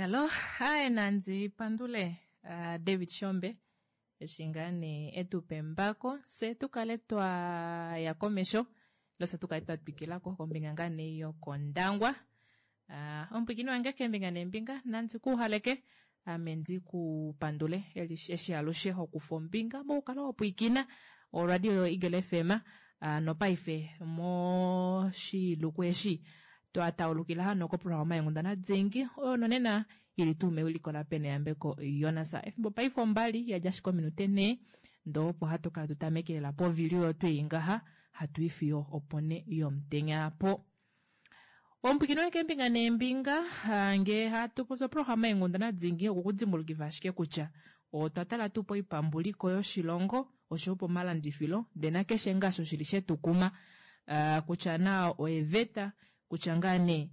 Yalo, haye nandi pandule uh, David Shombe eshi ngaa nee e tu pa embako fye tu kale twa ya komesho ile fye tu kale twa twikila ko kombinga ngaa nee yokOndangwa. Uh, omupwiikini wange keembinga neembinga nandi ku uhaleke ame ndi ku pandule eshi alushe ho kufa ombinga mokukala wa pwiikina oradio yoEagle FM uh, nopaife moshiluku eshi twa taulukila hano koprograma yenghundana dingi oyo nonena ili tuu mewiliko laPeneyambeko Jonas. Efimbo paife ombali ya dja ashike ominute nhee ndoo opo hatu kala tu tamekelela povili oyo twei ngaha hatu i fiyo oponhe yomutenya po. Omupwiikini wange keembinga neembinga ngee hatu popi oprograma yenghundana dingi okukudimbulukifa ashike kutya otwa tala tuu poipambuliko yoshilongo oshoyo pomalandifilo ndee nakeshe ngaa osho shili shetukuma kutya naa oeveta kutya ngaa nee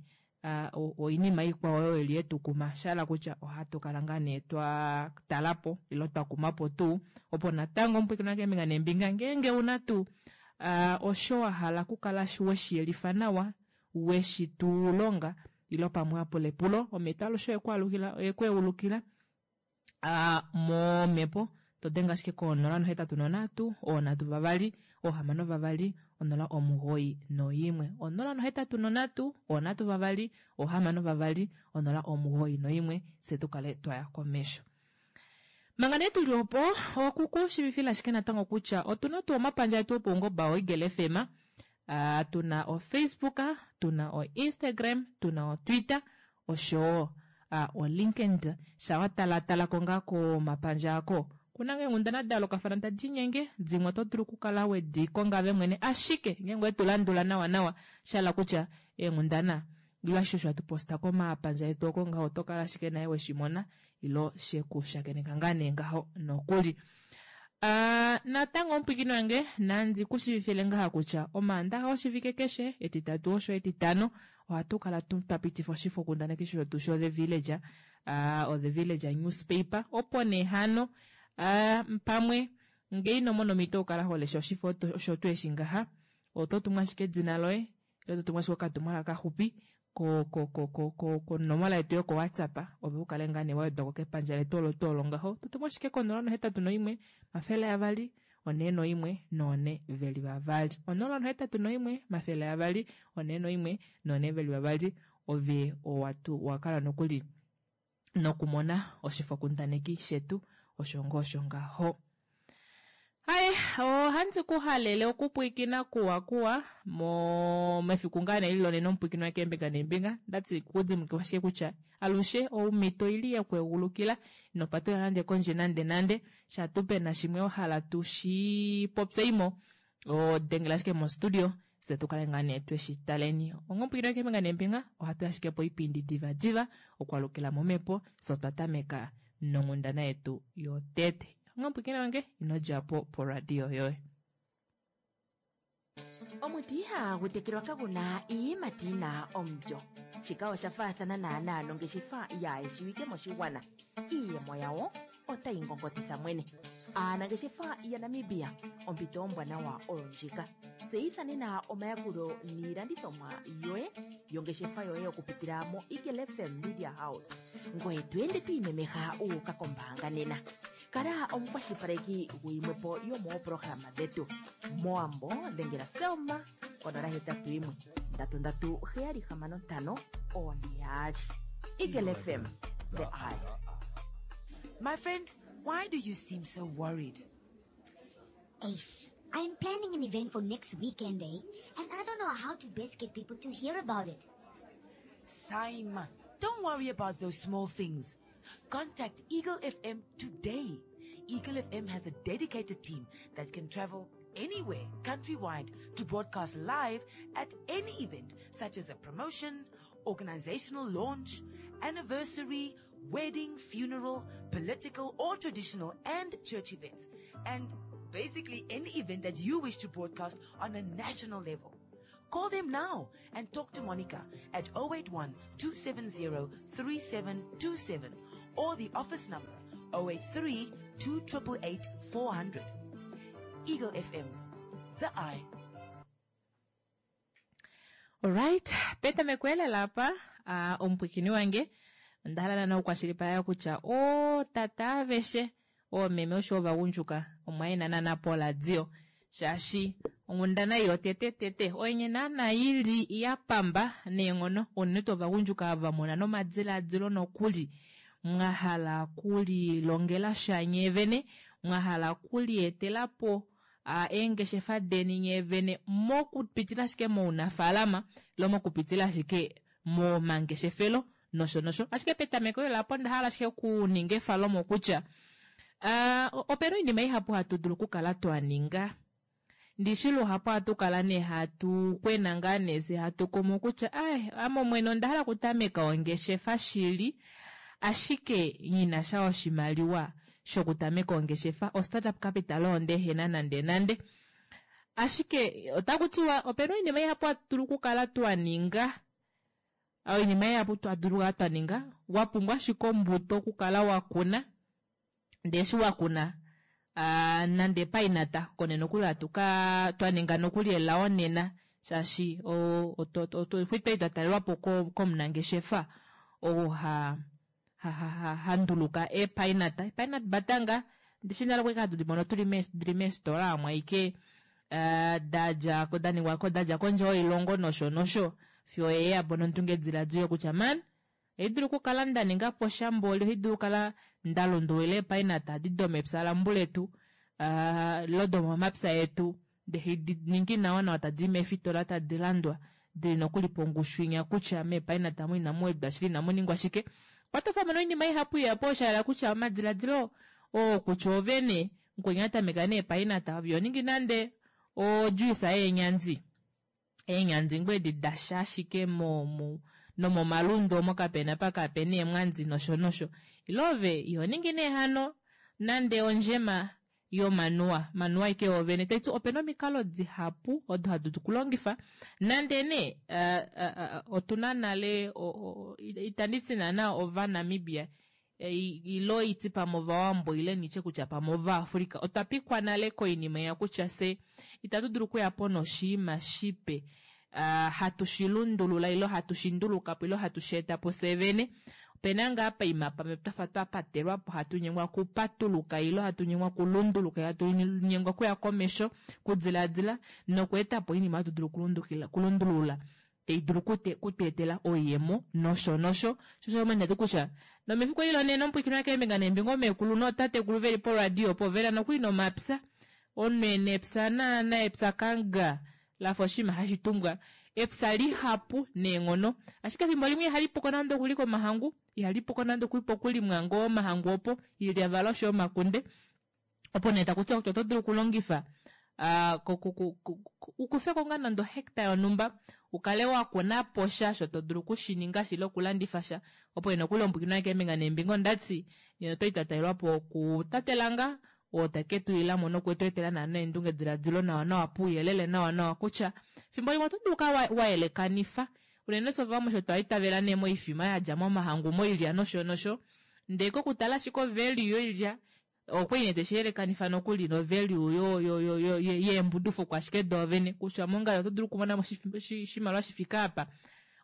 oinima ikwao oyo ili yetukuma sha hala kutya ohatu kala ngaa nee twa tala po ile twa kuma po tuu opo natango omupwiikini wange keembinga neembinga ngeenge una tuu osho wa hala okukala weshi yelifa nawa weshi tu longa ile pamwe wa pula epulo omhito alushe oyekweulukila a momhepo to denge ashike ko 083 3 6 0 91 083 3 6 091 fye tu kale twaya komesho. Manga nee tuli opo oku ku shivifila ashike natango kutya otuna tuu omapandja etu opaungoba oEagle FM, uh, tuna oFacebook, tuna oInstagram, tuna oTwitter oshowo uh, oLinkedIn. Sha wa talatala ko ngaa komapandja ako kuna ngaa eenghundana da yoolokafana tadi inyenge, dimwe oto dulu okukala wedi konga ove mwene, ashike ngeenge owetu landula nawa nawa sha hala kutya eenghundana ile ashishe osho hatu posta komapandja etu oko ngaho oto kala ashike naye weshi mona ilo she ku shakeneka ngaa nee ngaho nokuli. Uh, natango omupwiikini wange nandi ku shiivifile ngaha kutya Omaandaxa oshivike keshe, Etitatu osho Etitano, ohatu kala twa pitifa oshifokundaneki shetu sho-The Villager, uh, o-The Villager newspaper, opo nee hano uh, pamwe ngee ino mona omhito okukala ho lesha oshifo osho tuu eshi ngaha, oto tumu ashike edina loye ile to tumu ashike okatumwalaka kaxupi ko ko ko ko ko konomola yetu yoko WhatsApp ove u kale ngaa nee wa wedwa ko kepandja letu olo tuu olo ngaho. To tumu ashike ko 081 200 41 4 veli vavali. 081 200 41 4 veli vavali ove owa tu wa kala nokuli nokumona oshifokundaneki shetu osho ngoo osho ngaho. Haye, ohandi ku halele okupwiikina kuwa kuwa mo mefiku ngaa nee lilonena omupwiikini wange keembinga neembinga ndati kudimbulukiwa ashike kutya alushe omhito oili yekweegulukila ino patulula nande kondje nande nande sha tuu pena shimwe wa hala tu shi popyeimo odengela ashike mostudio fye tu kale ngaa nee tweshi taleni onga omupwiikini wange keembinga neembinga ohatu ashike poipindi diva diva okwalukila momhepo fye otwa tameka nonghundana yetu yotete onga omupwiikini wange ino dja po poradio yoye. Omuti ihaagu tekelwa kagu na iiyimati yi na omulyo. Shika osha faathana naanaa nongeshefa yaa shiwike moshigwana. Iiyemo yawo otayi ngongotitha mwene. Aanangeshefa yaNamibia, ompito ombwanawa oyo ndjika. Tseyitha nena omayakulo niilandithomwa yoye yongeshefa yoye okupitila moEagle FM Media House. Ngoye to ende to imemeha wu uka kombaanga nena. Kala omukwashilipaleki guyimwe po yomooprograma dhetu. Mowambo dhengela Selma konola hetatu yimwe ndatu ndatu heyali hamano ntano one yaali. Eagle FM, the eye. My friend, why do you seem so worried? Ace, I'm planning an event for next weekend, eh? And I don't know how to best get people to hear about it. Saima, don't worry about those small things. Contact Eagle FM today. Eagle FM has a dedicated team that can travel anywhere countrywide to broadcast live at any event, such as a promotion, organizational launch, anniversary, wedding, funeral, political or traditional and church events, and basically any event that you wish to broadcast on a national level. Call them now and talk to Monica at 081 270 3727 or the office number 083 288 400. Eagle FM, the eye. Alright, petameko elela apa, uh, omupwikini wange. Onda hala naana okukwashilipaleka kutya ootata aveshe, oomeme osho ovagundjuka omwa ena naana poradio shaashi onghundana ei yotete tete oyenye naana ili ya pamba neenghono unene tuu ovagundjuka ava muna nomadilaadilo nokuli mwa hala okulilongela sha nyee vene, mwa hala okulietela po eengeshefa deni nyee vene mokupitila ashike mounafaalama ile mokupitila ashike momangeshefelo nosho nosho. Ashike petameko lela opo onda hala ashike okuninga efalomo kutya opena oinima ihapu hatu dulu okukala twa ninga. Ndishi luhapu ohatu kala nee hatu kwena ngaa nee fye hatu kumu kutya ai ame omwene onda hala okutameka ongeshefa shili ashike nghina sha oshimaliwa shokutameka ongeshefa, o startup capital oyo ndehena nande nande. Ashike otaku tiwa opena oinima ihapu hatu dulu okukala twa ninga, oinima ihapu twa dulu okukala twa ninga, wa pumbwa ashike ombuto okukala wa kuna, ndee eshi wa kuna nande painata konene nokuli hatu ka twa ninga nokuli elao nena shaashi otwa twa talelwapo komunangeshefa oo ha ha nduluka eepainata. Eepainata batanga ndishi nale okwali hatu dimono tuli dili meefitola omo ashike dadja daningwa dadja kondje yoilongo nosho nosho fiyo yeya po nondungediladilo kutya man ohai dulu okukala nda ninga po sha mboli, ohai dulu okukala nda lundulula eepainata adi domepya lambuletu lo domomapya etu ndee hadi ningi nawa nawa tadi i meefitola tadi landwa dili nokuli pongushu inya kutya meepainata amu inamu wedwa shili inamu ningwa shike. Okwa tofwamo noinima ihapu ihapu osho sha hala kutya omadiladilo oo kutya oove nee mukweni a tameka neepainata ove iho ningi nande ojuice yeenyandi. Eenyandi ngoo edi dasha ashike nomomalundu omo kapena apa kapena eemwandi nosho nosho. Ile ove iho ningi nee hano nande ondjema yomanuwa, manuwa ashike woovene. Taiti opena omikalo dihapu odo hatu dulu okulongifa nande nee otuna nale itandi ti naana Ovanamibia ilo iti pamwe Ovawambo ile nitye kutya pamwe Ovaafrika otwa pikwa nale koinima ya kutya fye itatu dulu okuya po noshiima shipe hatu shi lundulula ile hatu shi nduluka po ile hatu shi eta po fye vene. Opena ngaa paima pamwe twafa twa patelwa po hatu nyengwa okupatuluka ile hatu nyengwa okulunduluka, hatu nyengwa okuya komesho, okudilaadila nokweeta po oinima hatu dulu okulundulula tai dulu kutu etela oiyemo nosho nosho. Sho osho omanya kutya nomefiku eli lonena omupwiikini wakeembinga neembinga omeekulu nootatekulu veli poradio opo vena nokuli nomapya. Omunhu ena epya naana epya kanga lafa oshinima hashi tumbwa epya lihapu neenghono, ashike efimbo limwe ihali puko nande okuli komahangu, ihali puko nande okuli pokulimwa ngoo omahangu opo iilyavala osho omakunde. Opo nee taku tiwa kutya oto dulu okulongifa u kufe ko ngaa nande ohecta yonhumba u kale wa kuna po sha osho to dulu okushininga shili okulandifa sha. Opo nee nokuli omupwiikini wange keembinga neembinga ondati nena otwali twa talelwa po kutate Langa oo take tu ilamo noku tu etela naana eendungediladilo nawa nawa pouyelele nawa nawa kutya fimbo limwe oto dulu okukala wa yelekanifa unene fye ovamwe osho twa itavela nee moifima yadja momahangu moilya nosho nosho ndee kokutala ashike ovalue yoilya okwali nee teshi yelekanifa nokuli no value yeembudufukwa ashike doovene kutya mongalo oto dulu okumona mo oshimaliwa shifike apa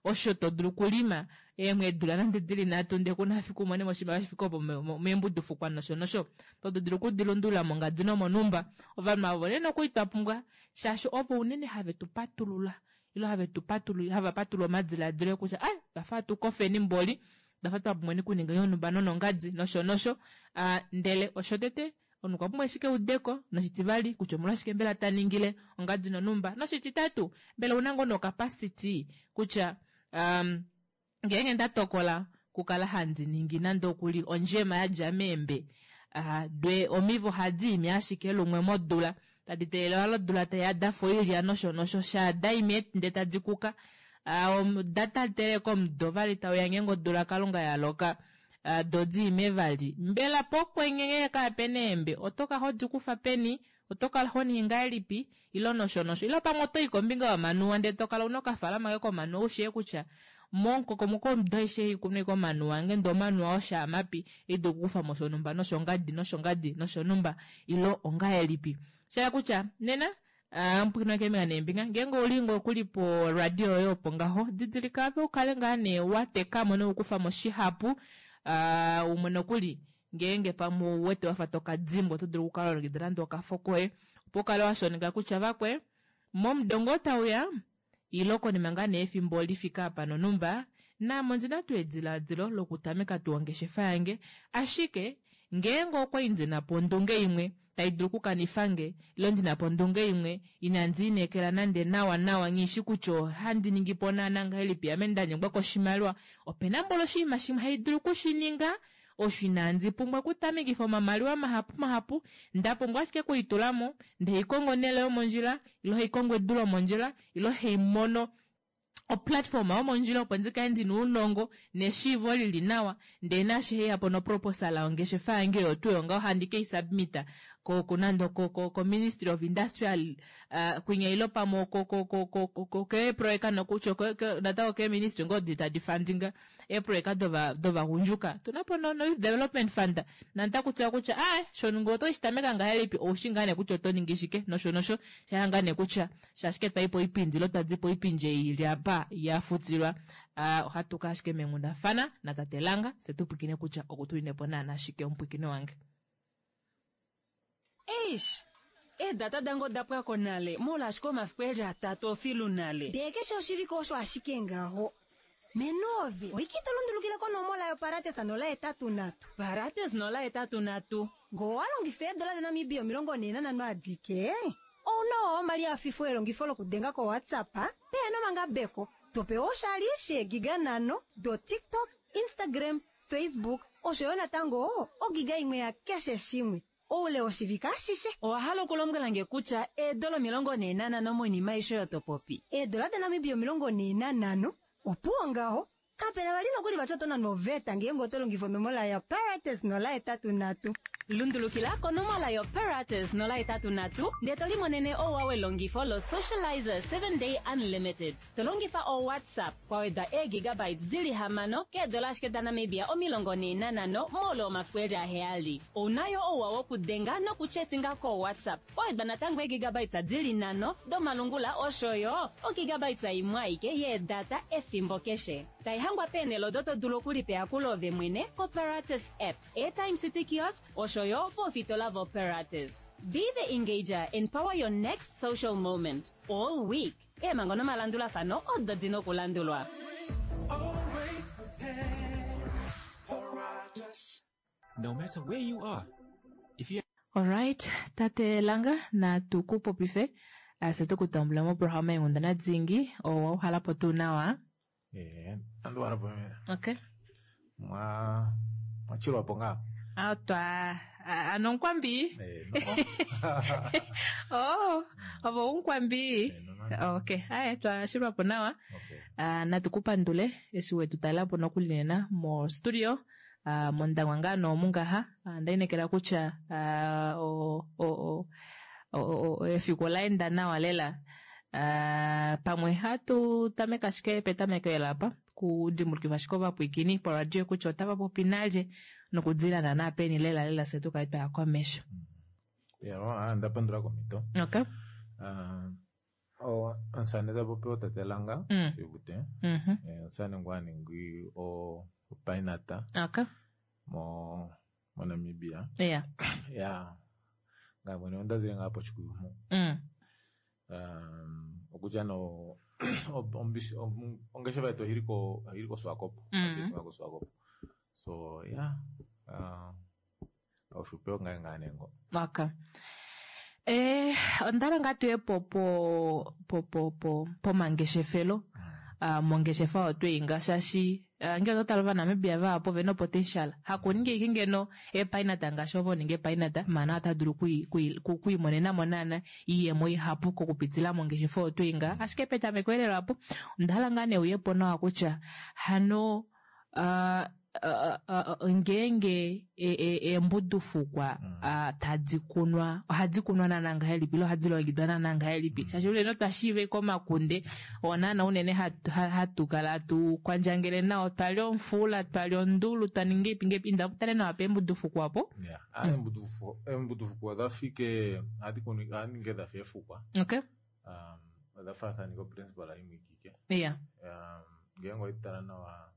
osho to dulu okulima eemwedula nande dili nhatu ndee kuna fiku umone mo oshimaliwa shifike opo meembudufukwa nosho nosho to dulu okudilundulula mongadi nomonhumba. Ovanhu avo nee nokuli twa pumbwa shaashi ovo unene have tu patulula ile have tu patulula hava patulula omadiladilo kutya ai twafa hatu kofeni mboli twafa twa pumbweni okuninga yonhumba nonongadi nosho nosho. Ndele oshotete omunhu okwa pumbwa ashike eudeko, noshitivali kutya omolwashike mbela ta ningile ongadi nonhumba, noshititatu mbela ouna ngoo nocapacity kutya ngeenge nda tokola okukala handi ningi nande okuli ondjema yadja meembe dwe omivo ohadi imi ashike lumwe modula tadi teelelwa lodula taiya dafa oilya nosho nosho shaa daimi ndee tadi kuka da tateleka komudo vali tauya ngeenge odula kalunga yaloka do diime vali. Mbela pokwenye ngenge kaapena eembe oto kala hodi kufa peni, oto kala ho ningi ngahelipi ile nosho nosho. Ile pamwe oto i kombinga yomanuwa ndee to kala una okafaalama koye komanuwa ushii kutya momukokomoko womudo aishe ei ikunwa ashike omanuwa ange ndee omanuwa oshaamapi ei dulu okukufa mo shonhumba noshongadi noshongadi noshonhumba ile ongahelipi. Shahala kutya nena. Omupwilikini wange keembinga neembinga, ngeenge ouli ngoo kuli po radio yoye opo ngaho, didilika ove ukale ngaa nee wa teka mo nokukufa mo shihapu. Umwe nokuli ngeenge pamwe ou wete wafa toka dimbwa, oto dulu okukala wa longekida nande okafo koye opo ukale wa shoneka kutya vakwe momudo ngoo tauya ilo konima ngaa nee efimbo li fike apa nonhumba, naame ondi na tuu edilaadilo lokutameka tuu ongeshefa yange. Ashike, ngeenge okwa i ndi na po ondunge imwe tai dulu okukanifa nge, ile ndi na po ondunge imwe inandi inekela nande nawanawa, nghi shi kutya ohandi ningi po naana ngahelipi, ame nda nyengwa koshimaliwa, ope na mboli oshinima shimwe hai dulu oku shi ninga osho inandi pumbwa okutamekifa omamaliwa mahapu mahapu, nda pumbwa ashike okulitula mo, ndee haikongo onhele yomondjila, ile haikongo edu lomondjila, ile haimono oplatform yomondjila opo ndi kale ndina ounongo neshiivo lili nawa, ndee naashi haiya po noproposal yongeshefa yange oyo tuu oyo ngaho handi kei submit ko ko nande ko ko ko Ministry of Industrial kwinya ile pamwe ko ko ko ko ko keeproyeka nokutya natango keeministry ngoo odi tadi fundinga eeproyeka dova dovagundjuka. Otuna po no Youth Development Fund nanda kutya kutya aaye shono ngee oto shi tameka ngahelipi oushi ngaa nee kutya oto ningi shike nosho nosho shaya ngaa nee kutya shaashi twayi poipindi ile twadi poipindi ei ili apa ya futilwa ohatu ka ashike meenghundafana natate Langa fye tu pwilikine kutya okutuline po naana shike omupwilikini wange. Eish! Eedata dange oda pwa ko nale, moule ashike omafiku e li atatu ofilu nale. Ndee keshe oshivike osho ashike ngaho. Menoove, oike ito lundulukile konomola yoParates 083. Parates 083. Ngee owa longifa eedola daNamibia 45 adike, ou na owa omali a fifwa elongifo lokudenga koWhatsApp pehe na omangabeko, to pewa oshali sheegiga nhano doTikTok, Instagram, Facebook osho yo natango ogiga imwe yakeshe shimwe oule woshivike ashishe. Owa hala okulombwela nge kutya eedola 45 moinima aishe oyo to popi? Eedola daNamibia 45, opuwo ngaho. Kape na vali nokuli vati oto nanwa oveta ngeenge oto longifa onomola yoParates 083. Lundulukila konomola yoParates 083 ndee to limonene ouwa welongifo loSocializer 7 Day Unlimited. To longifa oWhatsApp kwa wedwa eegigabytes di li hamano keedola ashike daNamibia 45 moule womafiku e li aheyali. Ou na yo ouwa wokudenga nokuchetinga koWhatsApp kwa wedwa natango eegigabytes di li nhano domalungula osho yo ogigabytes imwe aike yeedata efimbo keshe. Tai hangwa peenhele odo to dulu okulipa eyakulo ove mwene koParates app, Airtime City Kiosks osho yo poofitola voParates. Be the engager and power your next social moment all week. Eemhango nomalandulafano odo di na okulandulwa. No matter where you are, if you Alright, tate Langa, natu ku popife fye tu ku tambule moprograma yeenghundana dingi. Owa uhala po tuu nawa? Eh, andi uhala po. Okay. Mwa mwachilwa po ngaa. Ah, twa ano nkwambi. Eh, no. Oh, ovo unkwambi. Eh, no, no. Okay, aye twashilwa po nawa. Okay. Ah, natu ku pandule eshi wetu talela po nokuli nena mo studio. Ah, mondangwa ngaa noomungaha. Ah, nda inekela kutya ah, o, o, o, o, o, efiku ola enda nawa lela. Ah, pamwe hatu tameka ashike petameko ela apa kudimbulukifa ashike ovapwiikini poradio kutya otava popi nalye nokudila naana peni lela lela fye tukale twaya komesho. Yalo, ah, nda pandula komhito. Okay. Ah, o omusane ta popi otate Langa Shivute. Eh, omusane ngu a ningi o opainata Okay. mo moNamibia. Yeah. Ya. Ngaye mwene onda zile ngaa poshikuyumu. Um, okutya no ongeshefa yetu oili ko oili koSwakopo. Ombisi koSwakopo. So yeah. Paushupi ongaye ngaa nee ngo. Okay. Eh, onda hala ngaa tuye po po po po po pomangeshefelo. Mongeshefa oyo tweyi nga shaashi ngee oto tala Ovanamibia vahapu ovena opotential hakuninga ashike ngeno eepainata ngaashi ovo ninga eepainata maana ota dulu okwiimonena mo naana iiyemo ihapu kokupitila mongeshefa oyo tweyi nga ashike petameko elelo apo onda hala ngaa nee uye po nawa kutya hano. Ngeenge eembudufukwa tadi kunwa, ohadi kunwa naana ngahelipi ile ohadi longekidwa naana ngahelipi? Shaashi unene otwa shiiva komakunde oo naana unene hatu kala tu kwandjangele nao, twa li omufuula, twa li ondulu, twa ninga ipi ngepi, inda tale nawa peembudufukwa opo. Eembudufukwa odha fike ohadi kunu ohadi ningi dha fa eefukwa. Okay. Odha faathaneka oprinciple imwe ikike. Ngeenge owedi tala nawa,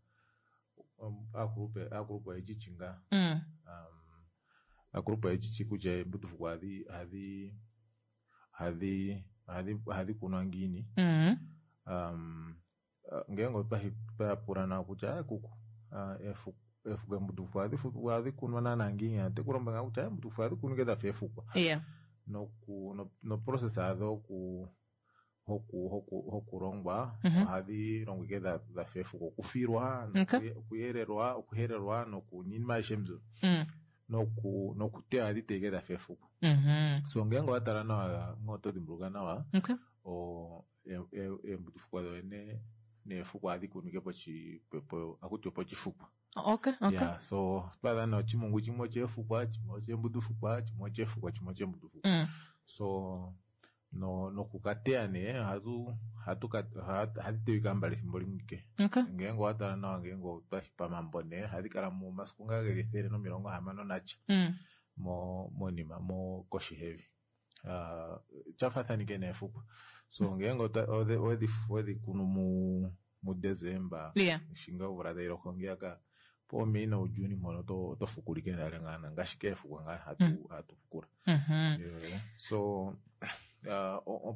aakulupe aakulupe oyechichi ngaa. Aakulupe oyechichi kutya eembudufukwa ohadhi ohadhi ohadhi ohadhi ohadhi kunwa ngiini. Ngeenge otwa pula nawa kutya kuku, eefukwa eembudufukwa ohadhi kunwa naana ngiini, oteku lombwele ngaa kutya eembudufukwa ohadhi kunwa ike dhafa eefukwa. Noku noprocess yadho oku hokulongwa ohadhi longwa ike dhafa eefukwa, okufilwa, okuyelelwa, okuhelelwa nokunima aishe mbyo. Nokuteya ohadhi teya ike dhafa eefukwa. So ngeenge owa tala nawa, ngee oto dhimbuluka nawa, eembudufukwa dhoyene neefukwa ohadhi kunwa ike ohakutiwa pochifukwa. Okay, okay. Yeah, so otwaadha nee ochimungu chimwe ocheefukwa, chimwe ocheembudufukwa, chimwe ocheefukwa, chimwe ocheembudufukwa. So nokukateya nee ohadhi teywa mbali ethimbo limwe ike. Ngeenge owa tala nawa, ngeenge otwashi pamambo nee, ohadhi kala momasiku ngaa geli 160 natya monima koshi yevi. Tyafaathanike neefukwa. So ngeenge owedhi kunu muDesemba, eshi ngaa omvula tayi loko ngeyaka, poMei noJuni mpono oto fukula ike nale ngaa ngaashi keefukwa ngaa hatu fukula. So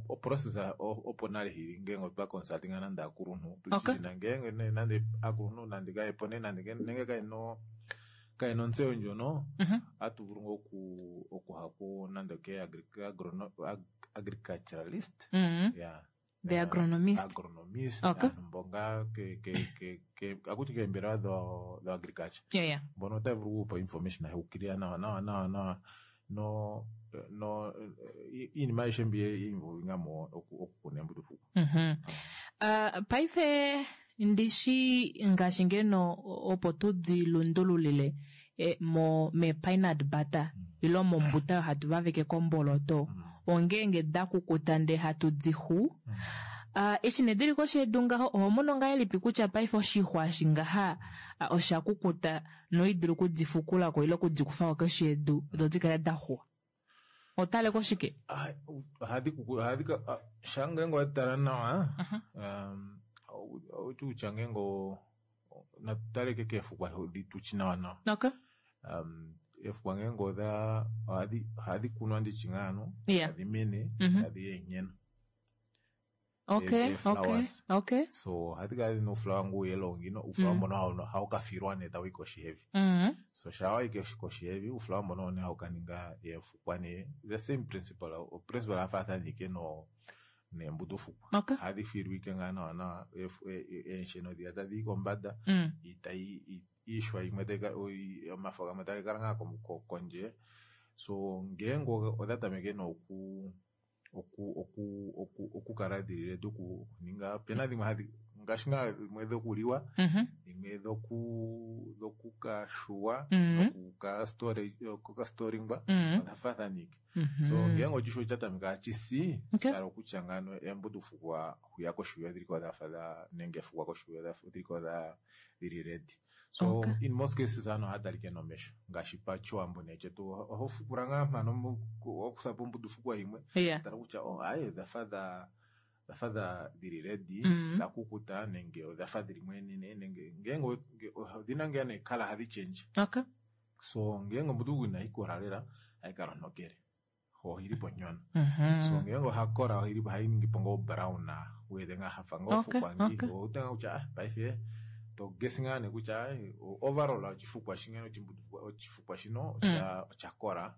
oprocess opo nale hili ngeenge otwa consultinga nande aakuluntu, tushishina ngeenge nande aakuluntu nande kayepo nande nenge kayena ontseyo ndjono, ohatu vulu ngaa okuha nande ke agriculturalist. Yeah. The agronomist. Agronomist. Aantu mboka akuti keembelewa dho agriculture. Mbono otaya vulu okupa information ya ukilila nawa nawa nawa nawa no no iinima ayihe mbi involvinga mo okukuna embudufukwa. Paife ndishi ngaashi ngeno opo tudi lundululile mo me peanut butter ilo mombuta oyo hatu vaveke komboloto, ongeenge da kukuta ndee hatu di xu. Eshi nee dili koshi yedu ngaho, oho mono ngahelipi kutya paife oshixwa eshi ngaha osha kukuta noidulu okudi fukulako ile okudi kufako koshi yedu do di kale da xuwa? Otale koshike? Ohadi kuku, ohadi ka, sha ngeenge owa tala nawa, outi kutya ngeenge natu tale keefukwa di tuchi nawa nawa. Okay. Eefukwa ngeenge odha ohadhi kunwa ndichi ngaano, tadhi mene, tadhi eenyeno. Okay, okay, okay. So ohadhi kala dhina uuflower ngu yellow ngino, uuflower mbono hawu ka filwa nee tawu yi koshi yevi. So sha wayi koshi yevi, uuflower mbono nee hawu ka ninga eefukwa nee, the same principle, principle yafaathanike no neembudufukwa. Ohadhi filwa ike ngaa nawa nawa, eensheno dhiya tadhi yi kombada, itayi iishwa yimwe omafo gamwe taga kala ngaa kondje. So ngeenge odha tameke nee okukala dhili ready okuninga, opena dhimwe hadhi ngaashi ngaa dhimwe dhokuliwa, dhimwe dhokukashuwa, dhokukastolingwa, odha faathanike. So ngeenge oshishwa osha tameka hashi si, sha hala okutya ngaano eembudufukwa hwiya koshi odhiliko dhafa dha nenge efukwa koshi odhiliko dhili ready. So in most cases aantu ohaya talike nomesho ngaashi pachiwambo nee chetu oho fukula ngaa mpano wakuthapo ombudufukwa yimwe, tala kutya oh aye odhafa dhafa dhili ready, dha kukuta nenge odhafa dhili mwenene nenge ngeenge odhina ngaa nee kala hadhi change. So ngeenge ombudufukwa inayi kola lela ohayi kala ontokele, ohili po nyono. So ngeenge ohakola ohayi ningi po ngoo brown, wete ngaa hafa ngoo fukwa ngi, owete ngaa kutya paife to guess ngaa nee kutya overall oshifukwa shingeno oshifukwa shino osha kola.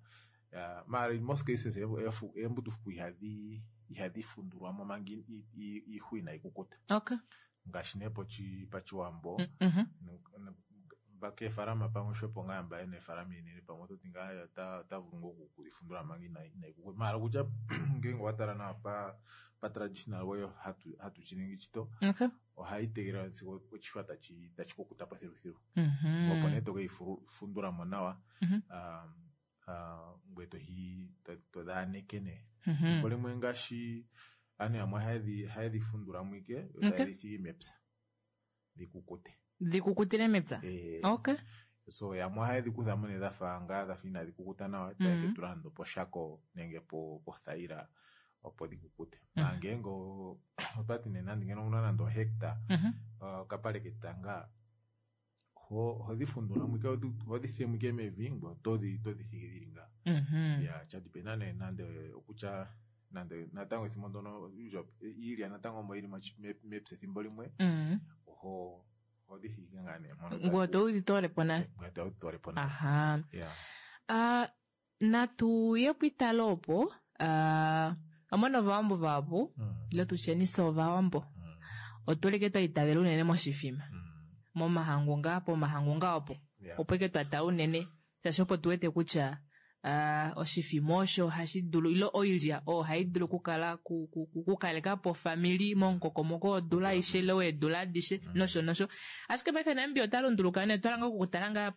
Maar in most cases eembudufukwa ihadhi fundulwa mo manga iixwa inayi kukuta. Ngaashi nee pachiwambo. Keefalama pamwe xwepo ngaa mba yena eefalama inene pamwe ototi ngaa ota vulu ngoo okudifundula manga inai kukuta. Maala okutya ngeenge owatala nawa pa traditional way hatu shiningi shito ohai tegelelwa sigo oshixwa tashi kukutapo thilu thilu. Opo nee tokeifundulamo nawa ngweye todhaaneke nee. Efimbo limwe ngaashi aanhu yamwe ohaye dhifundulamo ike yo taye dhi thigi mepya dhikukute. Dhikukutile mepya? Okay. So yamwe ohaye dhi kuthamo nee dhafa ngaa dhafa inadhi kukuta nawa taye ke tula nando poshako nenge pothaila opo dhikukute. Maa ngeenge otwati nee nande ngeno owuna nande ohecta okapale ketanga ohodhi fundulamo ike ohodhi fiyemo ike mevi ngweye otodhi thigi dhili ngaa. Ya shadipenda nee nande okutya nande natango ethimbo ndono iilya natango omo ili mepya ethimbo limwe ohodhi thigi ngaa nee mpono. Ngweye otodhi toolepo nale. Ngweye todhi toolepo nale. Aha. Natu ye pwiitalo opo omona ovawambo vahapu ile tutyeni fye ovawambo otulike twa itavela unene moshifima momahangu ngaa pomahangu ngaa opo opo ike twa tala unene shaashi opo tuwete kutya oshifima osho hashi dulu ile oilya oyo hai dulu okukala okukalekapo ofamili momukokomoko wodula aishe ile weedula adishe nosho nosho. Ashike paife Namibia ota lunduluka nee otwa langa okutala ngaa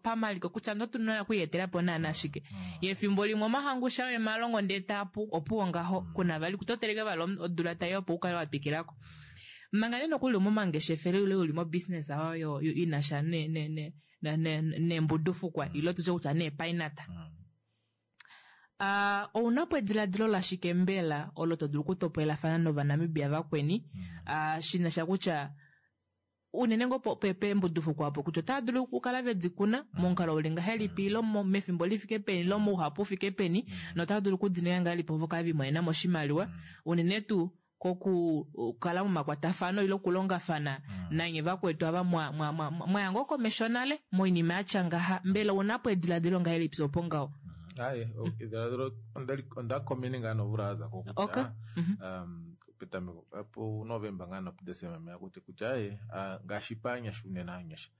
pamaliko kutya notu na okwiiyetela po naana shike. Ye efimbo limwe omahangu sha emalongo ndee taapu opuwo ngaho kuna vali kutoteleke vali odula tai opo ukale wa twikilako. Manga nee nokuli momangeshefelo ile uli mo business oyo inasha neembudufukwa ile tutye kutya neepainata. Ounapo ediladilo lashike mbela olo to dulu okutopolelafana novanamibia vakweni shinasha kutya unene ngoo peembudufukwa opo kutya otava dulu okukala vedikuna momukalo uli ngahelipi ile mefimbo lifike peni ile mouhapu ufike peni notava dulu okudininga ngahelipi opo kave limonenamo oshimaliwa unene tuu kokukala momakwatafano ile okulongafana nanye vakwetu ava mwaya ngoo komesho nale moinima yatya ngaha mbela ounapo ediladilo ngahelipi opo ngaho? Aye, ediladilo onda komene ngaa nomvula yaza ko kutya petameko pu November ngaa nopuDesemba meya kutya kutya aye ngaashi paanyasha unene aanyasha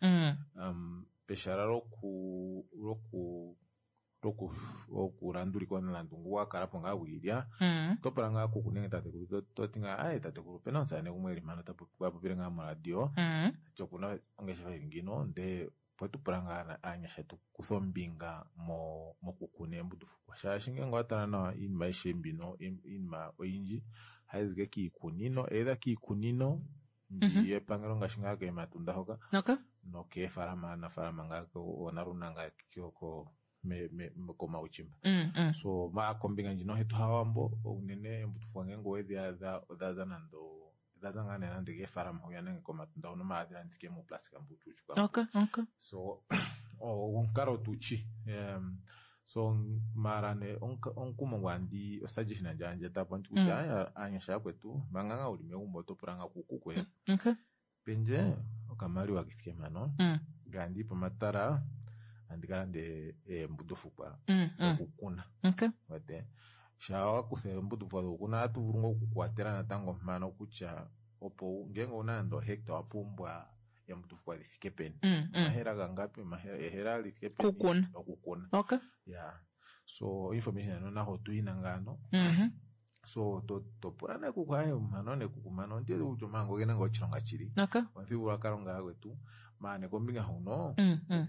peshala loku loku okulandulika omulandu ngu wakalapo ngaa gwiilya oto pula ngaa kuku nenge tatekulu toti ngaa aye tatekulu opena omusamane gumwe eli mpano tapopile ngaa moradio tati okuna ongeshefa ili ngino ndee opo tupula ngaa aanyasha tukuthe ombinga mokukuna eembudufukwa shaashi ngenge owatala nawa iinima aishe mbino iinima oyindji ohayizi ike kiikunino either kiikunino mbi yepangelo ngaashi ngaa keematunda hoka nokeefalama aanafalama ngaa oonaluna ngaa komauchimba. So kombinga ndjino hetu hawambo unene eembudufukwa ngenge owedhi adha odhaza nando odhaza ngaa nee nande keefalama hwiya nenge komatunda hono maala hadhi muuplastika mbu uushushuka. So omukalo tuchi so maala nee omukumo ngu andi osuggestion yandje etapo ndi kutya aanyasha yakwetu manga ngaa uli megumbo oto pula ngaa kuku kwe pendje okamaliwa kethike mpano ngaye andiyi pomatala andi kalande eembudufukwa dokukuna. Wete shaa wakutha eembudufukwa dokukuna ohatu vulu ngoo okukuwatela natango mpano kutya opo ngenge owuna nande ohecta owapumbwa eembudufukwa dhithike peni omahela gangapi ehela lithike peni okukuna. Ya so information eno naho otuyina ngaano. So topula nee kuku aye mpano nekuku mpano ondiwete kutya omahangu ogena ngaa oshilonga shili omuthigululwakalo ngaa gwetu maala nee kombinga huno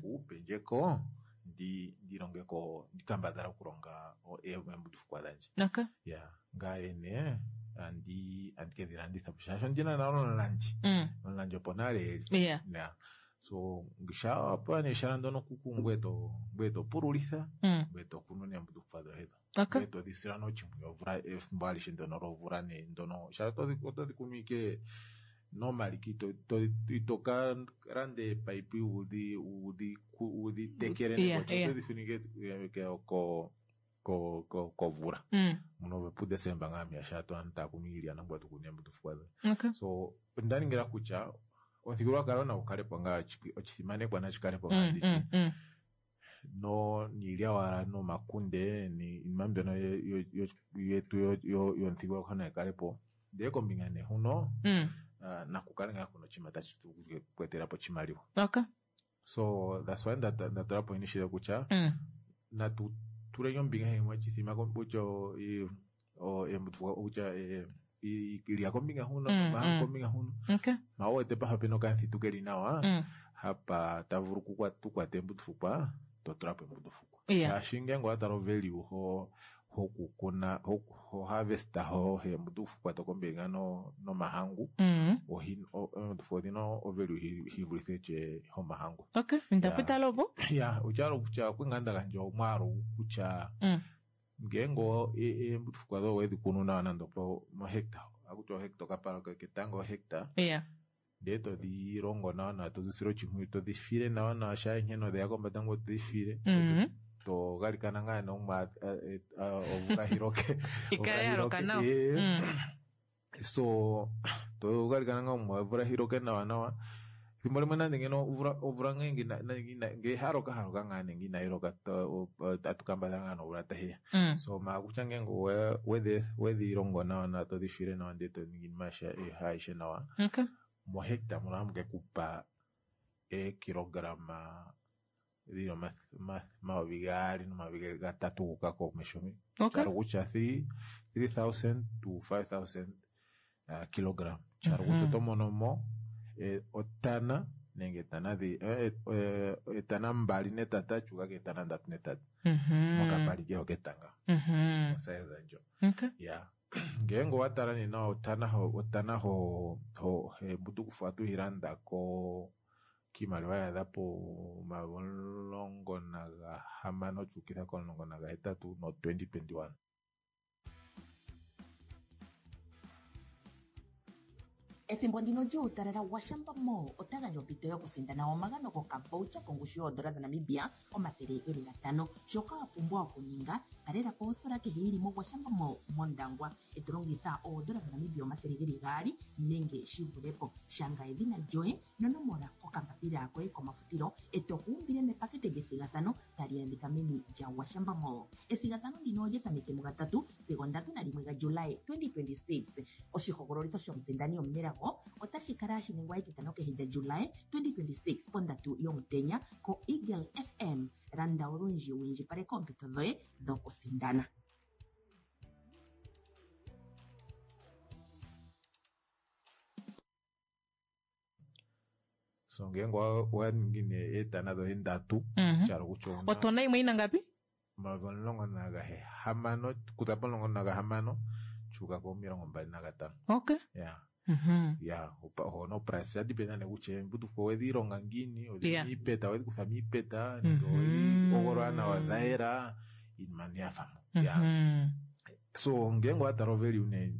kuku pendjeko ndilongeko ndikambadhale okulonga eembudufukwa dhandje. Ya ngaye nee andi kedhi landitha po shaashi ondina nale omulandi. Omulandi opo nale eli. Ya so shaa wapewa nee ehala ndono kuku ngweye topululitha ngweye tokunu neembudufukwa dhoye dho. Ngweye todhi sila nee oshimpwiyu omvula efimbo alishe ndono lomvula nee ndono shaashi otodhi kunu ike normally ito ka landa eepipe wudhi tekele otodhi funu ike komvula muno puDesemba ngaa mwiya shaa aantu taya kunu iilya nangweye to kunu eembudufukwa dhoye. So onda ningila kutya omuthigululwakalo nagu kalepo ngaa oshisimanekwa nashi kalepo ngaa nditye no niilya wala nomakunde niinima mbyono yetu yomuthigululwakalo nayi kalepo ndee kombinga nee huno nakukale ngaa kuna oshinima tashi vulu oku etelapo oshimaliwa. So that's why ndatula po initiative kutya natu tuleni ombinga imwe chithima kutya eembutufukwa kutya ilya kombinga huno, mahangu kombinga huno. Okay. Ma uwete pafa pena okamuthitu keli nawa, hapa tavulu tukwata eembutufukwa, totulapo eembutufukwa. Yeah. Shaashi ngeenge owatala ovalue ho hokukuna ho harvesta ho eembutufukwa tokombinga nomahangu, eembutufukwa odhina ovalue hivulithe tye homahangu. Okay, ndapitala opo. Ya, otyalo kutya okwinga ndagandja omwaalu kutya ngeenge eembutufukwa dhoye owedhi kunu nawa nande opo mohecta, akutya ohecta okapala ketango ohecta. Yeah. Ndee todhi longo nawa nawa, todhi sile oshimpwiyu, todhi file nawa nawa, shaa nkene odheya kombanda ngoye todhi file. To galikana ngaa nee omwa omvula hiloke. Ikale ya loka nawa. So to galikana ngaa omwa omvula hiloke nawa nawa. Ethimbo limwe nande ngeno omvula ngeenge ngee haloka haloka ngaa nenge inayi loka tatu kambadhala ngaa nomvula tayiya. So maa kutya ngeenge wedhi longo nawa nawa todhi file nawa ndee to ningi iinima ayihe nawa. Okay. Mohecta muno ohamu ke kupa eekilograma dhili 2000 no3,000 guuka komesho. Okay. Kyalo kutya 3,000 to 5,000 kilogram. Kyalo kutya oto mono mo otana nenge etana dhi etana 2 netata kyuuka ketana 3 netata. Mokapali keho ketanga. Osize ndjo. Okay. Yeah. Ngeenge owatala nee nawa otana ho embutukufu ohatu yi landa ko kiimaliwa yaadha po 16 kyuukitha ko 18 no 2021. Ethimbo ndino lyuutalala Gwashamba Mall ota gandja ompito yokusindana omagano gokavoucher kongushu yoodola dhaNamibia 500. Shoka wa pumbwa okuninga, talela po ositola kehe yili moGwashamba Mall mOndangwa e to longitha oodola dhaNamibia 200 nenge shi vule po. Shanga edhina lyoye nonomola kokambapila koye komafutilo e to kuumbile mepakete lyethigathano tali adhika meni lyaGwashamba Mall. Ethigathano ndino olya tameke mugatatu sigo 31 gaJulayi 2026. Oshihogololitho shomusindani omunelago otashi kala hashi ningwa etitano kehe lyaJulayi 2026 pondatu yomutenya koEagle FM. Landa olundji wu indjipaleke oompito dhoye dhokusindana. So ngeenge owa ningi nee eetana dhoye 3, kyalo kutya owuna Otona imwe ina ngapi? 16 kuza po 16 kyuuka ko 25. Okay. Yeah. Yeah, hono price ya dependa nee kutya eembutufu owedhi longa ngiini, odhili miipeta, owedhi kutha miipeta, nenge owedhi hogolola nawa dha yela, iinima nee yafa mo. Yeah. So ngeenge owatala ovalue nee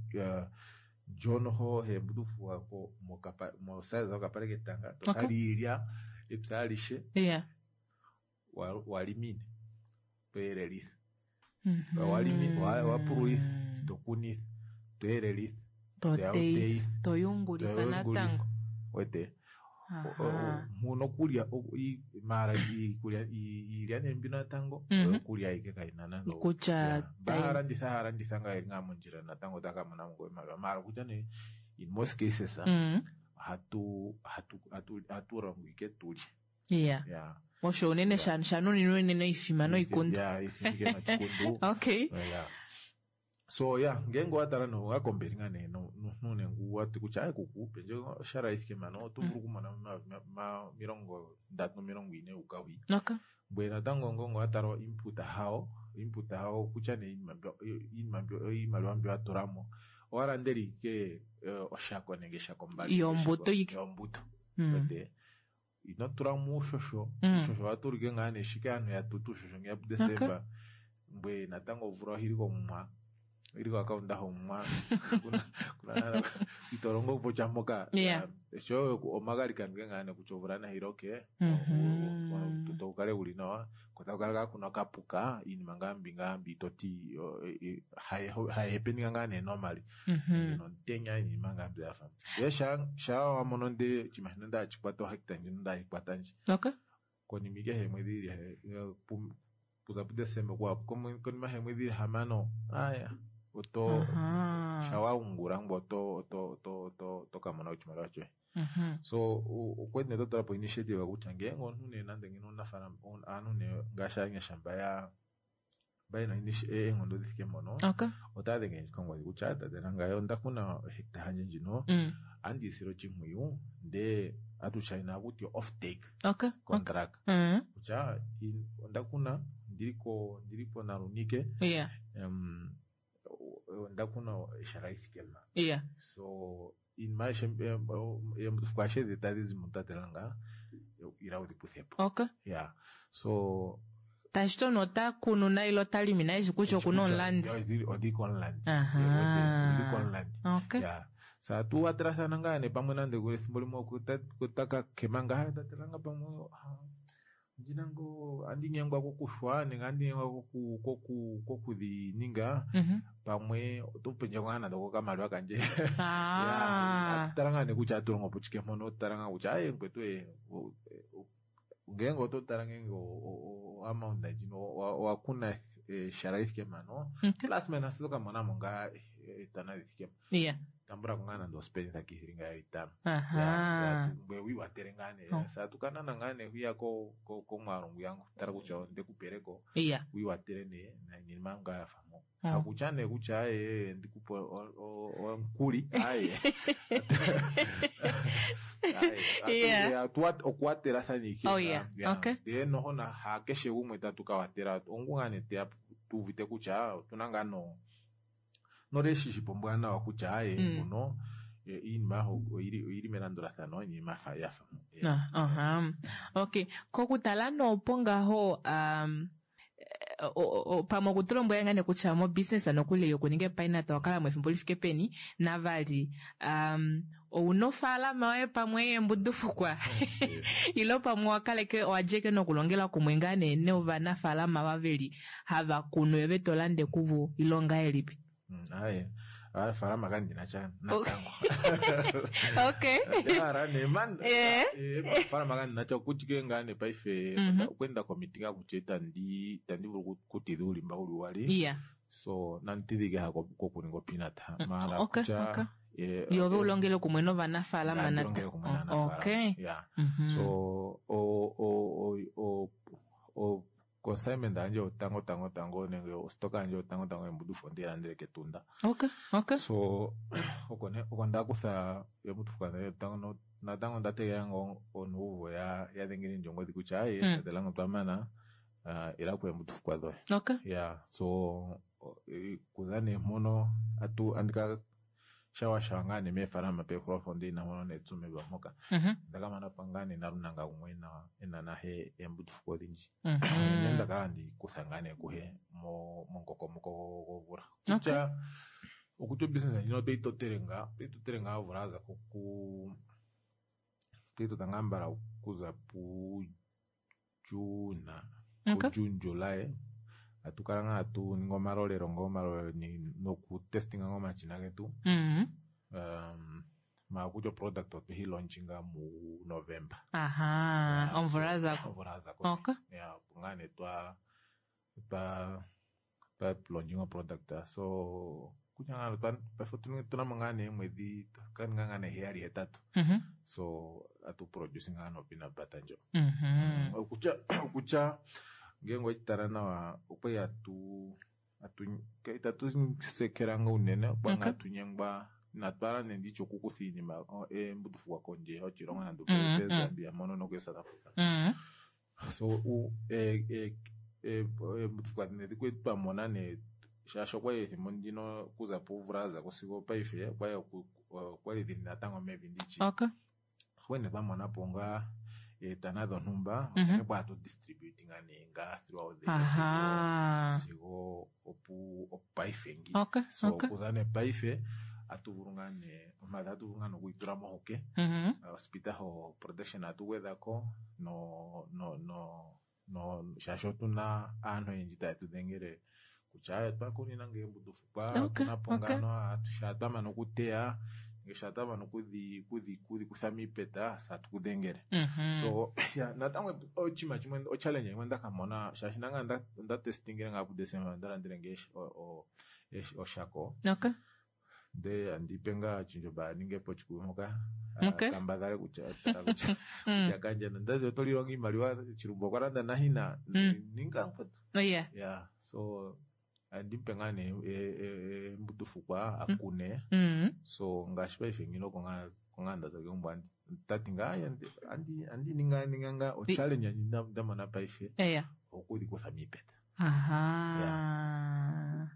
ndjono ho eembutufu mosize yokapale ketanga, tokali ilya epya alishe, walimine, toyelelitha. Wapululitha, tokunitha, toyelelitha, Totei, toyungulitha natango. Wete. Muno kulya mara iikulya iilya nee mbino natango oyokulya ayike kayina nande Kutya bahalanditha halanditha ngaa eli ngaa mondjila natango otaka mona mo iimaliwa. Mara kutya nee in most cases hatu longo ike tulye. Yeah. Yeah. Osho unene shanuninwa unene oifima noikundu. Yeah, ifima ike nochikundu. Okay. Yeah. So yeah, ngeenge owatala no owakombeli ngaa nee nunengu wati kutya aye kuku pendje oshara ithike mano oto vulu okumona 30 40 uka hwi. Okay. Mbwe natango ngongo owatala input hawo, input hawo kutya nee iimaliwa mbyo watulamo owalandela ike oshako nenge eshako mbali. Yombuto ike. Yombuto. Wete ino tulamo uushosho, uushosho owatulike ngaa nee shike aantu yatutu uushosho ngeya puDesemba. Mbwe natango omvula ohili komumwa. Ili kwa kaunda homwa kuna itorongo pocha mpoka. Sho omagalikano ge ngaa nee kutya omvula nayi loke, tukale wuli nawa, ko taku kala kuna okapuka, iinima ngaa mbi ngaa mbi toti hayi happeninga ngaa nee normally. Nomutenya iinima ngaa mbi yafa. Ndele shaa wamono nde oshinima shino ndachikwata ohecta ndjino ndayikwata ndji. Okay. Konima ike heemwedhi dhili kuza puDesemba konima heemwedhi 6 aya oto Shawa ungula ngwe oto oto oto oto oto ka mona oshimaliwa shoye. So okwali nee twa tula po initiative kutya ngeenge omunhu nee nande ngeno omunafaalama aanhu nee ngaashi aanyasha mba ya mba yena eenghono di fike mpono otava denge ndje kongodhi kutya tate nangaye onda kuna ohecta yandje ndjino ohandi yi sile oshimpwiyu ndee atu shaina hakuti off take contract kutya onda kuna ndili ko ndili poNalunike onda kuna ehala li thike mpa. So iinima ayihe eembutufuko ashihe dhi tadhi zi mutate langa ila udhi kuthepo. Yeah. So Tashi ti omunhu ota kunu na ile ota limi naye eshi kutya okuna omulandi. Odili komulandi. Odili komulandi. Yeah. Sa tu watelathana ngaa nee pamwe nande ethimbo limwe otaka kema ngaa tate langa pamwe ondina ngoo andi nyengwa kokuxwa nenge andi nyengwa koku koku kokudhi ninga pamwe oto pendje ngaa nande okokamaliwa kandje. Yeah, tala ngaa nee kutya atu longo po chike mpono, tala ngaa kutya aye mukwetu ngeenge oto tala ngeenge amount ndjino owa kuna ehala li thike mpano plus minus oto ka mona mo ngaa etana li thike mpa. Tambula ko ngaa nande ospenitha kiithilinga ya itano. Ngweye wi watele ngaa nee. Sa tu ka nana ngaa nee hwiya komwaalu ngwiya tala kutya onde ku peleko. Wi watele nee niinima ngaa ya fa mo. Hakutya nee kutya aye ndikupe omukuli aye. Okuwatelathana ike. Ndele noho hakeshe gumwe tatu ka watela ongu ngaa nee teya tu uvite kutya otuna ngaa no norelationship ombwanawa kutya aye nguno iinima oyili melandulathano iinima yafa Okay. Kokutala noopo ngaho pamwe okutulombwela ngaa nee kutya mo business nokuli yokuninga epainata owa kala mo efimbo li fike peni navali ouna ofaalama yoye pamwe yeembudufukwa ile pamwe owa kaleke owa djeke nokulongela kumwe ngaa nee novanafaalama ava veli hava kunu yo ve tolande kuvo ile ongahelipi? Aye, ofaalama kandina sha natango. Okay. Ndahala nee man. Ofaalama kandina sha okutya ngaa nee paife okwenda komiti ngaa kutya itandi itandi vulu okutidha uulimba wuli wali. So nandi tidhike ha kokuninga opeanut. Maala kutya Yo ove ulongele kumwe novanafaalama nandi longele kumwe naanafaalama. Yeah. So o o o o consignment yandje yotango tango tango nenge ostoka yandje yotango tango yembudufo ondeyi landele kEtunda. So oko ne oko nda kutha embudufo yotango natango onda tegelela ngoo onuuvo ya dhengele ndje ongodhi kutya aye tate Lango otwa mana ila ku embudufukwa dhoye. Yeah, so kuza nee mpono atu andika shawa shawa ngaa nee meefalama pehulofo ndina mpono neetsumilwa mpoka. Onda ka mana po ngaa nee nalunanga gumwe ena nahe eembutufuko odhindji. Ne nda kala handi kutha ngaa nee kuhe momukokomoko gomvula. Kutya okutya obusiness ndjino otoyi totele ngaa otoyi totele ngaa omvula yaza koku otoyi tota ngaa mbala okuza puJune puJune July atu kala ngaa atu ningi omalolelo ngoo omalolelo noku testinga ngaa omashina getu. Maa kutya oproduct otweyi launchinga mu November. Aha, omvula ya zako. Omvula ya zako. Yeah, opo ngaa nee twa twa twa launchinga oproduct so kutya ngaa paife otuna mo ngaa nee omwedhi ka ninga ngaa nee heyali hetatu. So atu produce ngaa no peanut butter ndjo. Okutya okutya ngeenge oweshi tala nawa okwali atu atu itatu sekela nga unene okwa ngaa tunyengwa inatu hala nee nditye okukutha iinima eembudufukwa kondje yoshilongo nande Zambia mono noku South Africa. So eembudufukwa dhimwe kwali twa mona nee shaashi okwali ethimbo ndino okuza pomvula yazako sigo opaife okwali okwali dhili natango mevi nditye. Okwali nee twa mona po ngaa eetana dhontumba unene kwa hatu distribute ngaa nee ngaa throughout the year sigo opu opaife ngi. So okuza nee paife atu vulu ngaa nee omadhi atu vulu ngaa nokuyitula mohuke. Ospita ho production atu gwedhako no no no no shaashi otuna aantu oyendji taye tu dhengele kutya aye otwa kunina ngee embudufukwa otuna po ngano shaa twa mana okuteya nenge shaa twa mana okudhi kudhi kudhi kutha miipeta saa tukudhengele. So yeah, natango oshinima shimwe ochallenge yimwe ndaka mona shaashi nanga onda testingile ngaa puDecember onda landele ngee oshako. Nde andipe ngaa Tjindjoba a ninge po chikuyu mpoka. Okay. Kambadhale kutya tala kutya kutya kandja nondazi oto lilonga iimaliwa Chilumbu okwa landa nahina ninga mkwetu. Oh, yeah. Yeah, so andimupe ngaa nee embutufukwa akune. So ngaashi paife ngino konga ndaza kegumbo tati ngaa andi andi ninga ninga ngaa o challenge nda mona paife Yeah. okudhikutha miipeta. Aha.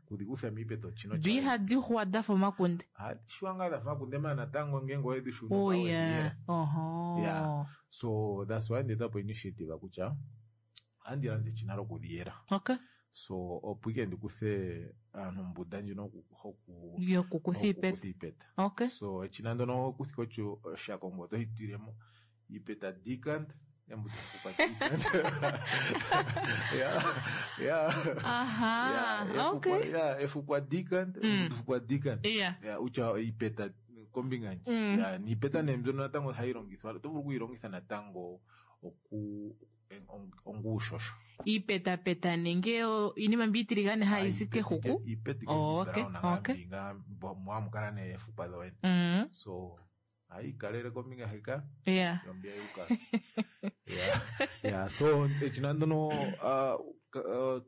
Okudhikutha miipeta ochino Do ihadi xuwa dafa omakunde? Shuwa ngaa dhafa omakunde maana natango ngenge owedhi shuna Oh nga yeah. wedhiyela. Oho. Yeah. So that's why ndetapo initiative kutya andi lande echina lokudhiyela. Okay. So opo ike ndikuthe aantu mbunda ndjino hoku Yokukutha iipeta. iipeta. Okay. So echina ndono okuthika otyo oshakongo oto hitilemo iipeta decant embutufukwa decant. Yeah. Yeah. Aha. Yeah, Okay. efukwa, yeah, efukwa decant, embutufukwa decant. Yeah. Yeah, utya iipeta kombinga ndji. Yeah, niipeta nee mbyono natango hayi longithwa, oto vulu okuyilongitha natango oku onguushosho. Iipetapeta nenge iinima mbi iitiligane hayi zi kehuku. Iipeta Oh, okay, okay. mwamu kala nee efukwa dhoene. So hayi kalele kombinga heka Yeah. yombia yuka. Yeah. Yeah, so echina ndono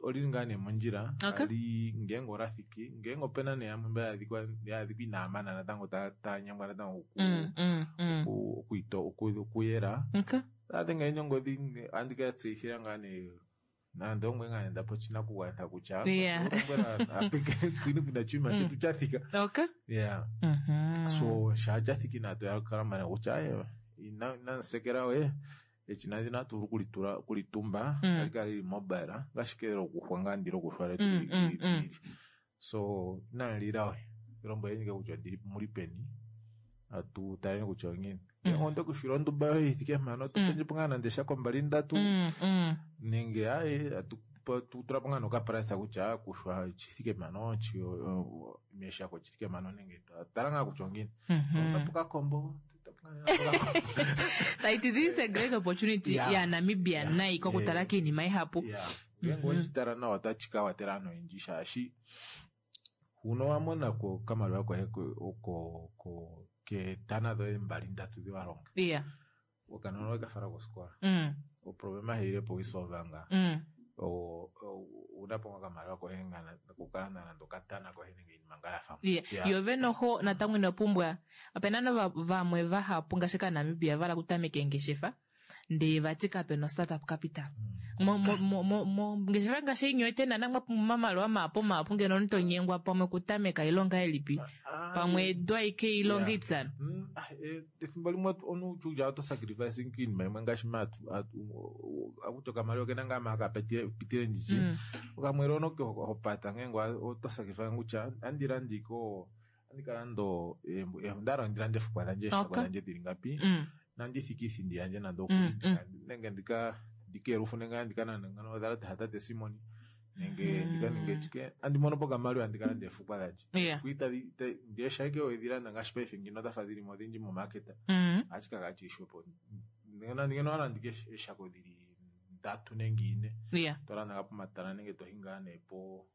olili ngaa nee mondjila Okay. ali ngenge olathiki ngenge opena nee yamwe mba yaadhikwa inaa mana natango tanyangwa natango okuyela Okay. adhenga enyongodhi andi ka tseyithila ngaa nee nande omwe ngaa nenda po oshinakugwanithwa kutya Yeah. lombwela apeke kwini kuna chima chetu chathika. Okay. Yeah. So sha chathiki nato yakala mana kutya aye inansekera we echina ndina tuvulu kulitula kulitumba alikala lili mobile ngashike lokuxwa ngaa ndilo kuxwa letu So inanlila we lombweleni ke kutya ndili muli peni atu taleni kutya ongiini. Onde kushila ondumba yoye ithike mpano tupenjepo ngaa nande shako mbali ndatu nenge aye atutulapo ngaa nokaprasa kutya kushwa chithike mpano meshako chithike mpano nenge tala ngaa kutya ongiini. Tapu kakombo. Taiti this is a great opportunity ya Namibia nayi kokutala kiinima ihapu. Ngenge wechitala nawa otachi ka watela aantu oyendji shaashi huno wa mona ko okamaliwa koye oko ketana dhoye mbali ndatu dhi wa longa. Yeah. Okanona owe ka fala kosikola. Oproblema hayilepo wisolva ngaa. Unapo nga okamaliwa koye kokalanda nande okatana koye nenge iinima ngaa ya fa. Yeah. Yo vene oho natango ino pumbwa opena no vamwe vahapu ngaashi kaNamibia vala kutameka eengeshefa ndee vati kapena startup capital. Mongeshefa ngaashi inyo ete nana mwa pumbwa omamaliwa mahapu mahapu ngeno omuntu tonyengwa pamwe kutameka ilonga ilipi pamwe edu aike ilonga ipyana. Ethimbo limwe omuntu utya oto sacrifice kiinima yimwe ngaashi akuti okamaliwa okena ngaa maka pitile nditshi okamwele ono hopata ngenge oto sacrifice kutya andi landiko andi kalanda ondala ndi lande efukwa dhandje eeshako dhandje dhili ngapi nandi thike iithindi yandje nande okuli nenge ndika ndikeelufu nenge andika nande ngano odhalate hatate Simoni nenge ndika ninge chike andi mono po okamaliwa andika landa efukwa dhandje ndiyesha ike wedhilanda ngaashi paife ngino dhafa dhilimo odhindji momaketa ohashi kala chili xwepo ngeno walanda ike eeshako dhili ndatu nenge ine tolanda ngaa pomatala nenge tohi ngaa nee po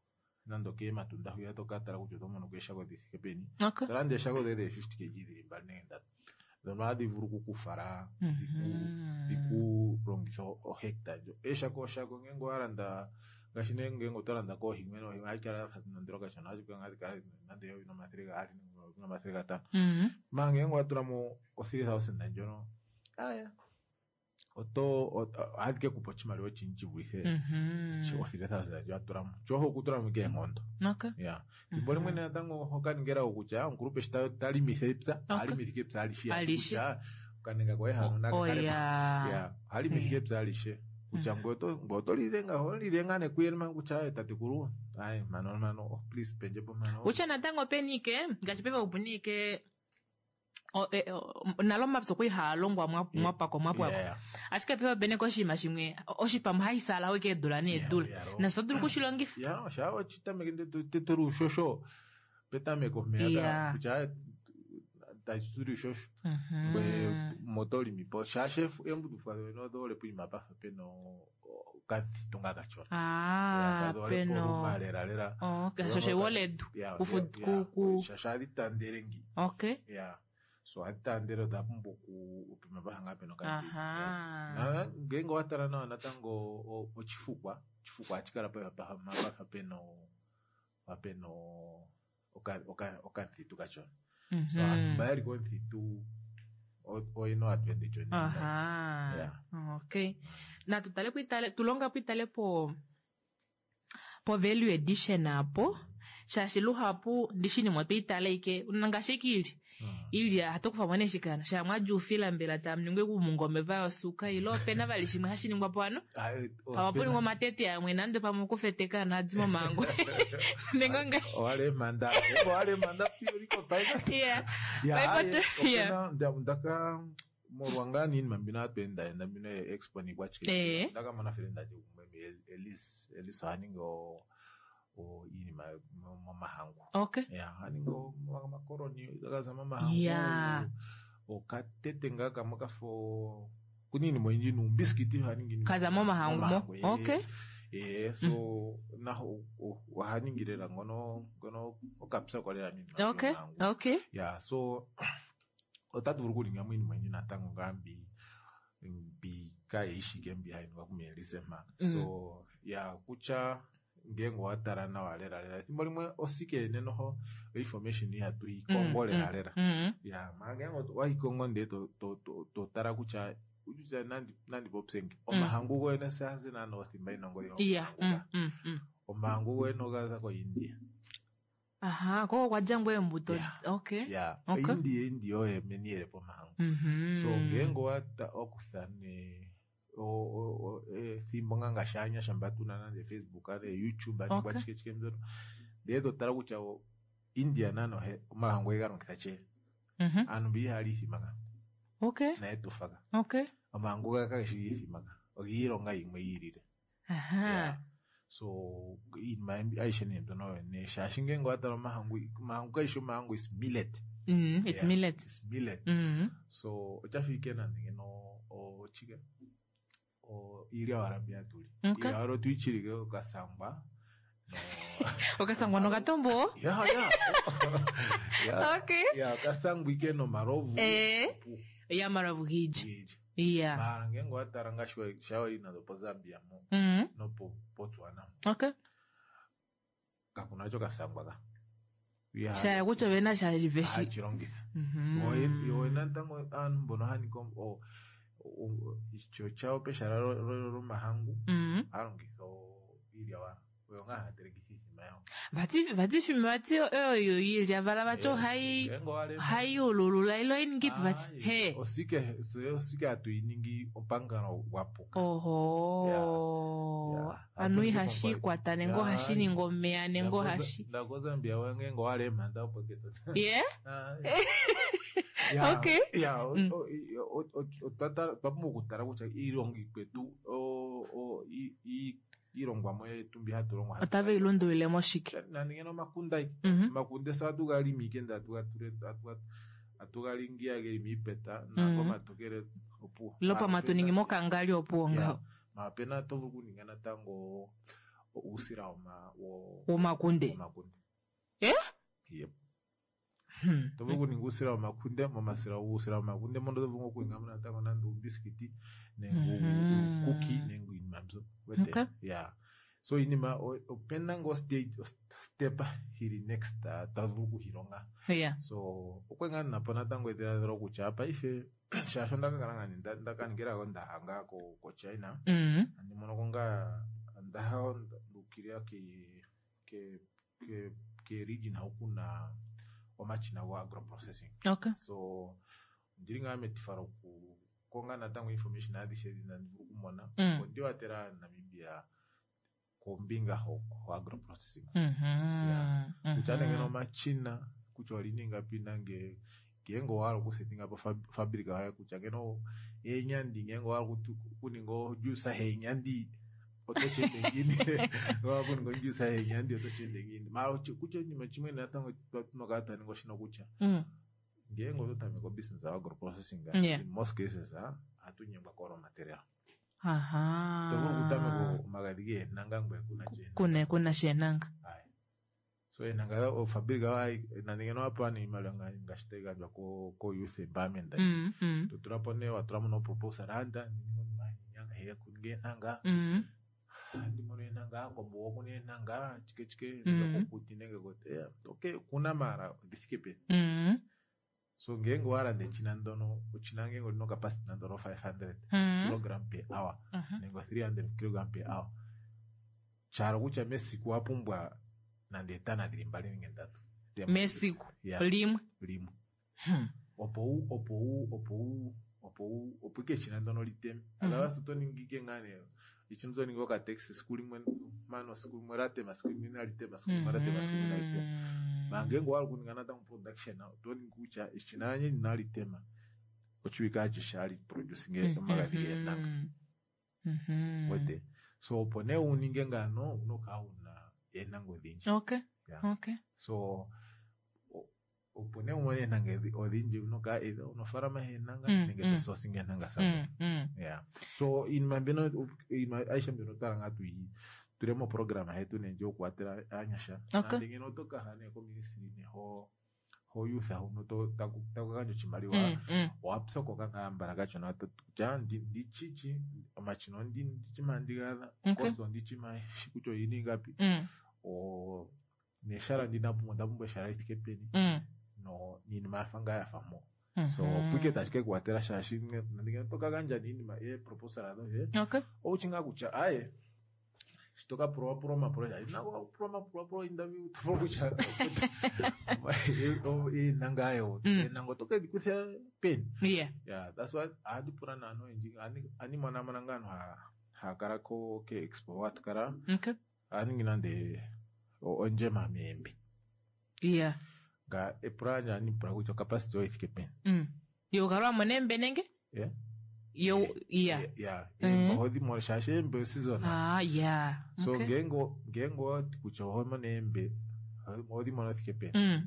nande okeematunda hwiya tokatala kutya oto mono ko eeshako dhithike peni tolanda eeshako dhoye dhe 50 kg dhili mbali nenge ndatu dhono ohadhi vulu okukufala dhikulongitha ohecta ndjo eeshako oshako ngenge owalanda ngaashi nee ngenge oto landa koohi mwene ohi ohayi kala yafa nondilo kashona ohashi kala ngaa nande eyovi nomathele gaali nenge nomathele gatano manga ngenge owatulamo o 3000 ndjono aya oto ohadhi ke kupa oshimaliwa oshindji shi vulithe o 3000 ndjo watulamo tyo okutulamo ike eenkondo ya thimbo limwe natango okaningela kutya omukulupe shi talimitha epya ohalimitha ike epya alishe kutya okanenga koye hano nakakale ya ohalimitha ike epya alishe kutya ngoye oto lile nga oho lile nga nekuyele manga kutya aye tatekulu aye mano mano oh please pendjepo mano kutya natango openi ike ngaashi paife opuna ike nalo omapya okwa ihaa longwa mwapako mwapwako ashike paife opena ike oshinima shimwe oshipamwe hashi salawo ike eedula needula nasho oto dulu okushilongifa ya shaa wachitameke teteri ushosho petameko mpeya kutya tashi shosho ngwe motolimi po shaashi eembudufwa doye odhole poima pafa pena okathitu nga kachona. Ah, peno. Lela lela. Okay, shosho ewoledu. Ku Shaashi ohadhi tandele ngi. Okay. Yeah. So ohadhi tandele odha pumbwa okupima paha ngaa pena okathitu. Aha. Ngeenge owa tala nawa natango oshifukwa, oshifukwa ohashi kala pafa pena pena okathitu kachona. So aantu mba yeli komuthitu oyena advantage onene. Aha. Yeah. Okay. Natu tale po tulonga po itale po po value addition apo shaashi luhapu ndishi nimwe otwiitale ike ngaashi ike iilya iilya ohatu kufa mo nee shikano shaa mwadja oufila mbela tamu ningwa uumungome vayosuka ilo opena vali shimwe hashi ningwa po ano pamwe puningwa omatete amwe nande pamwe okufeteka ano adi momango nenge nga Owalemanda owalemanda puriko paife. yeah Ya, Paife opena ndaka molwa ngaa niinima mbino hatu endaenda mbino ye-expo niikwashike Eh. ndaka mona fele ndati gumwe Elise Elise oha ningi iinima momahangu. Okay. Ya, oha ningi omakoloni gaza momahangu. Yeah. Okatete ngaa kamwe kafa kuna iinima oyindji nuumbisikiti oha ningi iinima Kaza momahangu mo. eh. Okay. Eh, so naho oha ningi lela ngono ngono okapya lela miinima Okay. yomahangu. Okay. Ya, so otatu vulu okuninga mo iinima oyindji natango ngaa mbi mbi kaayishike mbi hayi ningwa kuMelise mpa. So ya kutya ngeenge owa tala nawa lela lela ethimbo limwe osike yene noho information ihatu yi kongo lela lela. Ya, mara ngeenge owa yi kongo ndele to to to to tala kutya kutya nandi nandi popye ngi omahangu goyene seazi naana othimba yina ongodhi Yeah. omahangu ga. Omahangu goyene ogaza koIndia. Aha, koko kwadja ngoo eembuto. Okay. Ya, Okay. India India oye meni yele pomahangu. So ngeenge owakutha nee ethimbo ngaa ngaashi aanyasha mba tuna nande Facebook ne YouTube Okay. nikwashike chike mbyono ndele to tala kutya India nano omahangu oye ga longitha che. Aantu mbi ihaya li iithima ka. Okay. Naye tufa ka. Okay. Omahangu ga kageshi giithima ka. Ogiilonga yimwe yi ilile. Aha. So iinima ayishe nee mbyono oyo nee shaashi ngeenge owa tala omahangu omahangu kayishi omahangu is millet. It's Yeah, millet. It's millet. So oshafa ike nande ngeno ochike iilya owala mbi hatu li. Okay. Iilya owala otuyi chilike okasangwa. Okasangwa nokatombo? Ya, ya. Ya. Okay. Ya, okasangwa ike nomalovu. Eh. Ya malovu giija. Yeah. Mara ngeenge owa tala ngaashi shawa nando poZambia mo nopo Botswana. Okay. Kakuna cho kasangwa ka. Shaya kutya ovena sha veshi. Hachi longitha. Yo natango aantu mbono haya ningi osho chawo pehala lomahangu ohaya longitha iilya wala. Oyo ngaa haya telekitha iithima yawo. Vati vati fima vati oyo iilya vala vati ohayi ohayi ululula ilo oyiningipi vati he. Osike osike hatu yi ningi opangalo gwa puka. Oho. Anu ihashi ikwata nenge ohashi ningi omeya nenge ohashi. Ndako Zambia ngeenge owala eemhanda opo keto. Yeah. Ya, Okay. ya otwa pumbwa okutala kutya iilonga ikwetu iilongwamo yetu mbi hatu longwa Otave yi lundulile moshike? nande ngeno omakunde ayi omakunde se ohatu ga limi ike ndele atu ga lingi geli miipeta nakomatokele opuwo. Ilo pamwe atu ningi mokangali opuwo ngaho. Mara opena oto vulu okuninga natango uusila Womakunde. womakunde. Eh? Yep. To vulu okuninga uusila womakunde momasila uusila womakunde mono oto vulu okuninga mo natango nande uumbisikiti nenge uukuki nenge iinima mbyo. Wete? Okay. Yeah. So iinima opena ngoo stage step yili next ta vulu okuhilonga. Yeah. So okwe ngaa ninapo natango edhiladhilo kutya paife shaashi onda ka kala ngaa ndaka ningilako ndaha ngaa koChina. Andi monoko ngaa ndaha nduukilila ke ke ke region hu kuna omashina go agro processing. Okay. So ondili ngaa metifa lokukonga natango information adhishe ndhi tandi vulu okumona. Opo ndi watela Namibia kombinga ho agro processing. Kutya nee ngeno omashina kutya oliningapi nange ngeenge owahala okusetinga po fabrika yoye kutya ngeno eenyandi ngeenge owahala okuninga ojuice yeenyandi oto shi ende ngiini? Owahala okuninga ojuice yeenyandi oto shi ende ngiini? Mara kutya oshinima shimwe natango tuna okukala twa ninga oshino kutya. Ngeenge oto tameke obusiness ya agro processing, Yeah. in most cases ohatu nyengwa ko raw material. Aha. To vulu okutameka omagadhi geenanga ngoye kuna tya Kuna kuna sheenanga. Aye. So eenanga ofabrika nande ngeno wapewa nee iimaliwa ngaashi tayi gandjwa ko youth empowerment. To tula po nee wa tula mo no proposal anda kuninga eenanga. Andi mono eenanga kombuga okuna eenanga chike chike nenge kokuti nenge okay kuna maala odhi thike peni. So ngeenge owa landa echina ndono, echina ngeenge olina ocapacity nande olo 500 kilogram per hour nenge 300 kilogram per hour. Sha hala kutya mesiku owa pumbwa nande eetana dhili mbali nenge ndatu. Mesiku Yeah. limwe. Limwe. Opo u opo u opo u opo u opo ike echina ndono liteme. Otherwise oto ningi ike ngaa nee echina oto ningi okataxi esiku limwe mano esiku limwe latema esiku limwe inali tema esiku limwe latema esiku limwe inali tema. Manga ngeenge owa hala okuninga natango production oto ningi kutya eshina lanye inali tema oshiwike ashishe hali producing omagadhi geentanga. Wete? So opo nee uninge ngaano owuna okukala wuna eenanga odhindji. Okay. Yeah. Okay. So opo nee umone eenanga odhindji owuna okukala either una ofaalama yeenanga nenge to sourcing eenanga somewhere. Yeah. So iinima mbino iinima aishe mbino otwa hala ngaa tuyi tule moprograma yetu nee ndji yokuwatela aanyasha. Okay. Nande ngeno oto kaha nee koministry nee ho ho youth huno to taku gandja oshimaliwa owa pyokoka ngaa mbala kashona kutya ndichichi omashina ondichima ndigaadha Okay. cost ondichima shi kutya oyina ingapi neshala ndi ndapumbwa ondapumbwa eshala lithike peni no niinima yafa ngaa yafa mpo. So opo ike tashi ke kuwatela shaashi nande ngeno oto ka gandja niinima eeproposal dhoye Okay. owushi ngaa kutya aye shi to ka pulwapulwa omapulo shaashi nako pulwa omapulwapulo interview to vulu kutya eenanga ayo eenanga oto kedhi kutha peni. Yeah. Yeah, that's why ohandi pula naantu oyendji ohandi monamona ngaa aantu haya kala ko ke expo hatu kala Okay. ohaya ningi nande ondjema meembi. Yeah. Nga epula lyandje ohandi pula kutya ocapacity oyo ithike peni. Yo ukala wa mona eembe nenge? Yeah. Yo, yeah. Yeah. Eembe ohodhi mono shaashi eembe oseason. Ah, yeah. So Okay. ngeenge ngeenge owati kutya oho mono eembe ohodhi mono thike peni.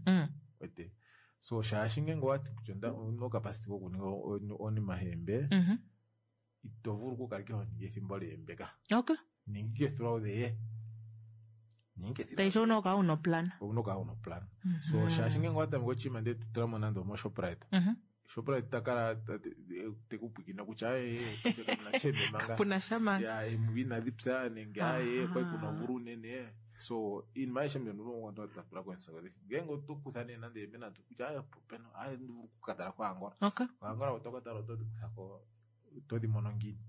Wete. So shaashi ngeenge owati kutya owuna ocapacity yokuninga onima yeembe ito vulu okukala ike ho ningi ethimbo leembe ka. Okay. Ninga ike throughout the year. Ninga ike Taisho owuna okukala wuna oplan. Owuna okukala wuna oplan. So shaashi ngeenge owa tameke oshinima ndele to tula mo nande omoShoprite. Shoprite ta kala te ku pwikina kutya aye kapuna sha eembe manga. Kapuna sha manga. Ya eembe inadhi pya nenge aye okwali kuna omvula unene. So iinima ayihe mbyono twa tula komusego. Ngeenge oto kutha nee nande eembe ndatu kutya aye opena aye ndi vulu oku ka tala koAngola. Okay. KoAngola oto ka tala otodhi kutha ko otodhi mono ngiini.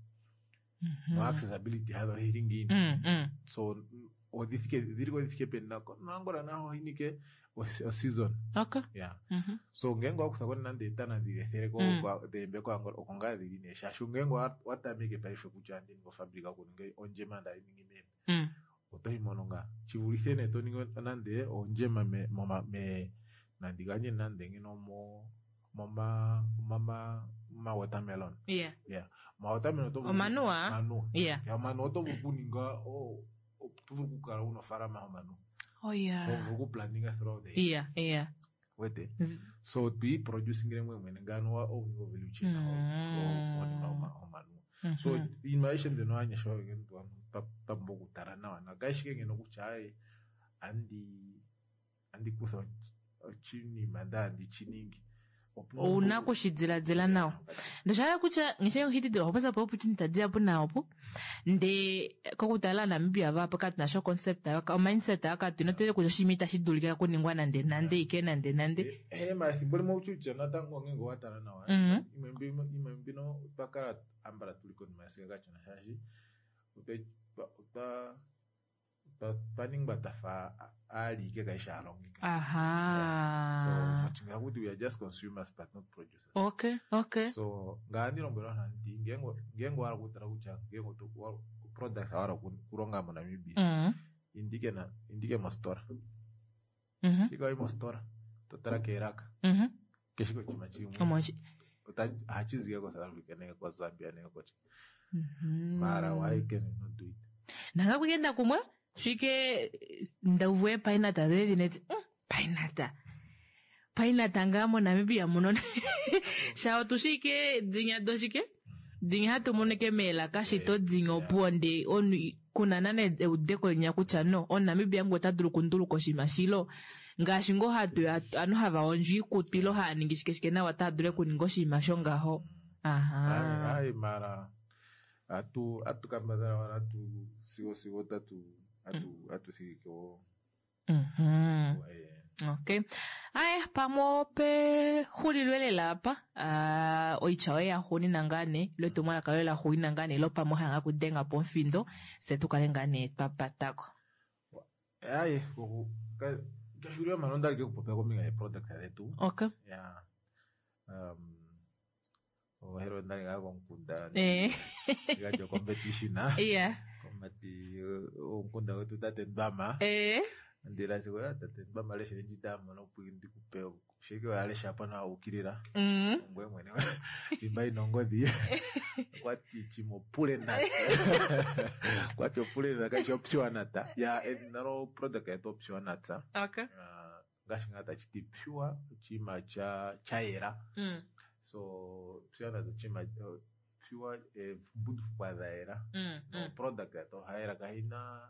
No accessibility yadho oyili ngiini. So odhi thike dhili ko dhi thike peni nako noAngola naho oyinike oseason. Okay. Yeah. So ngeenge owa kutha ko nande etana dhili ethele ko dheembe koAngola oko ngaa dhili nee shaashi ngeenge owa tameke paife kutya andi ningi ofabrika yokuninga ondjema nda ningi meembe. Oto yi mono ngaa. Shi vulithe nee to ningi nande ondjema me moma me nandi gandje nande ngeno mo moma moma ma watermelon. Yeah. Yeah. Ma watermelon oto vulu Omanuwa? Omanuwa. Yeah. Yeah, omanuwa oto vulu okuninga oto vulu okukala wuna ofaalama yomanuwa. Oh yeah. Oto vulu okuplanninga throughout the year. Yeah, yeah. Wete. So twi producing mwe mwene ngano wa owning of value chain onima omanuwa. So iinima ayihe mbyono aanyasha twa pumbwa okutala nawa na kayishi ike ngeno kutya aye andi kutha oshinima ndele andi shi ningi. Owuna okushi diladila nawa. Ndosha kutya ngishe ohitidila opo po opportunity dihapu naopo nde kokutala Namibia vapo katuna sho concept ayo o mindset ayo katuna tule kutya oshinima itashi dulika kuningwa nande nande ike nande nande. Ma ethimbo limwe utya natango ngeenge owa tala nawa imwe mbino otwa kala ambala tuli konima yesiga kashona shaashi otwa ningwa twafa aali ike kaishi aalongi. Aha. So mochinga kuti we are just consumers but not producers. Okay, okay. So ngaandi lombwela vanhu nti ngeenge owa hala okutala kutya ngeenge product owa hala okulonga moNamibia indike na indike mositola. Shika wayi mositola to tala keelaka keshe oshinima shili mumwe. Ohashi zi ike koSouth Africa nenge koZambia nenge kochi. Mara why can we not do it? Nanga kuyenda kumwe shike ndauvu epainata dhoye dhineti painata. Painata ngaa moNamibia muno sha otushi ike dinya doshike dinya hatu mono ike meelaka shito dinya opuwo ndee omunhu kuna nana eudeko linya kutya no omuNamibia ngu ota dulu okunduluka oshinima shilo ngaashi ngoo hatu ovanhu hava hondjo iikutu ile hava ningi shike shike nawa otava dulu okuninga oshinima shongaho. Aha. Ai mara atu atu kambadhala wala tu sigo sigo tatu atu atu thigike wo. Okay. Aye, pamwe opexulilo lela apa uh, oitya yoye yaxuunina ngaa nee ile etumwalaka loye laxuunina ngaa nee ilo pamwe ohala ngaa kudenga po omufindo fye tu kale ngaa nee twa patako. Aye, kexulilo mano onda li ke kupopya kombinga yeproduct dhetu. Okay. Ya. Um, ohelo ndali ngaa komukunda Eh. galyo competition Yeah. komati omukunda wetu tate Ndwama Eh. ndila sigo ya tate Ndwama lesha ndji mono opo ndikupe sheke oya lesha pa nawa ukilila ngwe mwene imba inongodhi kwati chimopule nata kwati opule nata kashi opure nata ya edhina lo product yetu opure nata Okay. ngaashi ngaa tachi ti pure oshinima cha chayela so pure nata oshinima pure embundufukwa dha yela no product yetu ohayela kahina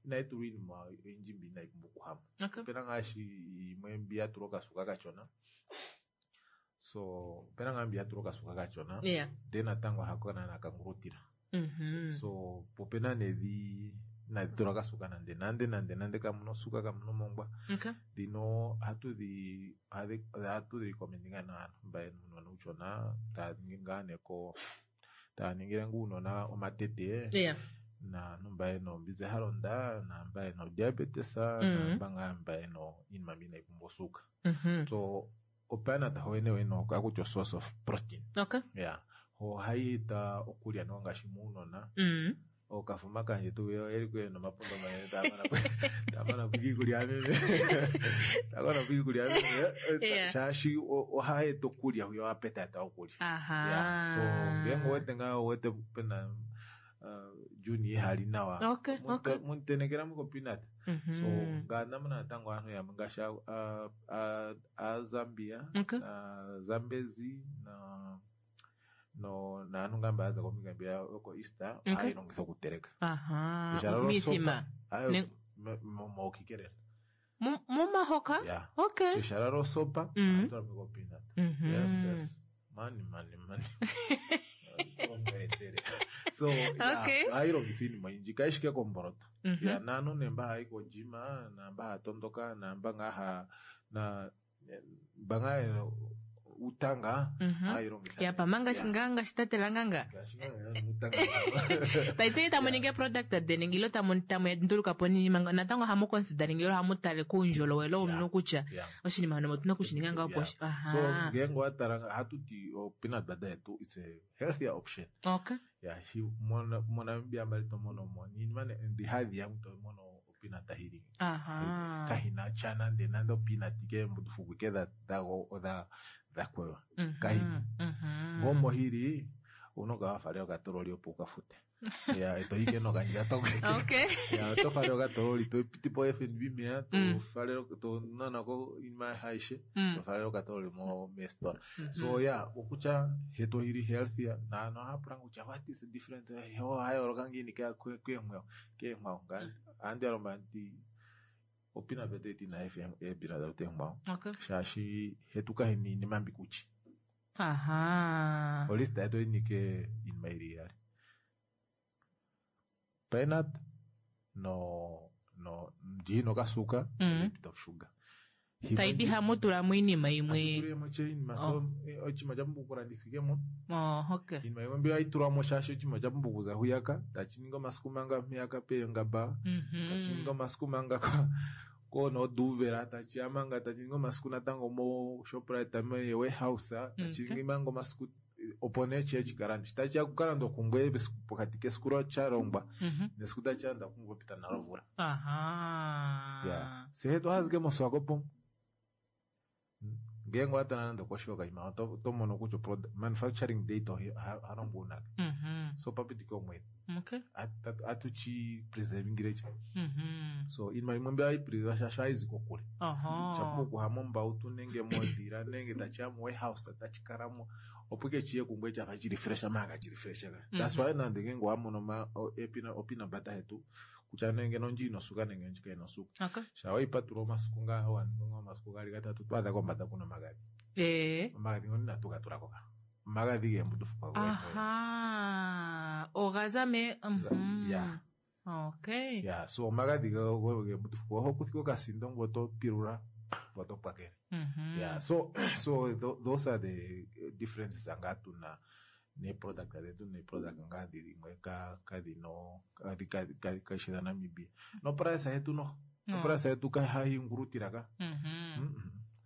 inayi tulwa iinima oyindji mbi inayi pumbwa okuhama. Okay. Opena ngaashi yimwe mbi ya tulwa okasuka kashona so opena ngaa mbi ya tulwa okasuka kashona Yeah. ndee natango hako naana kangulutila so po opena nee dhi inadhi tulwa kasuka nande nande nande nande kamuna osuka kamuna omongwa. Okay. Dhino ohatu dhi ohatu dhi recommend ngaa naantu mba yena uunona uushona taya ningi ngaa nee ko taya ningile ngaa uunona omatete Yeah. naantu mba yena ombinzi ya londa naamba yena odiabetes naamba ngaa mba yena iinima mbi inayi pumbwa osuuka. So opeanut wene wene ohakuti o source of protein. Okay. Yeah. Ohayi eta okulya nawa ngaashi muunona. Okafuma kandje tuu yo eli kuye nomapundo manene taya mana po iikulya yameme taya mana po iikulya yameme Yeah. shaashi ohayi eta okulya yo appetite okulya. Aha. Yeah. So ngenge owete ngaa owete pena Juni ihali nawa Okay, okay. muntenekela muko peanut. So ngaa namuna natango aantu yamwe ngaashi Aazambia Okay. na Zambezi na no naantu ngaa mba yaza kombinga mbiya yoko East Okay. ohayi longithwa okuteleka. Aha. Ehala losopa Mithima. ayo Ne- mokikelele. Momahoka? Yeah. Okay. Ehala losopa ohayi tulwa mo peanut. Yes, yes. Mani mani mani. Ongeetele. So yeah, Okay. ohayi longithwa iinima oyindji kayishi ike komboloto. Ya naantu nee mba haya yi kogym naamba haya tondoka naamba ngaa ha na mba ngaa yena uutanga ohayi longitha. Ya pamanga ngaa ngaashi tate Langanga. Ngaashi ngaa uutanga. Taiti tamu ningi product deni ilo tamu tamu nduluka po niinima natango ohamu considering ilo ohamu tale kuundjolowele womunhu kutya oshinima hono otuna okushininga ngaho opo Yeah. aha. So ngenge owatala ohatu ti o peanut butter yetu it's a healthier option. Okay. Yeah, shi moNamibia mbali to mono mo niinima ndi hadhi yangu to mono opeanut hili. Aha. Kahina cha nande nande opeanut ke mbundufuku ke dha dha dha kwewa. Kahina. Ngomo hili unoka wafalela okatololi opo ukafute. Ya eto ike nokandjato. Okay. Ya oto falele okatololi to piti po FNB meya to falele to nanako iinima ayihe to falele okatololi mo mestola. So yeah, okutya hetu hili healthier naantu ohaya pula kutya what is the difference ohaya yooloka ngiini keenkwawo keenkwawo ohandi ya lombwela ndi opeanut butter yetu inayi fa eepeanut butter eenkwawo Okay. shaashi hetu kahina iinima mbi kutyi. Aha. Olista yetu oyinike iinima yili iyali. Peanut no no ndji okasuka a bit of sugar. Taiti hamu tulamo iinima yimwe. Hatutulemo iinima so oshinima osha pumbwa okulandithwa ike mo. Oh, okay. Iinima yimwe mbi ohayi tulwamo shaashi oshinima osha pumbwa okuza hwiyaka tashi ningi omasiku manga mpeyaka peengaba tashi ningi omasiku manga konooduvela tashi ya manga tashi ningi omasiku natango mo Shoprite me warehouse tashi ningi manga omasiku opo nee chiye chikalandwe. Tachiya kukalandwa kungwe pokati kesiku chalongwa nesiku tachilandwa kungwe pita nalo omvula. Aha. Yeah. Se hetu ohazike moSwakopo. Ngeenge owa tala nande okoshi yokaima oto mono kutya manufacturing date ohalongwa unake. So papitike omwedhi. Okay. Atuchi preservingire cha. So iinima yimwe mbi hayi preserve shaashi ohayi zi kokule. Shapumbwa okuha mombautu nenge modhila nenge tachiya mo warehouse tachi kalamo opo ike chiye kungwe chafa chili fresh manga chili fresh ka. That's why nande ngenge owa mono peanut butter yetu kutya nenge nondji ino suka nenge ondji kayi nosuka. Okay. Sha waipatula omasiku ngaa waninga ngaa omasiku gaali gatatu to adha kombanda kuna omagadhi. Omagadhi ngono inatu ga tulako ka. Omagadhi geembundufukwa goye. Aha. Oga za me. Yeah. Okay. Yeah, so omagadhi geembundufukwa oho kutha okasindo ngoye oto pilula ngoye oto pwakele. Yeah, so so those are the differences ngaa tuna neeproduct dhetu neeproduct ngaa dhimwe kadhino kashi dha Namibia. Noprice yetu noho. Oprice yetu hayi ngulutila ka.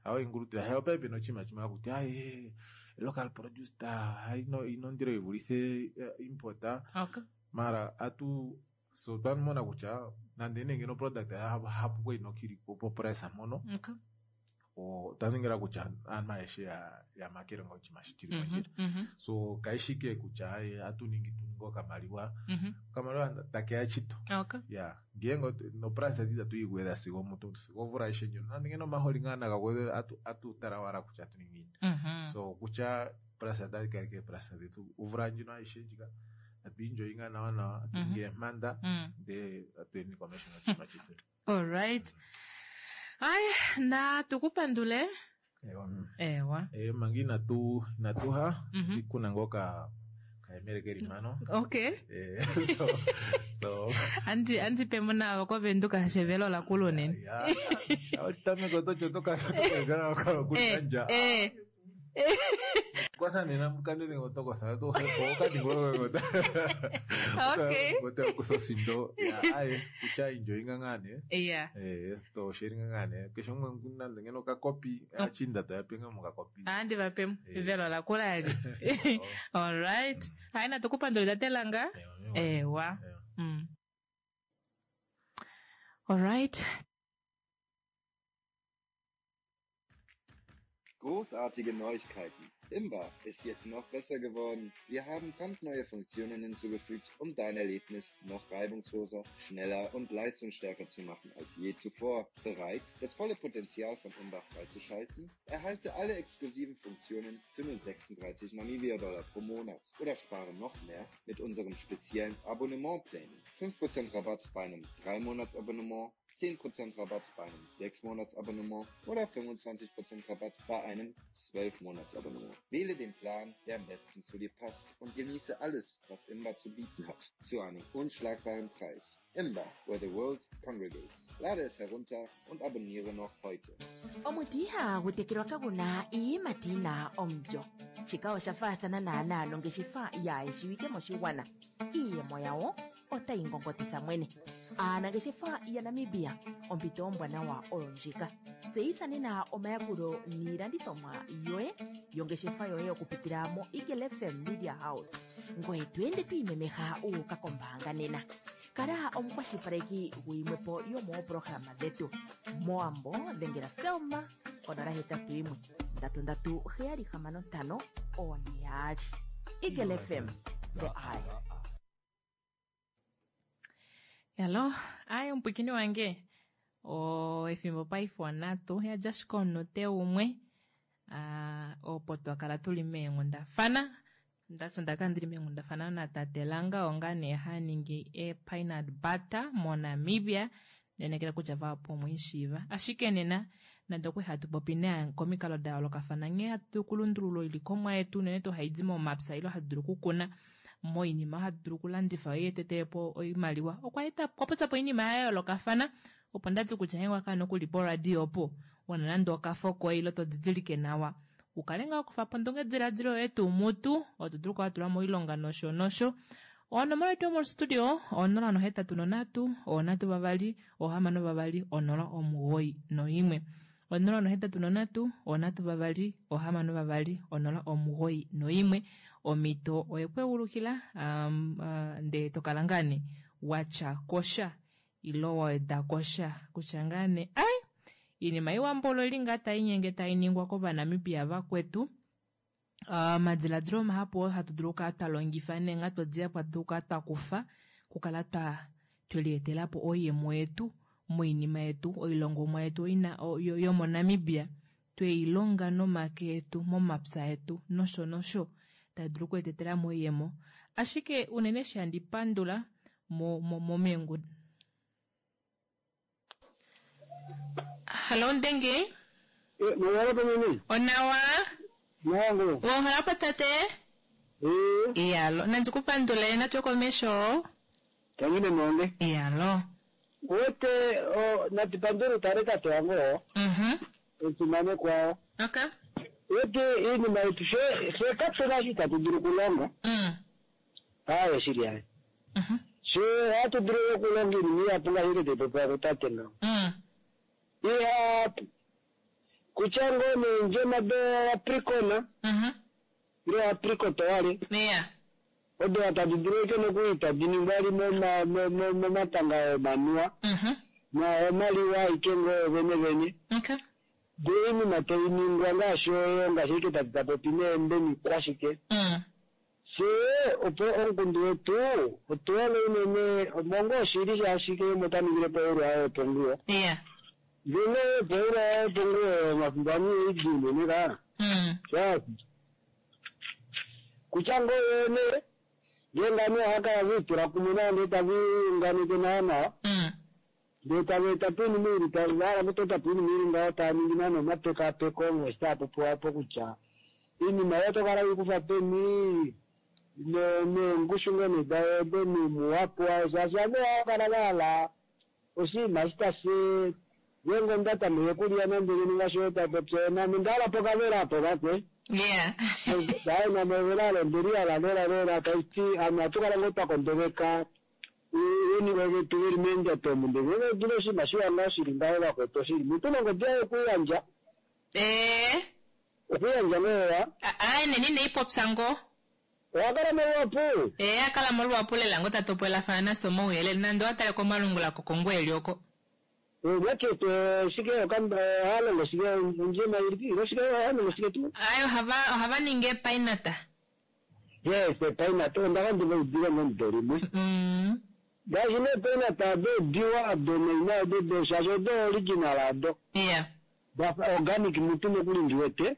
Hayi ngulutila. Hayo paife noshinima shimwe hakuti aye local produced hayi nondilo yi vulithe import. Okay. Mara atu so twamona kutya nande nenge no product hapu kwali nokili po price mono. Okay. Otwa ningila kutya aantu ayehe ya makele nga oshinima shi shili mondjila. So kaishike kutya aye atu ningi tuninge okamaliwa. Okamaliwa takeya chito. Okay. Yeah. Ngeenge no price yetu itatu yi gwedha sigo omutu sigo omvula ayihe ndjono. Nande ngeno omaholi ngaa naga gwedhwe atu tala owala kutya atu ningi ngiini. So kutya price otadhi kala ike price dhetu omvula ndjino ayihe ndjika atu enjoy ngaa nawa nawa atu ningi eempanda ndee atu yeni komeho noshinima chetu. Alright. Ay, natu ku pandule. Ewa. Manga inatu inatuha kuna ngoka kayemele keli mpano. Okay. So Andi andi pemo navo kovenduka shevelo la kulunene. Ya, otameke otocho tokakala kutanja. Kwanza nena mukande ngotokotha to okadingologota. Okay. Ngote kutha osindo. Ya, aye kutya enjoyinga ngane. Yeah. To sharinga ngane. Keshe umwe nande ngeno kakopi achinda to yapenga mukakopi. Andi vapemo velo la kulali. All right. Hayi natukupandula tatelanga. Ewa. All right. Großartige Neuigkeiten. Imba ist jetzt noch besser geworden. Wir haben brandneue Funktionen hinzugefügt, um dein Erlebnis noch reibungsloser, schneller und leistungsstärker zu machen als je zuvor. Bereit, das volle Potenzial von Imba freizuschalten? Erhalte alle exklusiven Funktionen für nur 36 Namibia-Dollar pro Monat oder spare noch mehr mit unseren speziellen Abonnementplänen. 5% Rabatt bei einem 3-Monats-Abonnement, 10% Rabatt bei einem 6-Monats-Abonnement oder 25% Rabatt bei einem 12-Monats-Abonnement. Wähle den Plan, der am besten zu dir passt und genieße alles, was Imba zu bieten hat, zu einem unschlagbaren Preis. Imba, where the world congregates. Lade es herunter und abonniere noch heute. Omuti ihagu tekelwa kaguna iiyimati yina omulyo. Shika osha faathana naanaa nongeshefa yaayeshiwike moshigwana. Iiyemo yawo otayi ngongotitha mwene. Aanangeshefa yaNamibia, ompito ombwanawa oyo ndjika. Tseyitha nena omayakulo niilandithomwa yoye yongeshefa yoye okupitila mo Eagle FM Media House. Ngoye to ende to imemeha uuka kombaanga nena. Kala omukwashilipaleki guyimwepo yomoopolohalama dhetu. Mowambo dhengela Selma 081 337 665 42. Eagle FM, the eye. Hello, ayi omupwikini wange. O efimbo paife onatu yadja ashike omunute umwe. Opo twakala tuli meenghundafana. Ndasi ndakala ndili meenghundafana natate Langa onga nee haningi e peanut butter moNamibia. Nenekela kutya vahapu omweishiiva. Ashike nena nande okwe hatu popi naye komikalo da yoolokafana nghee hatu kulundulula oilikomwa yetu unene tuu haidi momapya ile hatu dulu okukuna moinima hatu dulu okulandifa yo yetu po oimaliwa. Okwa eta okwa popya po oinima ya yoolokafana opo ndati kutya nghee wakala nokuli poradio opo wana nande okafo koye ile to didilike nawa ukale ngaa kufa po ondungediladilo yoye tuu mutu oto dulu okukala watula moilonga nosho nosho. Onomola yetu yomostudio 083 3 62 091 083 3 62 091. Omhito oyekweulukila ndee tokala ngaa nee watya kosha ilo waweda kosha kutya ngaa nee ai. Iinima iwa mbolo oili ngaa tai nyenge tai ningwa kOvanamibia vakwetu. Omadiladilo mahapu oo hatu dulu okukala twa longifa neenghatu dihapu hatu dulu okukala twa kufa okukala twa twelietela po oiyemo yetu moinima yetu oilongomwa yetu ina yomoNamibia tweilonga nomake etu momapya etu nosho nosho tai dulu okuetetela mo oiyemo. Ashike unene eshi handi pandula mo mo meengudu. Hallo Ndenge. Onawa. Wonghalapo tate. Iyalo. Nandi ku pandule natwe komesho. Tangine monde. Iyalo. Wete o nati pandule tare tate wange oo. Omufimanekwa oo. Okay. Wete iinima yetu she she kapena eshi tatu dulu okulonga. Aaye shili aye. She ohatu dulu okulonga iinima ihapu ngaashi eke taipopiwa kutate ngaho. Ihapu. Kutya ngoo neendjema do apricot. Ile apricot wale. Yeah. Odo tadi dulu eke nokuli tadi ningwa li momatanga omanuwa. Na omaliwa aike ngoo vene vene. Okay. Ndee oinima tai ningwa ngaashi oyo ngaashi eke tati tapopi neembe nikwashike. Fyee opo omukundu wetu otu hole unene omongo oshili shaashi keshe umwe ota ningile poulwa waye woponguwo. Yeah. Ndele poulwa waye woponguwo omafimbo amwe oidjuu unene kaa. Shaashi kutya ngoo yoo nee ngeenge ovanhu ohava kala ve itula kumwe nawa ndee tave liunganeke nawa nawa ndee tava eta po oinima ili va hala okutota po oinima ili ngaho tava ningi naana omapekapeko ngaashi taa popiwa opo kutya oinima oyo oto kala weikufa peni neengushu ngoo nee dayo odo muhapu wayo shaashi ovanhu ohava kala va hala oshinima eshi tashi ngeenge omunhu ta tameke okulya nande ngeno ngaashi oyo ta popi oyo name onda hala pokavela apo vakwe. Yeah. Aye name evela olo ondeli hala lela lela taiti ovanhu ohatu kala ngoo twa kondoveka oiniwe vetu veli meendjato omu ndele ngeenge otuna oshinima shiwa ngaho shili ngaho vakwetu oshili mutu nongodi yaye okuyandja. Ee. Okuyandja ngoo wa. Aye neni ine ipopya ngoo. Owa kala moluhapu? Ee, a kala moluhapu lela ngoo ta topolelafana nafye omauyelele nande owa tale komalungula kokongwa eli oko. Market shike oha longo shike ondjema ilipi ilo shike oha longo shike tuu? Aye ohava ohava ningi epainata. Yes, epainata onda ka ndi va udile momudo limwe. Ngaashi nee epainata ado odiwa ado naina odo do shaashi odo original ado. Yeah. Dafa organic mutu nokuli ndi wete.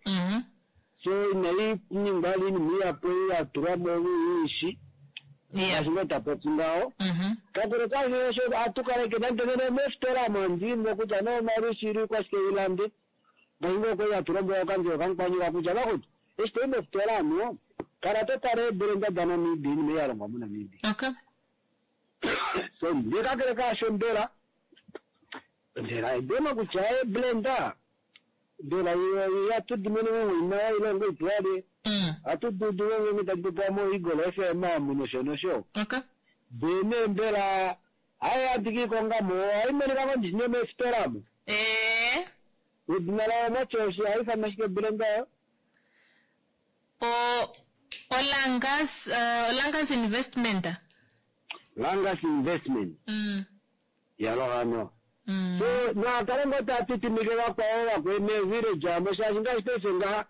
So inai ningwa vali oinima ihapu ei ya tulwa mo iishi. Ngaashi ngoo ta popi ngaho. Kakele kaasho osho ohatu kaleke nande nena omeefitola omo handi i mo kutya nee omalwishi ile oikwashike i lande. Ngaashi ngoo kwali hatu lombwelwa kokanjelo kamukwaniilwa kutya vakutu eshi to i mofitola omo kala to tala eebrenda daNamibia iinima ei ya longwa moNamibia. Okay. So ndee kakele kaasho mbela Mbela edemo kutya eeblenda mbela ihatu di mono moinima oilongo ituwale ohatu dudu ngenge tadi popiwa mo Eagle FM amu nosho nosho. Okay. Ndee nee mbela hai handi kiikonga mo ohai monika ngoo ndishi nee meefitola amu. Ee. Edina layo mwatya oshi ohai ifanwa shike oblenda oyo? O Olangas Olangas Investment. Langas Investment. Yalo hano. So naa kale ngoo taa titimike vakwao vakwe mee village amo shaashi ngaashi paife ngaha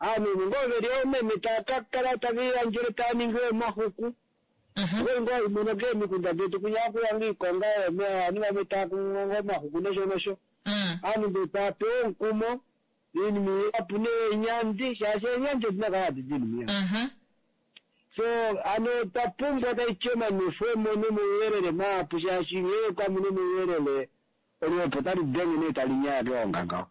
aanhu ngoo veli oomeme taa ka kala tave liyandjele taa ningi omaxuku. Okwali ngoo haimono keemikunda detu kwinya hakuya ngoo iikonga yoomeme ovanhu vamwe taa kunu ngoo omaxuku nosho nosho. Ovanhu ndee tava pewa omukumo oinima ihapu neenyandi shaashi eenyandi odina kala hadi di oinima ihapu. So hano otwa pumbwa taiti omanwefwemo nomauyelele mahapu shaashi ngee kamuna omauyelele oluhepo otali denge nee tali nyaya keonga ngaho.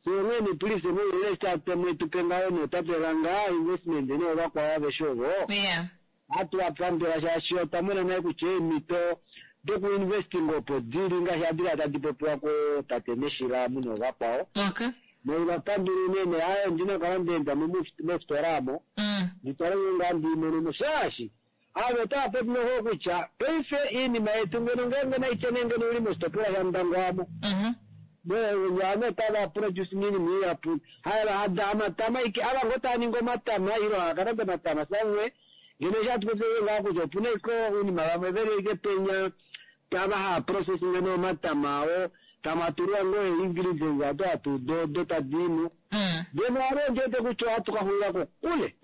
So onghee nee please omauyelele eshi taatu mwetu pe ngaho nee tate Langa investment nee ovakwao aveshe ovo ohatu va pandula shaashi otwa mona nale kutya eemhito doku investing opo dili ngaashi hadi kala tadi popiwa ko tate Neshila amu noovakwao. Noiva pandula unene aaye ondina okukala nda enda mo mofitola amo ndi tale ngeenge ohandi i mono mo shaashi ava otava popi noho kutya paife oinima yetu ngeno ngeenge naitye nee ngeno oili moshitopolwa shaNdangwa amo ovanhu otava produce oinima ihapu hamatama aike ava ngoo tava ningi omatama ile hava kalanda omatama samwe ngeno eshi hatu popi ngaho kutya opuna ashike oinima vamwe veli ashike penya tava hava processing nee omatama oo. Tamatulwa ngoo ee-ingredients ado hatu udu odo tadi i mo. Ngeno ame ondi wete kutya ohatu ka xulila kokule.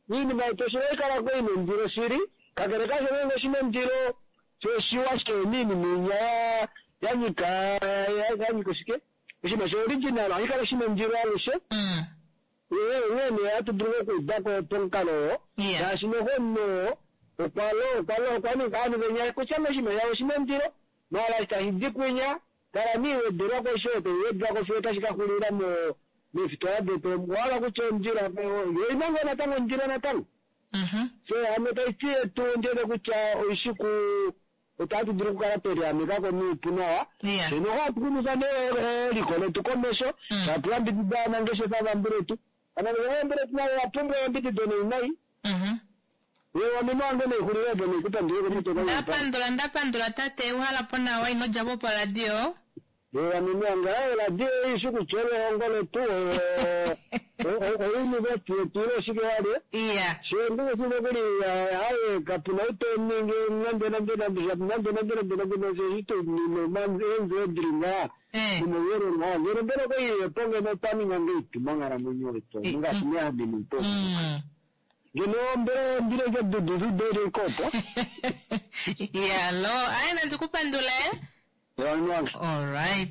Oinima yetu osho hai kala ngoo ina ondilo shili, kakele kaasho ngeenge oshi na ondilo, sho oshiwa shike oinima inya ya nyika ya nyika oshike? Oshinima sho original ohashi kala shi na ondilo alushe. Onghee nee ohatu dulu ngoo okuuda ko pomukalo oo, shaashi noho omunhu oo okwa okwa okwa ninga ovanhu venya kutya ngoo oshinima shavo oshi na ondilo, maala eshi tashi di kwinya, kala nee wedelwako eshi oyo tai wedwako fiyo otashi ka xulila mo meefitola detu omu. Owa hala kutya ondilo yo oina ngoo natango ondilo natango. So hano tashi ti yetu ondi wete kutya oishi ku otatu dulu okukala twe liameka ko noupu nawa. Fye noho hatu xumifa nee eliko letu komesho, hatu yambidida ovanangeshefa vambuletu. Ovanangeshefa vambuletu navo ova pumbwa eyambidido nei nai. Eewa meme wange naixulile opo naikupandule komutwe Nda pandula nda pandula tate uhala po nawa ino dja po poradio. Eewa meme wange aaye oradio ei ishi kutya olo ehongo letu ouniversity yetu ile oshike walye. Iya. Shee nduushi nokuli aaye kapuna ou to ningi nande nande nande nande nande nande nande nande eshi to nina eendjo dili ngaa nomauyelele ngaa ngeno mbela okoiyepo ngeno otwa ninga ngeipi monghalamwenyo yetu ngaashi meameno opo. Ngeno mbela ondilo ike dudu dele kopo. Yalo, aye nandi ku pandule. Alright.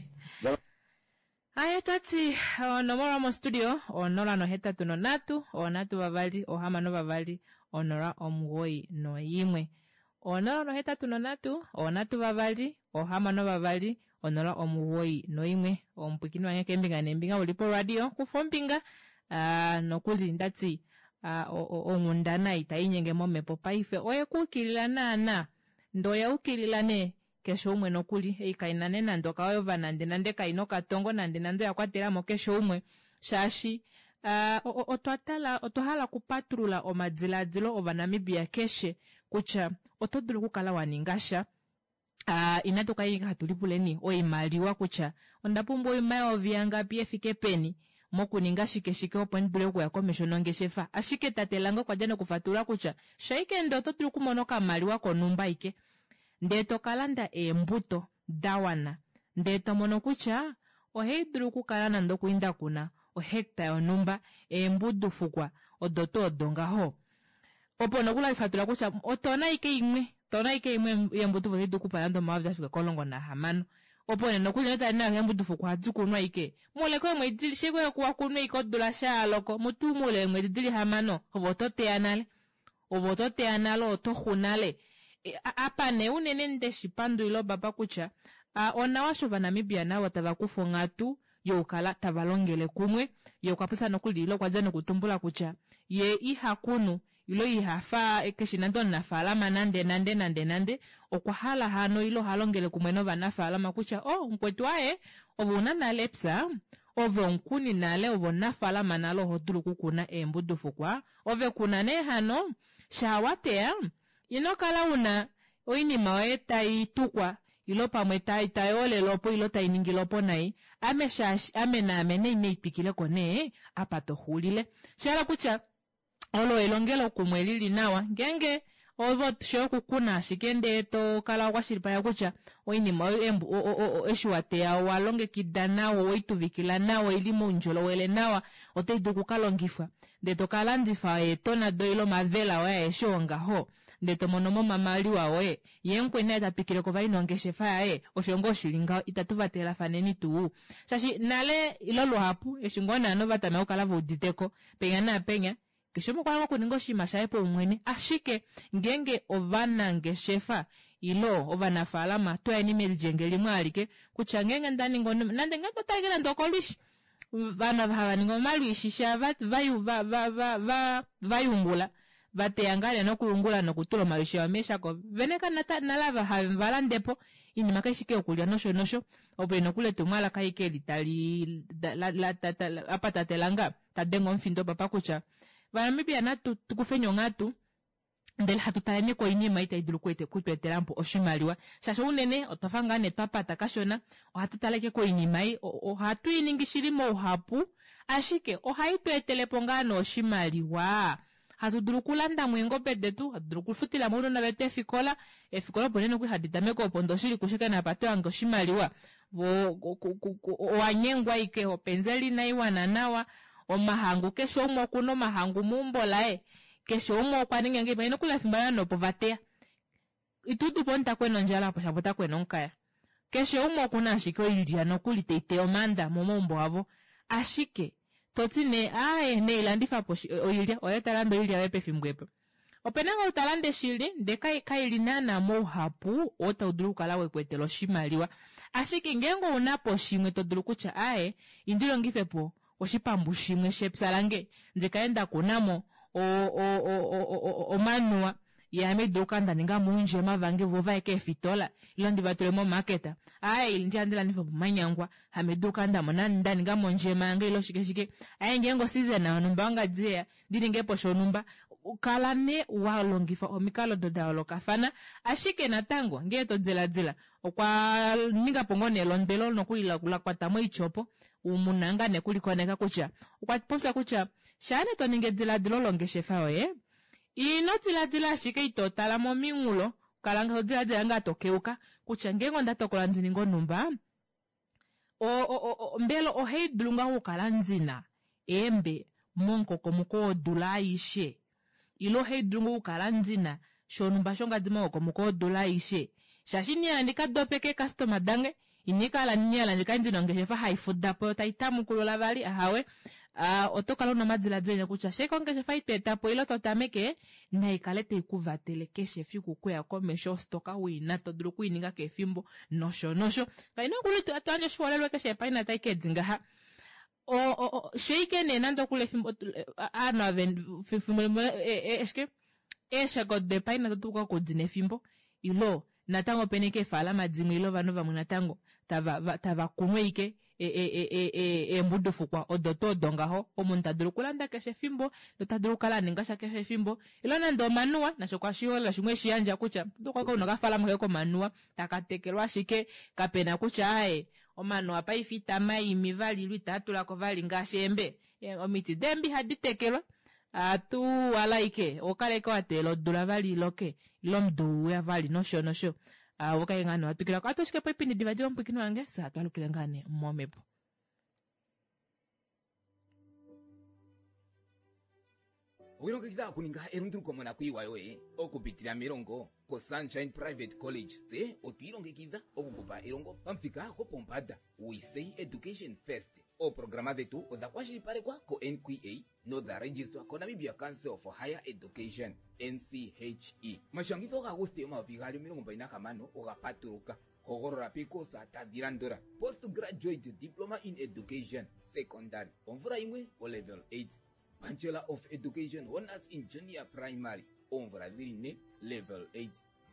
Aye twati onomola yomostudio 083 3 6 2 091. 083 3 6 2 091. Omupwikini wange keembinga neembinga uli poradio kufa ombinga ah, nokuli ndati ah, onghundana itai inyenge momhepo paife oye ku ukilila naana ndee oya ukilila nee keshe umwe nokuli ei kaina nee nande okayova nande nande kaina okatongo nande nande oya kwatelamo keshe umwe shaashi ah, otwa tala otwa hala okupatulula omadilaadilo ovanamibia keshe kutya oto dulu okukala wa ninga sha Uh, inatu kala ashike hatu lipuleni oimaliwa kutya onda pumbwa oimayovi yangapi efike peni mokuninga shike shike opo ndi dule okuya komesho nongeshefa. Ashike tate Lange okwa dja nokufatulula kutya shaike ndee oto dulu okumona okamaliwa konhumba ike ndee to ka landa eembuto da wana ndee to mono kutya ohai dulu okukala nande okuli nda kuna ohecta yonhumba eembudufukwa odo tuu odo ngaho. Opo nokuli hali fatula kutya otona aike imwe, otona aike imwe yeembudufu otai dulu okupa nande omayovi a fika komulongo nahamano. Opo nee nokuli notali nayo eembudufu ohadi kunwa aike moule keemwedi, shike wa kunwa aike odula sha ya loko, mutu moule weemwedi dili hamano ove oto teya nale. Ove oto teya nale, oto xu nale. Apa nee unene ndeshi pandulila opapa kutya onawa eshi Ovanamibia navo tava kufa onghatu yokukala tava longele kumwe. Ye okwa popya nokuli ile okwa dja nokutumbula kutya ye iha kunu ile iha fa keshi nande omunafaalama nande nande nande nande. Okwa hala hano ile oha longele kumwe novanafaalama kutya oh mukwetu aaye ove una nale epya, ove omukuni nale, ove omunafaalama nale oho dulu okukuna eembudufukwa, ove kuna nee hano shaa wa teya Ino kala u na oinima yoye tai tukwa ilo pamwe tai tai olele opo ilo tai ningile opo nai, ame shaashi ame naame nei nei twikile ko nee apa to xulile. Sha hala kutya olo elongelokumwe li li nawa ngeenge ove otushe okukuna ashike ndee to kala wa kwashilipaleka kutya oinima oyo embu, o, o, o, eshi wa teya owa longekida nawa, owei tuvikila nawa, oili moundjolowele nawa, otai dulu oku ka longifwa. Ndee to ka landifa eetona doye ile omavela oye aeshe oo ngaho, ndee to mono mo omamaliwa oye. Ye mukweni naye ta twikile ko vali nongeshefa yaye. Osho ngoo shi li ngaho, itatu vatelafaneni tuu. Shaashi nale ile luhapu, eshi ngoo naanhu va tameka okukala ve udite ko, penya naapenya, Keshe umwe okwa hala okuninga oshinima shaye paumwene, ashike ngeenge ovanangeshefa ile ovanafaalama twayeni melyenge limwe alike kutya ngeenge nda ninga onima nande ngeenge otali nande okolwishi vanhu hava ningi omalwiishi sha va va va va va va va yungula va teya ngaa nee nokuyungula nokutula omalwiishi avo meeshako vene ka nata nale ava have va lande po iinima kai shike yokulya nosho nosho opo nokuli etumwalaka ike eli tali la la la apa tatelanga ta denge omufindo papa kutya Vanamibia natu tu kufeni onghatu ndele hatu taleni koinima itai dulu kutu etela po oshimaliwa shaashi unene otwa fa ngaa nee twa pata kashona ohatu tale ike koinima ei ohatu i ningi shili mouhapu ashike ohai tu etele po ngaa nee oshimaliwa hatu dulu okulanda mo eengobe detu hatu dulu okufutila mo ounona vetu eefikola eefikola opo nee nokuli hadi tameke opo ndoshili kushike napa to hange oshimaliwa. Vo owa nyengwa ike openzeli inai wana nawa, omahangu keshe umwe okuna omahangu meumbo laye, keshe umwe okwa ninga ngahelipi, nokuli efimbo olo opo va teya. Ito udu po omunhu ta kwena ondjala opo shapo ota kwena omukaya. Keshe umwe okuna ashike oilya nokuli tai teya omaanda momaumbo avo. Ashike to ti nee aaye neilandifa po oilya, oye ta lande oilya yoye pefimbo epo. Opena ngoo ou ta lande shili ndee kai li naana mouhapu oo tau dulu okukala weku etela oshimaliwa. Ashike ngeenge ouna po shimwe to dulu kutya aaye indi longife po oshipambu shimwe shepya lange ndi kale nda kuna mo omanuwa ye ame dulu okukala nda ninga mo oundjema vange vo vaye keefitola ile ndi va tule momarket. Aaye indi handi landifa po omanyangwa ame dulu okukala nda mona nda ninga mo ondjema yange ile oshike shike. Aaye ngeenge oseason yonhumba yongadi yeya ndi ninge po shonhumba. Kala nee wa longifa omikalo odo da yoolokafana. Ashike natango ngee to diladila okwa ninga po ngoo nee elondwelo nokuli la kwata moiti opo mu na ngaa nee okulikoneka kutya okwa popya kutya shaa nee to ningi ediladilo longeshefa yoye ino diladila ashike ito tala mominghulo kala to diladila ngaa to keuka kutya ngeenge onda tokola ndi ninge onhumba mbela ohai dulu ngaa okukala ndi na eembe momukokomoko wodula aishe ile ohai dulu ngoo okukala ndi na shonhumba shongadi momukokomoko wodula aishe shaashi ina hala ndi ka dopeke eekastoma dange ina kala ina hala ndi kale ndi na ongeshefa hai fuda po yo tai tamukulula vali ahawe oto kala una omadiladilo enya kutya sheke ongeshefa ei to eta po ile to tameke nai kale tai ku vatele keshe efiku okuya komesho ostoka uina to dulu okuininga keshe efimbo nosho nosho. Kaina okuli to yandje oshiholelwa keshe epaina tai ka edi ngaha. Sheike nee nande okuli efimbo aanhu ave fimbo limwe eshike eeshako depaina to dulu okudina efimbo ilo natango opena ike eefaalama dimwe ile ovanhu vamwe natango tava tava kunu ike eembudufukwa odo tuu odo ngaho omunhu ta dulu okulanda keshe efimbo nota dulu okukala a ninga sha keshe efimbo ile nande omanuwa nasho oshiholelwa shimwe eshi yandja kutya oto dulu okukala una okafaalama kaye komanuwa taka tekelwa ashike kapena kutya aaye omanuwa paife itama imi vali ile itaa tulako vali ngaashi eembe omiti deembe ihadi tekelwa atu wala ike oho kala ike wa teelela odula vali iloke ile omudo uya vali nosho nosho vo kaye ngaa nee watwikilako atu ashike poipindi diva diva omupwiikini wange fye hatu alukile ngaa nee momhepo. Owilongekidha okuninga elunduluko monakuyiwa yoye okupitila melongo koSunshine Private College? Tse otwi ilongekidha okukupa elongo pamuthika gwopombanda. We say education first. Ooprograma dhetu odha kwashilipalekwa koNQA nodha registwa koNamibia Council for Higher Education, NCHE. Omashangitho gaAguste 2026 oga patuluka. Hogolola peekosa tadhi landula, Postgraduate Diploma in Education, Secondary, omvula yimwe, oLevel 8, Bachelor of Education Honours in Junior Primary, oomvula dhili ne, Level 8,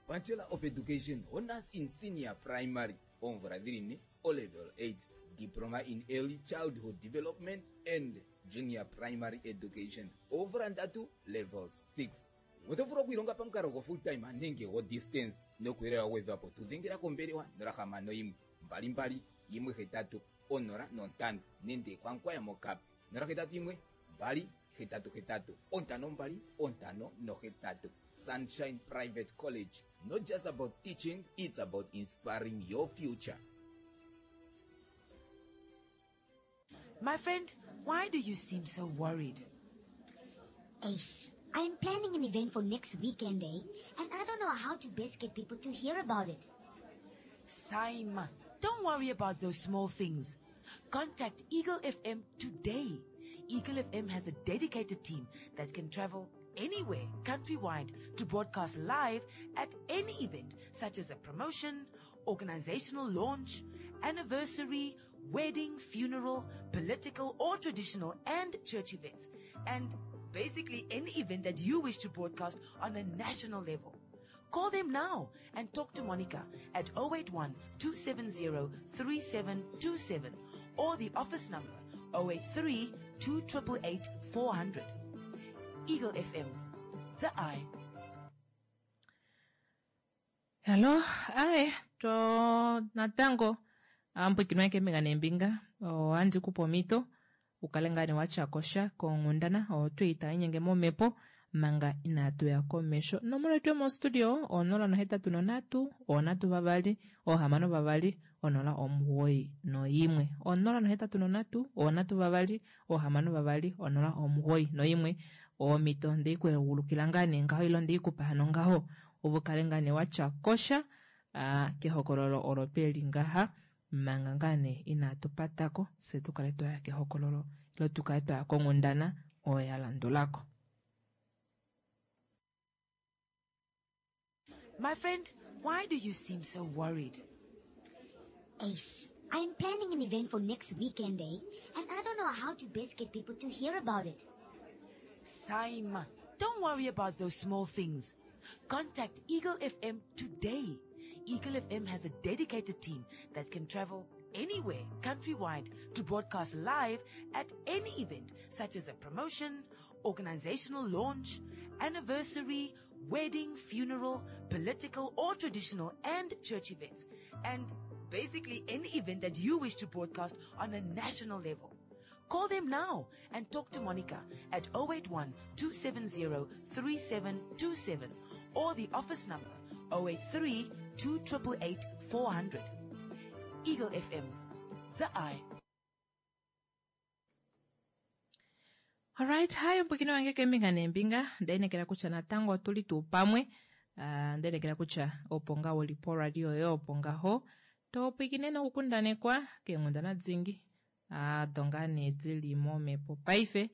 Bachelor of Education Honours in Senior Primary, oomvula dhili ne, oLevel 8, Diploma in Early Childhood Development and Junior Primary Education, oomvula ndatu, Level 6. Oto vulu okwiilonga pamukalo go full time nenge go distance. Nokuuyelele wa gwedhwapo tu dhengela kombelewa 061 22 18 05 nende kwaNkwaya moKaap 081 2 88 52 58. Sunshine Private College, not just about teaching, it's about inspiring your future. My friend, why do you seem so worried? Ace, I'm planning an event for next weekend, eh? And I don't know how to best get people to hear about it. Saima, don't worry about those small things. Contact Eagle FM today. Eagle FM has a dedicated team that can travel anywhere countrywide to broadcast live at any event, such as a promotion, organizational launch, anniversary, wedding, funeral, political or traditional and church events, and basically any event that you wish to broadcast on a national level. Call them now and talk to Monica at 081 270 3727 or the office number 083 288 400. Eagle FM, the eye. Hallo, aye, to natango ambwikino yake mbinga nembinga ohandi kupe omhito ukale ngaa nee watyako sha konghundana oyo twii tai inyenge momhepo. Manga inaatu ya komesho. Onomola yetu yomostudio 083 3 6 2 091. 083 3 6 2 091. Omhito ndei ku egulukila ngaa nee ngaho ile ndei kupa hano ngaho opo kale ngaa nee watya kosha kehokololo olo peli ngaha manga ngaa nee inaatu patako fye tu kale twaya kehokololo ile tu kale twaya konghundana oyo ya landulako. My friend, why do you seem so worried? Ace, I'm planning an event for next weekend, eh? And I don't know how to best get people to hear about it. Saima, don't worry about those small things. Contact Eagle FM today. Eagle FM has a dedicated team that can travel anywhere countrywide to broadcast live at any event, such as a promotion, organizational launch, anniversary, wedding, funeral, political or traditional and church events, and basically any event that you wish to broadcast on a national level. Call them now and talk to Monica at 081 270 3727 or the office number 083 288 400. Eagle FM, the eye. Alright, hi mpwikino wange kembinga nembinga ndainekela kutya natango otuli tuu pamwe uh, ndainekela kutya opo ngaho uli poradio yoye opo ngaho topwikine nokukundanekwa keenghundana dingi ado ngaa nee dili momhepo paife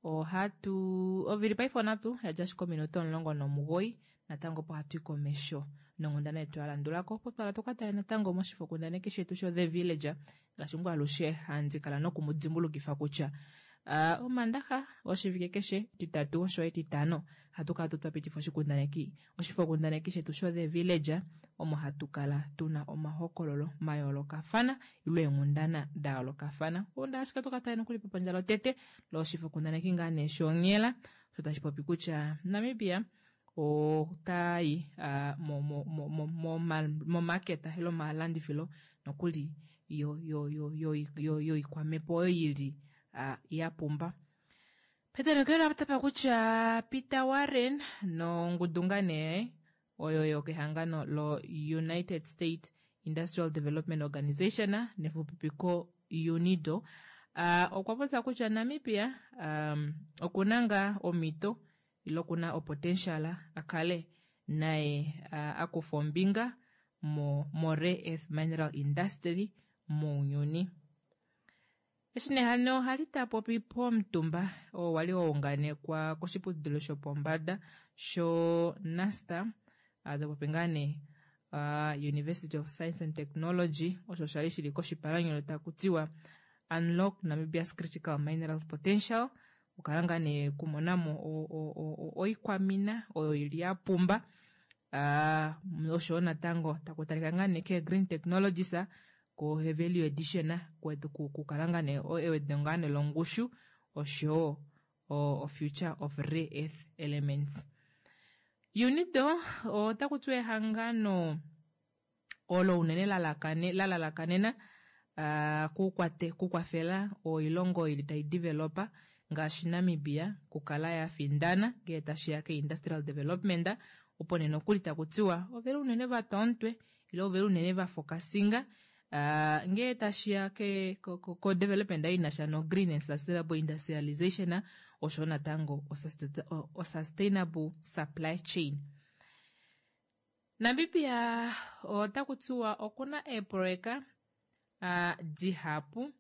ohatu ovili paife onatu yadja ashike ominute 19 natango opo hatu i komesho nonghundana yetu ya landulako opo twala tuka tale natango moshifokundaneki shetu sho The Villager ngaashi ngoo alushe handi kala noku mu dimbulukifa kutya uh, omandaxa oshivike keshe etitatu osho etitano hatu kala tu twapitifa oshikundaneki oshifokundaneki shetu sho The Villager omo hatu kala tuna omahokololo mayoolokafana ile eenghundana da yoolokafana onda ashike toka tale nokuli pepandja lotete loshifokundaneki ngaa nee shonghela osho tashi popi kutya Namibia otayi uh, momaketa ile omalandifilo nokuli yoikwamhepo oyo yili uh, ya pumba. Petameko ela tapa kutya Peter Warren nongudu ngaa nee oyo yokehangano lo United States Industrial Development Organization nefupipiko UNIDO uh, okwa popya kutya Namibia um, okuna ngaa omhito ile okuna opotential a kale naye uh, a kufa ombinga mo, mo rare earth mineral industry mounyuni. Eshi nee hano hali ta popi pomutumba oo wali wa unganekwa koshiputudilo shopombada sho NASTA, ta popi ngaa nee uh, University of Science and Technology, osho shali shili koshipalanyolo taku tiwa Unlock Namibia's Critical Mineral Potential, okukala ngaa nee kumonamo oikwamina oyo ili ya pumba uh, oshowo natango taku talika ngaa nee ke green technologies ko value addition kukala ngaa nee ewedo ngaa nee longushu oshowo o future of rare earth elements. UNIDO otaku tiwa ehangano olo unene la lalakanena uh, kukwate kukwafela oilongo ili tai developa ngaashi Namibia kukala ya findana ngee tashiya ke industrial development opo nee nokuli taku tiwa oveli unene vatwa omutwe ile oveli unene va focusinga uh, ngee tashiya ke ko, ko, ko development ei inasha no green and sustainable industrialization osho natango o sustainable supply chain. Namibia otaku tiwa okuna eeproyeka uh, dihapu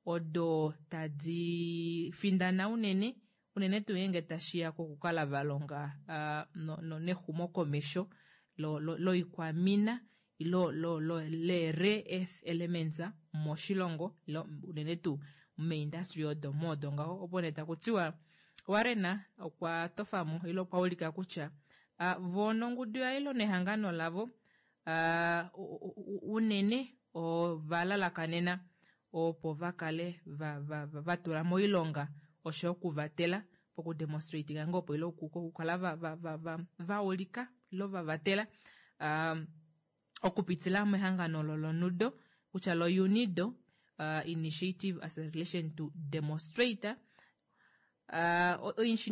odo tadi findana unene unene tuu ngeenge tashiya kokukala va longa uh, no, no, nexumokomesho loikwamina lo, ilo lo, lo, le rare earth elements moshilongo ilo unene tuu meindustry odo moodo ngaho opo nee taku tiwa Warren okwa tofamo ile okwa ulika kutya uh, vo nongudu yaye ilo nehangano lavo uh, unene ova lalakanena opo va kale va, va, va, va tula moilonga osho okuvatela pokudemonstratinga ngoo opo ile okukala va, va, va, va, va ulika ilo va vatela um, okupitila mehangano olo loNUDO kutya lo UNIDO uh, Initiative Acceleration to Demonstrate.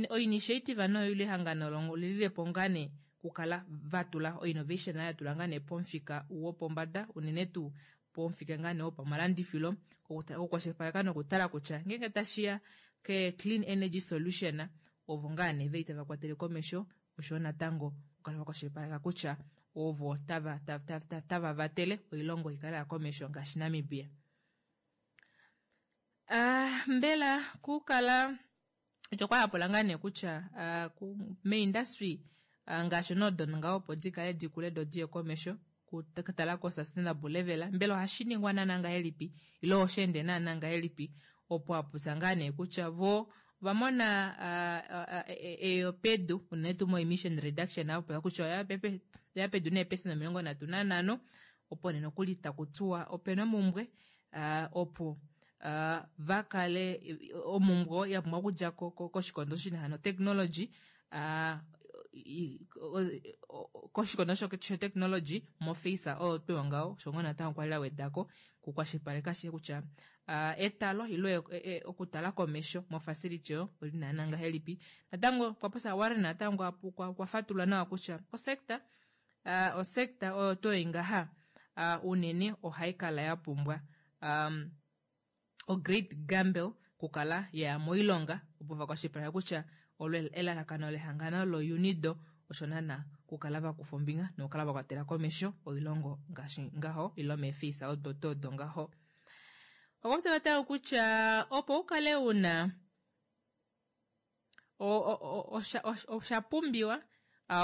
Oinitiative noyo ile ehangano olililepo ngaa nee kukala vatula oinnovation ya tula ngaa nee pomufika wopombada unene tuu pomufika ngaa nee wopamalandifilo okukwashilipaleka nokutala kutya ngeenge tashiya ke clean energy solution ovo ngaa nee veli tava kwatele komesho oshoyo natango okukala vakwashilipaleka kutya ovo tava, tava, tava, tava vatele oilongo ikale ya komesho ngaashi Namibia. Mbela kukala okwa yapula ngaa nee kutya meindustry ngaashi noodon ngaho opo di kale di kule do diye komesho kutala ko sustainable level mbela ohashi ningwa naana ngahelipi ile osha ende naana ngahelipi opo apupya ngaa nee kutya vo ovamona eyo pedu unene tuu mo emission reduction apopya kutya oya pedu neepesenda 35 opo nee nokuli taku tiwa opena omumbwe opo vakale omumbwe ya pumbwa okudja koshikondo shina notechnology koshikondo shotechnology mofeisa oyo tuu ngaho osho ngoo natango kwali la wedako kukwashilipaleka ashike kutya etalo ile okutala komesho mofacility oyo oli naana ngahelipi. Natango okwa popya Warren natango okwa fatulula nawa kutya osector osector oyo tuu ngaha unene ohai kala ya pumbwa o-great gamble kukala ya moilonga opo vakwashilipaleka kutya olo elalakano lehangano lo-UNIDO osho naana kukala vakufa ombinga nokukala vakwatela komesho oilongo ngaashi ngaho ile meefeisa odo tuu odo ngaho. Okwa natango kutya opo ukale una osha pumbiwa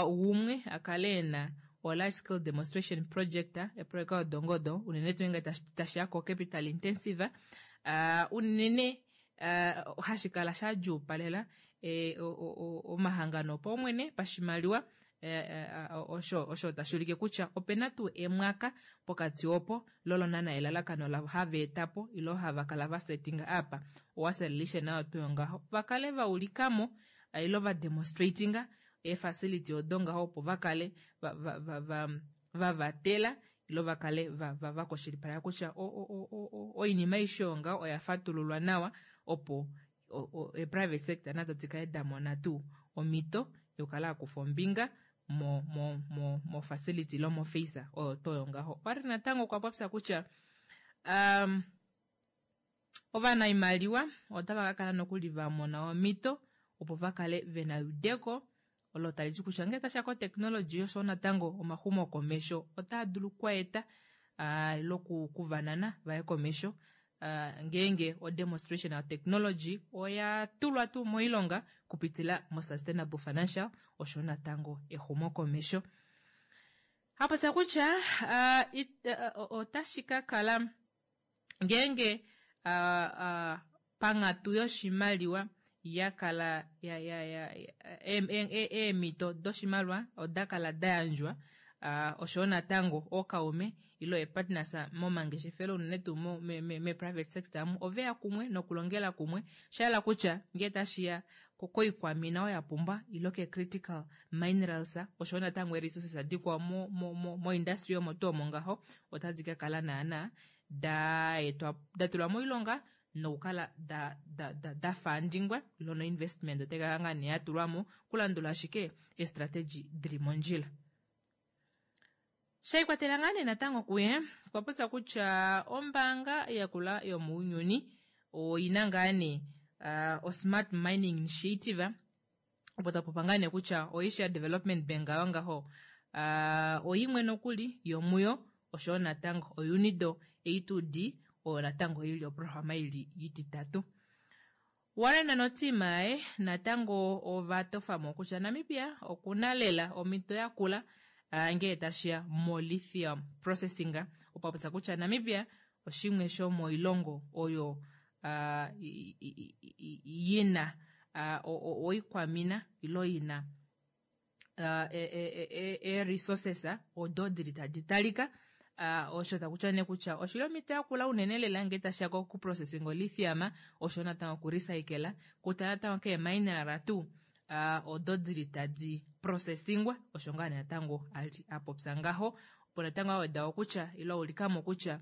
gumwe akale ena o large scale demonstration project eprojeka odongodo unene tuu ngenge tashiya ko capital intensive unene hashi kala sha djuupalela omahangano opaumwene pashimaliwa osho osho tashi ulike kutya opena tuu emwaka pokati opo lolo naana elalakano lavo hava etapo ilo hava kala va setting up oacceleration nayo tuu ngaho vakale va ulikamo ilo va demonstratinga eefacility odo ngaho opo vakale va vatela ilo vakale vakwashilipaleka kutya oinima aishe oyo ngaho oya fatululwa nawa opo e-private sector nado dikale damona tuu omhito yokukala akufa ombinga mo mo mo mo facility ilo mofeisa oyo tuu oyo ngaho. Okwali natango okwa popya kutya ovanaimaliwa otava ka kala nokuli vamona omhito opo vakale vena eudeko olo tali ti kutya ngele tashiya kotechnology oshowo natango omahumo komesho otaa dulu okweeta ilo kuvanana vaye komesho ngeenge o demonstration of technology oya tulwa tuu moilonga kupitila mo sustainable financial osho natango exumo komesho. Hapopya kutya otashi ka kala ngeenge panghatu yoshimaliwa ya kala eemhito doshimaliwa oda kala da yandjwa oshowo natango ookaume ilo eepartners momangeshefelo unene tuu me-private sector amu oveya kumwe nokulongela kumwe shayela kutya ngee tashiya koikwamina oyo ya pumba ilo ke-critical minerals oshowo natango ee-resources dikwao mo-industry omo tuu omo ngaho otadi ka kala naana da tulwa moilonga nokukala da fandingwa ilo no investment otai kala ngaa nee yatulwamo kulandula ashike eestrategy dili mondjila. Shaikwatela ngaa nee natango kuye okwa popya kutya ombaanga yakula yomounyuni oina ngaa nee o-smart mining initiative opo tapopa ngaa nee kutya oAsia Development Bank ayo ngaho oimwe nokuli yomuyo oshowo natango oUNIDO A2D oyo natango ili oprograma ili ititatu. Warren notima yaye natango ova tofamo kutya Namibia okuna lela omhito yakula ngee tashiya mo lithium processing opo apopya kutya Namibia oshimwe shomoilongo oyo yina oikwamina ilo yina ee-resources odo dili tadi talika osho takutya nee kutya oshili omhito yakula unene lela ngee tashiya kokuprocessing olithium osho natango okurecycla kutala natango keemineral tuu odo dili tadi processingwa osho ngaa natango ali apopya ngaho opo natango aweda kutya ilo aulikamo kutya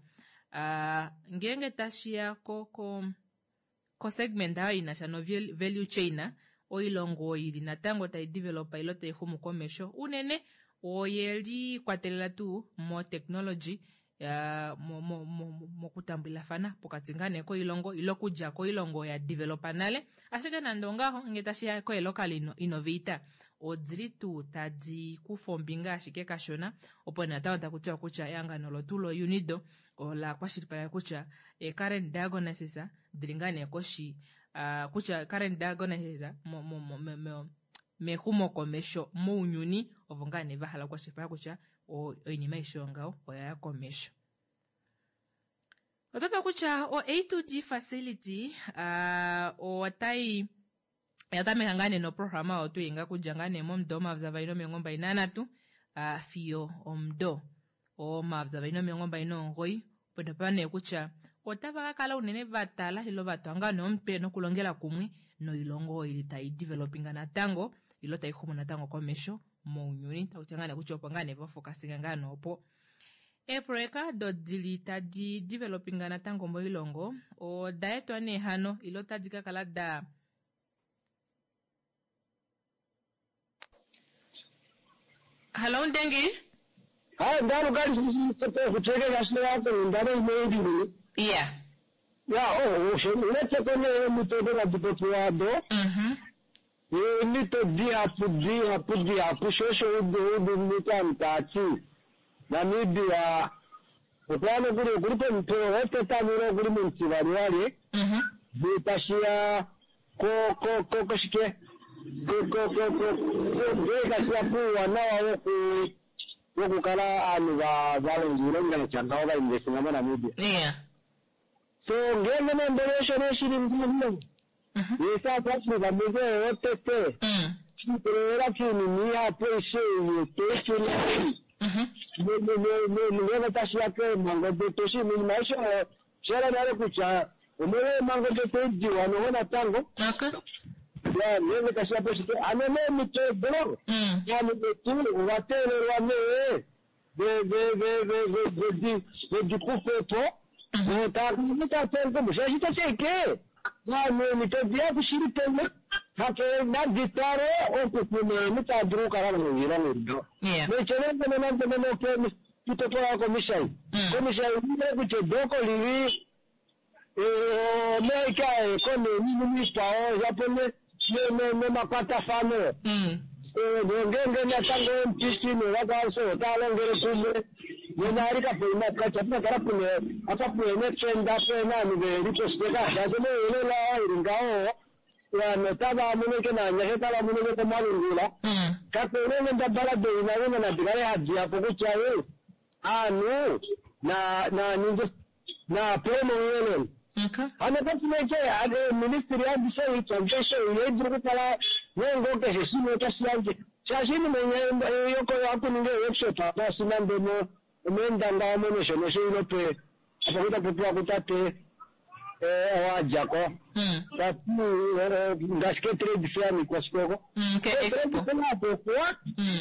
ngeenge tashiya ko ko. Kosegment ayo ina sha no value chain, oilongo oyo ili natango tai developa ilo tai xumu komesho unene oye likwatelela tuu mo technology mokutambulafana pokati ngaa nee koilongo ile okudja koilongo ya developa nale. Ashike nande ongaho ngee tashi ya koelocal innovator odili tuu tadi kufa ombinga ashike kashona, opo natango taku tiwa kutya ehangano lotu lo UNIDO ola kwashilipaleka kutya e current diagnosis dili ngaa nee koshi kutya current diagnosis mexumokomesho mounyuni ovo ngaa nee va hala okukwashilipaleka kutya oinima aishe yongaho oya ya komesho. Otopa kutya o A2D facility otai ya tameka ngaa nee noprograma oyo tuu inga kudja ngaa nee momudo 2023 fiyo omudo 2029. Opo topa nee kutya otava ka kala unene va tala ilo va twa ngaa nee omutwe nokulongela kumwe noilongo oyo ili tai developinga natango ilo tai xumu natango komesho mounyuni. Taku ngaa nee kutya opo ngaa nee va focusinga ngaa nee opo. Eeproyeka odo dili tadi developinga natango moilongo oda etwa nee hano ilo otadi ka kala da Hallo Ndengi. Hayi ndalo kali kucheke kahle yakho ndalo imeyili. Yeah. Ya oh osho unetse kone mito da dipopiwa do. Mito dihapu dihapu dihapu shosho udu udu mito amtati. Namibia okwano kuri kuri pompe otetamiro kuri munti wali. Bitashia ko ko ko koshike. Ko ko ko ko ko kuwa nawa woku wokukala aanhu va valonga iilonga yatya ngaho va investinga moNamibia. Yeah. So ngenge nembele osho neshili mbuno. Ye South Africa muze otete. Chipelera kiinima ihapu aishe yetu ngenge tashiya keemhango detu oshinima aishe shela nale kutya omolwa eemhango detu ediwa noho natango. Ya ngenge tashiya poshike ano neemito odo ovanhu vetu ova teelelwa nee vedi kufepo taakuitatenkumu shaashi tasheke vanhu emito dihapu shili pene hake naditale okukuna mitadulu okukala moilongo ido nechelengene kitotola komishai komishai ile kutya edoko lili omeika koneniministao yapo nemakwatafano ngenge natango MTC nevakwaso otaalongele kumwe nena kapeina kachapinakala pune apa pune tenda pena anhu velipositeka shaashi mouyelela ili ngaho vanhu otava muneke nanyasha tava muneke komalungula kapena ngendabala deina nadikale hadiyapo kutya aanhu naninge napewe mouyelele. Ano patineke ministry yandishe yediri kukala nengo keshe shimwe otashi yandje shaashi iinima yoko akuninga workshop apa sina ndemo omendanga omo nosho nosho ilo pe apa kutapopiwa kutate owadjako tati ngaashi ke trade fair mikwashikoko apokuwa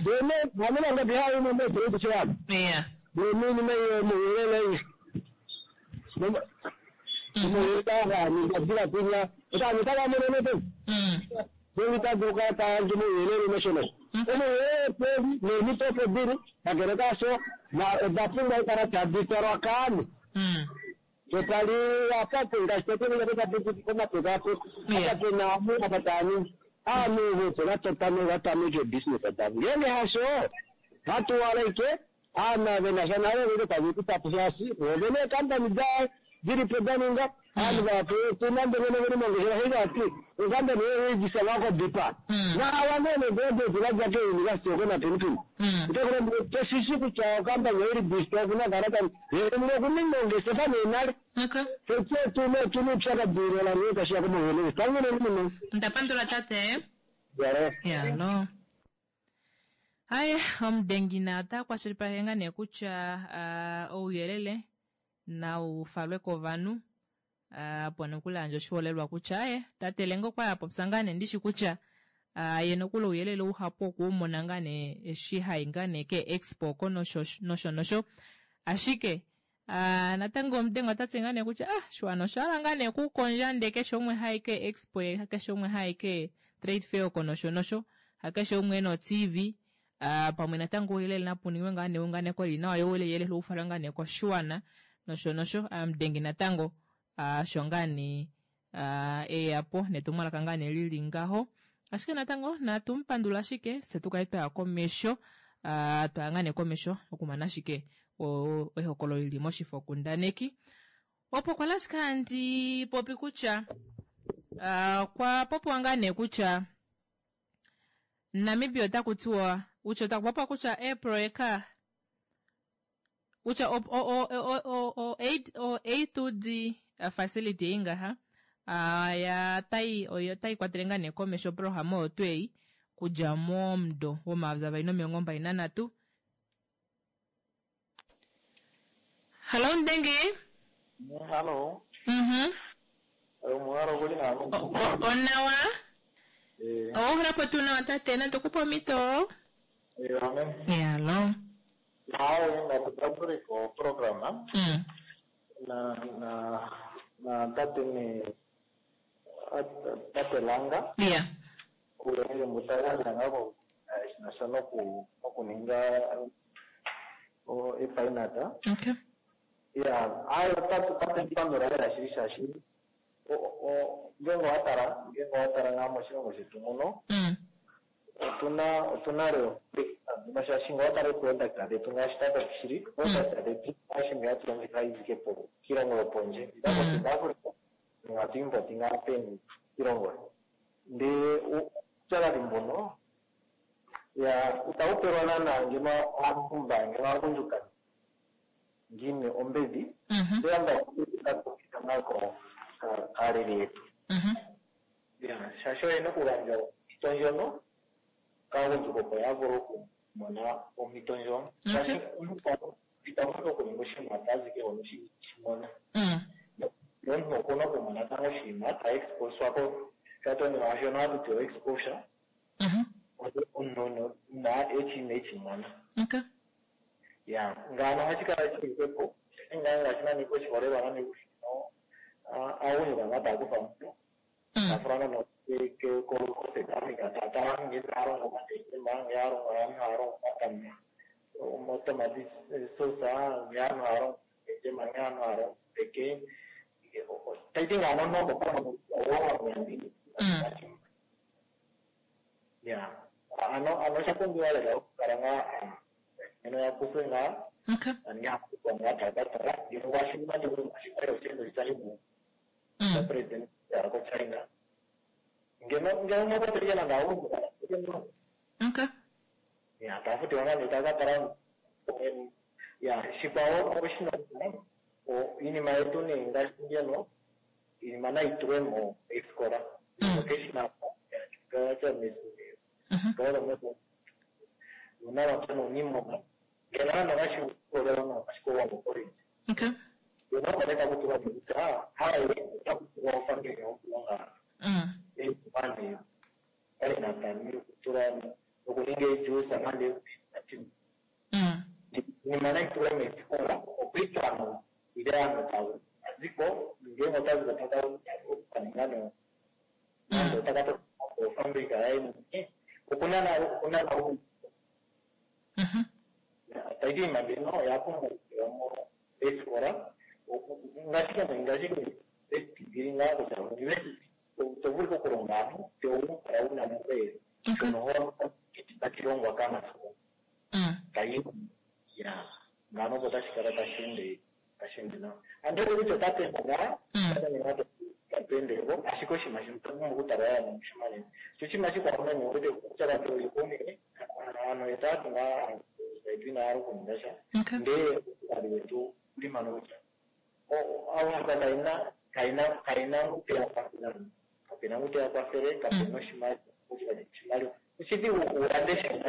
dene vamene bihaimo mo trade fair dene inima iyo muyelele muyelele otani tavamonene pe devitaduka tayandje muyelele nosho nosho omuyelele pevi nemitopo dili kakele kasho oda pumbwa okukala tadi twalwa kaanhu. Totali apapo ngaashi totoaa komapekapeko apa pena amu apa taaningi aanhu voto vatota vatameke business davo ngenge hasho hatuwalaike aana venasha navo veke tavekutapo shaashi vovene eekampani da dilipo daninga aanhu vapo tunande vene veli mongeshefa heivati ekampani yeijisa vakobipa nawanene godeti vadja keuniversity okonapinipini toshishi kutya okampani oiri bista okunagarata munokuninga ongeshefa nenale tsetyetunetunupyakadirola nekashiya komuhelele tangenenimino. Ndapandula tate. Yare. Yalo. Haye omudengi na ota kwashilipaleke ngaa nee kutya ouyelele nau falwe kovanhu apo nokuli yandja oshiholelwa kutya aye tate Lenga okwa ya popya ngaa nee ndishi kutya ye nokuli ouyelele uhapu okuumona ngaa nee eshi hai ngaa nee ke expo oko nosho nosho nosho ashike. Natango omudengo ota ti ngaa nee kutya ah shiwana osha hala ngaa nee kukondja ndee keshe umwe haike expo ye hakeshe umwe haike trade fair oko nosho nosho hakeshe umwe ena o-tv pamwe natango ouyelele napu ningwe ngaa neunganeko li nawa yo ouyelele ufalwe ngaa nee koshiwana nosho nosho. Amudengi natango osho ngaa nee eya po netumwalaka ngaa nee lili ngaho. Ashike natango natu mu pandula ashike fye tu kale twaya komesho, twaya ngaa nee komesho okumana ashike ehokololo lili moshifokundaneki. Opo kwali ashike handi popi kutya okwa popiwa ngaa nee kutya Namibia otaku tiwa kutya otaku popiwa kutya eeproyeka kutya o o o o o o A2D facility ei ngaha ya tai oyo tai kwatele ngaa nee komesho oprograma oyo tuu ei kudja momudo womayovi avali nomilongo mbali nanhatu. Hallo Mudenge. Hallo. Omuhalo okuli nawa. Onawa. Owa hulapo tuu nawa tate, natu kupe omhito. Amen. Hallo. Hayi, natutambule ko programa. Na na na tate ni tate Langa. Yeah. Uuyelele mbu ta gandja ngaa shinasha noku nokuninga epainata. Okay. Ya, ayo tate pandula lela shili shaashi ngenge owa tala ngenge owa tala ngaa moshilongo shetu muno otuna otuna leo shaashi ngee owa tala eeproduct dhetu ngaashi tata shili product dhetu ngaashi ngee hatu longitha izike po kiilongo yopondje ida ko South Africa nenge hatu import ngaa peni kiilongo ndee uupyakadhi mbuno ya itawu pelwa naana ngeno aantu mba ngeno aagundjuka ngiini ombedhi ndee amba tatupita ngaa kaaleli yetu ya shaashi oyena okugandja ompito ndjono kaagundjuka opo ya vule okumona ompito ndjono shaashi omuntu ita vulu okuninga oshinima tazi ke hono shimona omuntu okuna okumona tango oshinima ta exposwa ko shatonima shono hatu ti exposure omuntu na echi echimona. Okay. Ya ngaano ohashi kala shili hwepo ngaa ngaashi nani oshiholelwa nani no aagundjuka ngaa taya kutha omuntu tafula nono ko South Africa taya ngee taya longo omatema ngee alongo aantu haya longo omatama omatomati sauce ngee aantu haya longo omatema ngee aantu haya longo peke taiti ngaano noko owa ya ano ano osha pumbiwa lela okukala ngaa ngeno ya kuthwe ngaa Okay. ngaa ngaa taya ka tala ngeno ngaashi nande oshimaliwa osheendo shitayi mu president ya ko China ngeno ngeno mwakwateleke nande aagundjuka Okay. ya taya futilwa ngaa nee taya ka tala ya shikwawo oshina iinima yetu nee ngaashi ngeno iinima nayi tulwe mo eesikola vocational uunamapya nuuniimuna ngeno nande ngaashi ukolelwa ngaashi koWambo College Okay. ngeno oko nee taku tulwa nee kutya haye otaku tulwa ofambili yokulonga eemane painata okutula okuninga eejuice nande iinima nayi tulwe meesikola opo ike aantu ile aantu taziko ngenge otaziko taka okukaninga no nande otaka ofambulika yaye okuna okuna taiti iinima mbino oya pumbwa okutulwa mo eesikola ngaashi ngaashi university ngaa kutya university to vulu okulonga aantu te wu kala wuna mungoye shono ho tashi longwa kaanasikola tayi ya ngaano opo tashi kala tashi ende tashi ende nawa andi wete kutya otatu ende ngaa otatu tatu endeko ashike oshinima shino otwa pumbwa okutala lela nomushimanene sho oshinima shikwawo meme owete kutya katu aantu etatu ngaa yetu inaya hala okuninga sha ndee uupyakadhi wetu uli mpano kutya aagundjuka kayena kayena kayena ngu teya kwathele kapena ngu teya kwathele kapena oshimaliwa oshimaliwa oshidhigu wu lande eshina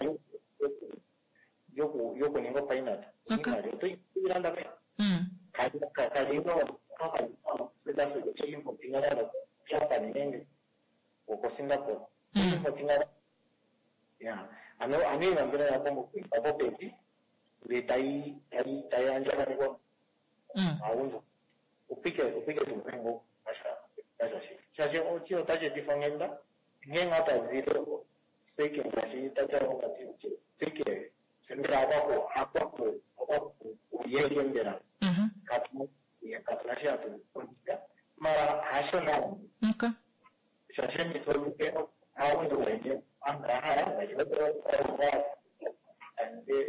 lyokuninga opainata iimaliwa otoyi landa peni kalino importinga Japan nenge koSingapore importinga ya ano ano iinima mbino oya pumbwa okwiipa popepi ndele tayi tayi tayi andjaganekwa. Upike upike tuu kasha shi. Shaashi ochi otashi etifa onghenda ngeenge otazile seke ngaashi tatya okati seke mbela okwaku akwaku okwaku uyeke mbela katu katuna shi hatu kondika mara hasho nawa Okay. shaashi emito aagundjuka oyendji aantu oya hala ngaashi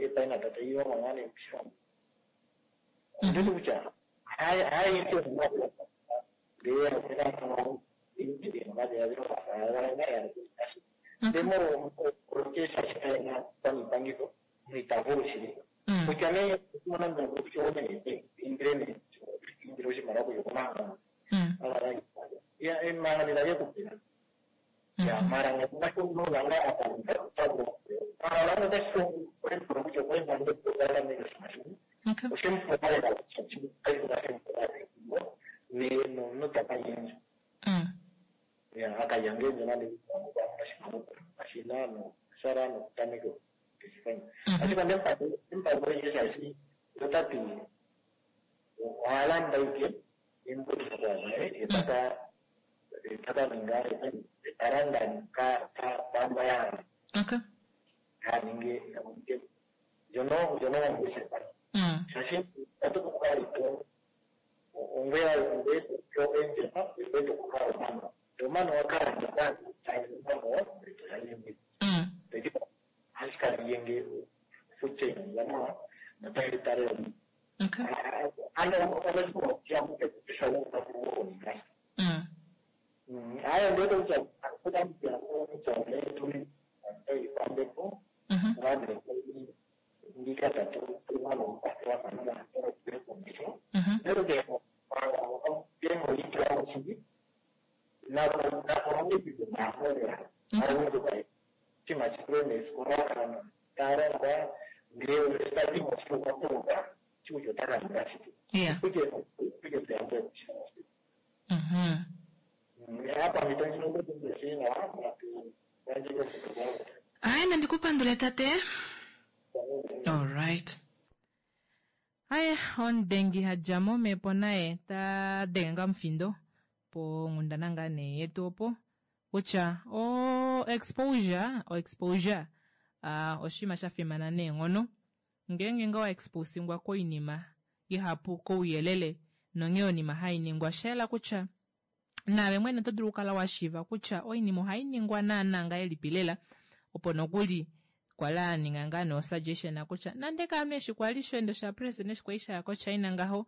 epaina tata iilongo ngaa nee moshilongo onditi kutya haayendji ndee ita vulu shili kutya nee mona indile nee indile oshimaliwa kuya komahangano emahangano itage kupela ya mara ngashonolanga mara otashi kutya oshemupaaoshemupaaenonotakanyenja ya akayangenja nande ashina no shara nokutameka okufanya ashike ndempango shaashi otati ohalanda ike embuto etaka etaka ninga etalanda kwamba yahala Okay. haninge ndjono ndjono ongeshefa shaashi otokukalito ongwera ngwe enjefa ngwe tokukala omano omano wakala omano toyayimbi ashikali fuche yanawa notaitare Okay. ano onakuyakupepisha hayo ndio kutambia pambepo ngane ndikata tumano lero ke tengo itraochindi na na korongi na hora aundu chima chipreme skoraka tarangwa ndeo starting of kutoka chucho takanga Yeah. kuje kuje tuyambe hapa mitonjinokutumbesina Aya, nandikupandule tate. Alright. Aya, omudengi hadja mo mepo naye ta denge ngaa omufindo ponghundana ngaa nee yetu opo kutya o exposure o exposure uh, oshinima sha fimana neenghono ngeenge nga wa exposingwa koinima ihapu kouyelele nonghee oinima hai ningwa shayela kutya naave mwene oto dulu okukala wa shiiva kutya oinima ohai ningwa naana ngahelipi lela opo nokuli kwali a ninga ngaa nee osuggestion kutya nande kaame eshi kwali shoendo shapresident eshi kwali shaya kochina ngaho uh,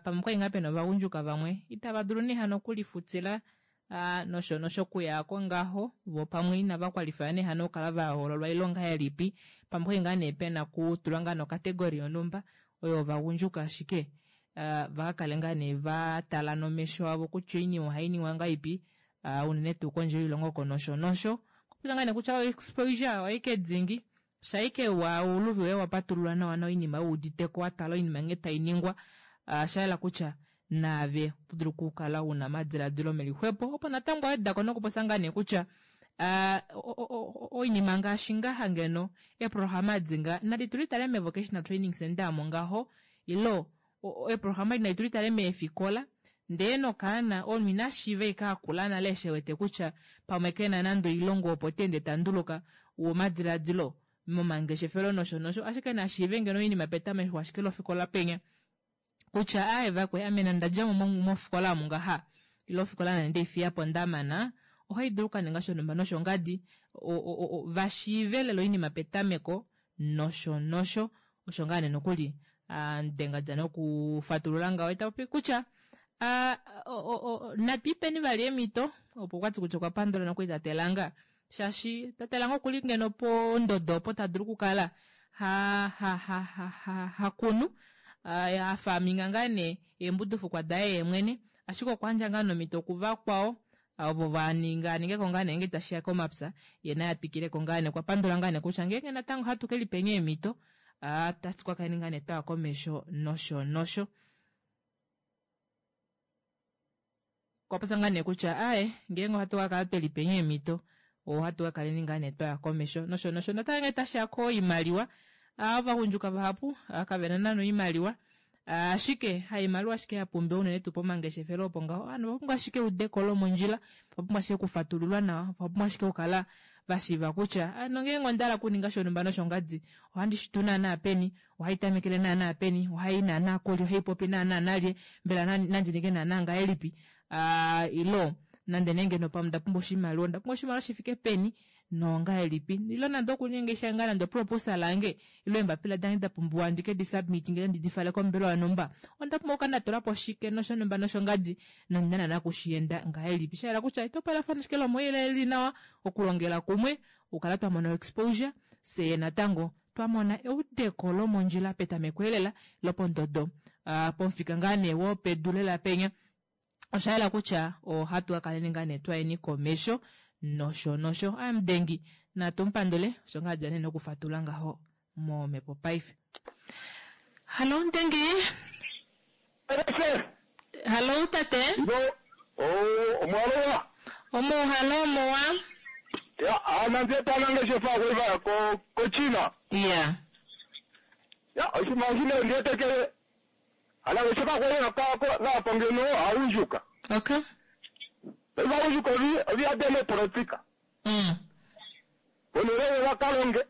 pamwe kwali ngaa pena ovagundjuka vamwe itava dulu nee hano okulifutila uh, nosho nosho kuyako ngaho vo pamwe inava kwalifaya nee hano okukala vahoololwa ilonga yelipi pamwe kwali ngaa nee pena kutulwa ngaa nokategori yonhumba oyo ovagundjuka ashike uh, vakakale ngaa nee vatala nomesho avo kutya oinima ohai ningwa ngaipi uh, unene tuu kondje yoilongo oko nosho nosho kupita ngaa nee kutya exposure oike dzingi shaike wa uluvi woye wapatululwa nawa noinima wuuditeko watala oinima nghee tai ningwa uh, shayela kutya naave oto dulu okukala una omadiladilo melixwepo opo natango awedako nokuposa ngaa nee kutya uh, oinima ngaashi ngaha ngeno eeprograma dinga nadi tulitale me-vocational training center amo ngaho ilo eeprograma nadi tulitale meefikola ndee nokaana omunhu ina shiiva ike akula nale eshi ewete kutya pamwe kena nande oilongo opo teende tanduluka womadiladilo momangeshefelo nosho nosho ashike nashiive ngeno oinima petameko ashike lofikola penya kutya aye vakwe ame nandadjamo mofikola omu ngaha ile ofikola nande ndeifiyapo ndamana ohai dulu okukaninga shonhumba noshongadi vashiive lela oinima petameko nosho nosho osho ngaa nee nokuli denga nokufatulula ngaho etapopi kutya natwiipeni vali eemhito opo kwati kutya okwa pandula nokuli tatelanga shaashi tatelanga okuli ngeno pondodo opo tadulu okukala ha ha ha ha ha hakunu hafaminga ngaa nee eembudufukwa daye yeemwene ashike okwa ngaa nomhito kuvakwao ovo vaninga aningeko ngaa nee ngee tashiya komapya ye naye atwikileko ngaa nee okwa pandula ngaa nee kutya ngeenge natango hatu kelipeni eemhito tatu kakale ngaa nee twaya komesho nosho nosho okwa ngaa nee kutya aye ngeenge ohatu kakala twelipeni eemhito ohatu kakaleni ngaa nee twaya komesho nosho nosho natango ngee tashiya koimaliwa ovagundjuka vahapu kavena nana oimaliwa. Ashike haimaliwa ashike ya pumbiwa unene tuu pomangeshefelo opo ngaho. Ovanhu ova pumbwa ashike eudeko lomondjila, ova pumbwa ashike okufatululwa nawa, ova pumbwa ashike okukala va shiiva kutya ano ngeenge onda hala okuninga shonhumba noshongadi ohandi shi tu naanaa peni, ohai tamekele naanaa peni, ohai i naanaa kulye, ohai popi naanaa nalye, mbela nandi ninge naanaa ngahelipi, ilo nande nee ngeno pamwe onda pumbwa oshimaliwa, onda pumbwa oshimaliwa shi fike peni nongahelipi, ilo nande okuninga nge nande oproposal yange ilo eembapila dange da pumbiwa ndi ke di submit ngee ndi di fale kombelewa yonhumba, onda pumbwa okukala nda tula po shike noshonhumba noshongadi nondi na naana okushienda ngahelipi. Sha yela kutya etopolafano ashike lomouyelele li nawa, okulongela kumwe, okukala twa mona oexposure, fyee natango twa mona eudeko lomondjila petameko elela lopondodo pomufika ngaa nee wopedu lela penya. Osha yela kutya ohatu ka kaleni ngaa nee twayeni komesho nosho nosho. Amudengi natu mu pandule osho ngaa dja nee nokufatula ngaho momhepo paife. Hallo Mudengi. Hallo tate. Omwalowa. Omuhalo omuwa. Ya, ana ndiye panangeshefa kweva ko ko China. Ya. Ya, oshimashine ndiye tekele. Anangeshefa kweva ka ko na pongeno aunjuka. Okay. Eva unjuka vi vi ademe politika. Onere wa kalonge.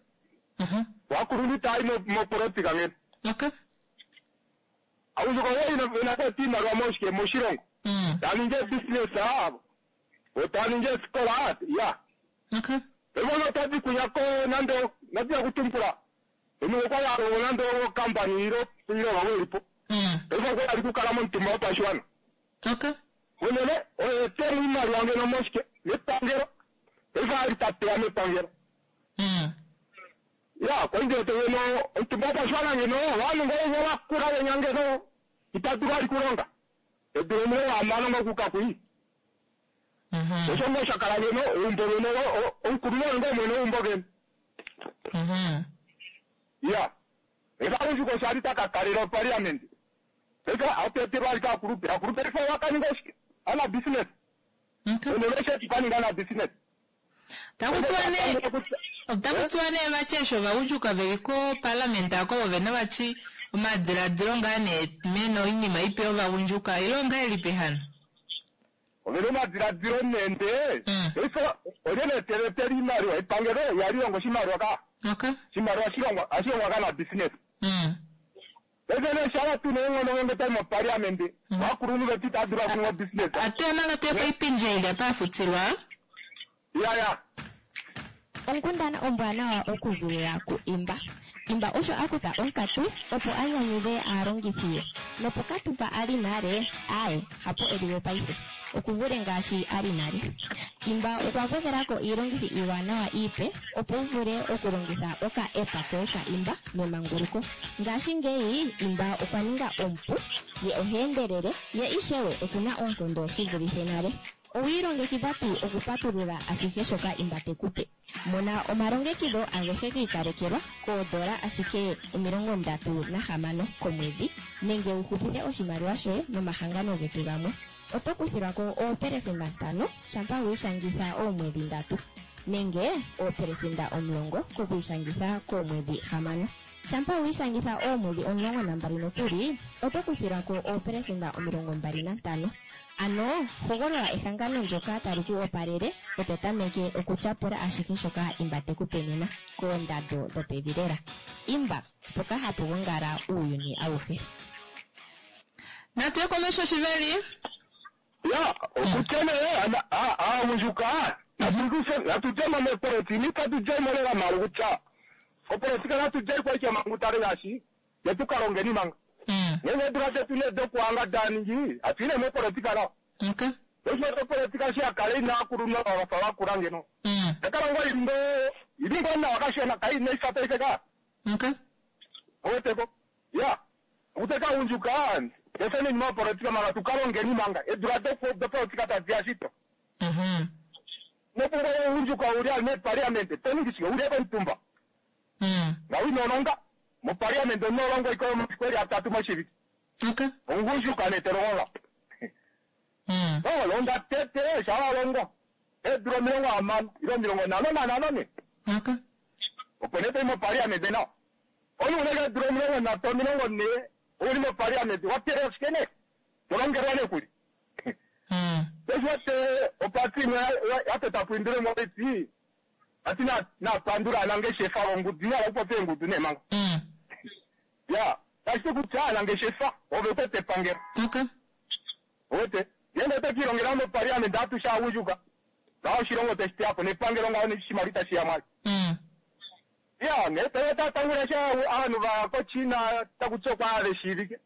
Wakuruni tai mo mo politika ngene. Okay. Aunjuka wo ina ina ko tima rwa moshike moshilongo. Taninge business abo. Otaninge skola ya. Okay. Evono tadi kunyako nando nadia kutumpula. Eno kwa ya ro nando company iro iro wa welipo. Evo kwa ali kukala montumba opashwana. Okay. Onele oye temu imali wange no moshike mepangelo. Evo ali tapea mepangelo. Ya, kwa ndio te no ontumba opashwana ngeno wanu ngo wa kura wenyange no itatu ali kulonga. Eduro mo wa mano ngo kukakui. Osho ngo shakala ngeno umbo ngeno onkululo ngo mwene umbo ngeno. Ya. Eka unjuko shali takakalira parliament. Eka ateterwa ali kakulupe. Akulupe ifa wakaninga shike. Ana business. Okay. Oneleshe tukaninga na business. Otakutiwa nee vati eshi ovagundjuka veli koparliament ako vovene vati omadiladilo ngaa nee mena oinima ipe yovagundjuka ile ongahelipi hano? Ovena omadiladilo nende. Ifa olye teletela imaliwa epangelo yalilongo oshimaliwa ka. Okay. Oshimaliwa shilongwa ashilongwa ka na business. Ese shala tune eng'ono ngenge tai mo parliament. Wakulunhu vetu itadula kunwa business. Ate manga tuye poipindje ili apa afutilwa. Ya ya. Onkundana ombwanawa okuzilila ku Imba. Imba osho a kutha onkatu opo a nyanyudhe aalongithi ye. Nopokatu mpa a li nale, aaye, hapo e liwe paife. Okuvule ngaashi a li nale. Imba okwa gwedhela ko iilongithi iiwanawa iipe opo wu vule okulongitha oka app koye ka Imba nemanguluko. Ngashingeyi Imba okwa ninga omupu, ye oha endelele, ye ishewe okuna oonkondo shi vulithe nale. Owi ilongekidha tuu okupatulula ashihe shoka Imba te ku pe? Mona omalongekidho agehe gi ikalekelwa koodola ashike 36 komwedhi nenge wu hupithe oshimaliwa shoye nomahangano getu gamwe. Oto kuthilwa ko 5% shampa wi ishangitha oomwedhi 3 nenge 10% kokwiishangitha koomwedhi 6. Shampa wi ishangitha oomwedhi 12 nokuli, oto kuthilwa ko 25%. Ano hogolola ehangano ndyoka tali ku opalele e to tameke okutyapula ashihe shoka Imba te ku pe nena koondando dhopevi lela. Imba, mpoka hapu gongala uuyuni awuhe. Natu ye komesho shiveli. Ya, okutya nee aagundjuka natu djemo mepolitika itatu djemo lela malu kutya opolitika natu djei kwaike mangu tale ngaashi yetu kalongeni manga. Ngenge edula detu nee dokuhanga daningi atuine mopolitika nawa. Okay. Osho opolitika shi yakale ina akulunhu vafa vakula ngeno. Yakala ngoo ili ngoo ili ngoo nawa kashona kai neifa paife ka. Okay. Oweteko. Ya. Okuteka agundjuka efeni mopolitika manga tukalongeni manga edula dopolitika tadiya shito. Nopungo ugundjuka uli ali meparliament toningi shike uli komutumba. Nga winolonga moparliament onolongo iko masiku eli atatu moshivike. Okay. Ongundjuka netelonga. No longa tete shawalongo. Edula 60 ilo 55 ne. Okay. Opo nee toi moparliament nawa. Omunhu unenge edula 30 40 Ouli moparliament wa teelela shike nee? To longelwa nee kuli. Eshi wate opati imwe ya tota po indile moiti ati na napandula anangeshefa vongudu ina okupopya eengudu nee manga. Ya, tashi ti kutya anangeshefa ove kwete epangelo. Okay. Wete, ngenge oto kiilongela moparliament atushe aagundjuka ngaho oshilongo tashi teya po nepangelo ngaho neshimaliwa itashi ya mwali. Ya, ne Toyota tangula sha ovanhu va koChina taku ti okwa ave shiivike.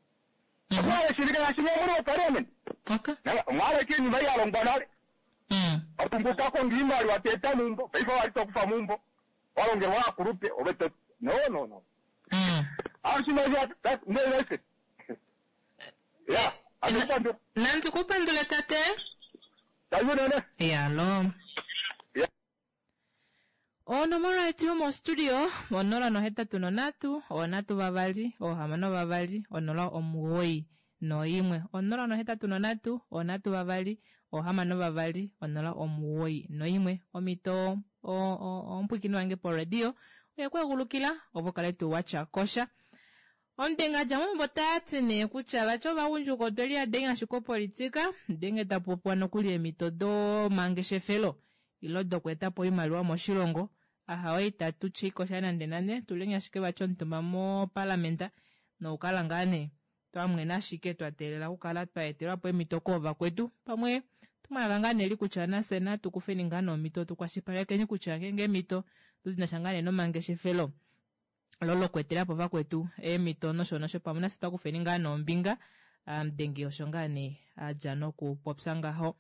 Okwa ave shiivike ngaashi mwe muli moparliament. Okay. Mwaleke iinima ya longwa nale. Watumbuka konga iimaliwa teeta mumbo, paife wali tokufa mumbo. Walongelwa aakulupe, ove to no no no. Oshimaliwa ndelese. Ya, andipandula. Nandi kupandule tate. Tayunene. Yalo. Onomola yetu yomostudio 083 3 6 2 0 91 083 3 6 2 091 omito omupwikini wange poradio oye ku egulukila ovo kale tuu watya kosha. Omutenga dja mombo tati nee kutya vati ovagundjuka otwe liyadenga ashike opolitika ndenge tapopiwa nokuli eemhito domangeshefelo ilo dokweeta po oimaliwa moshilongo ahawe itatu tyi kosha nande nande tuleni ashike vati omutumba mopalamenta nokukala ngaa nee twamwena ashike twa teelela okukala twa etelwa po eemhito koovakwetu pamwe tumwalaka ngaa nee li kutya nafye natu kufeni ngaa neemhito tukwashilipalekeni kutya ngeenge eemhito dina sha ngaa nee nomangeshefelo lo lokweetela po vakwetu eemhito nosho nosho pamwe nafye twakufeni ngaa noombinga amudengi osho ngaa nee adja nokupopya ngaho.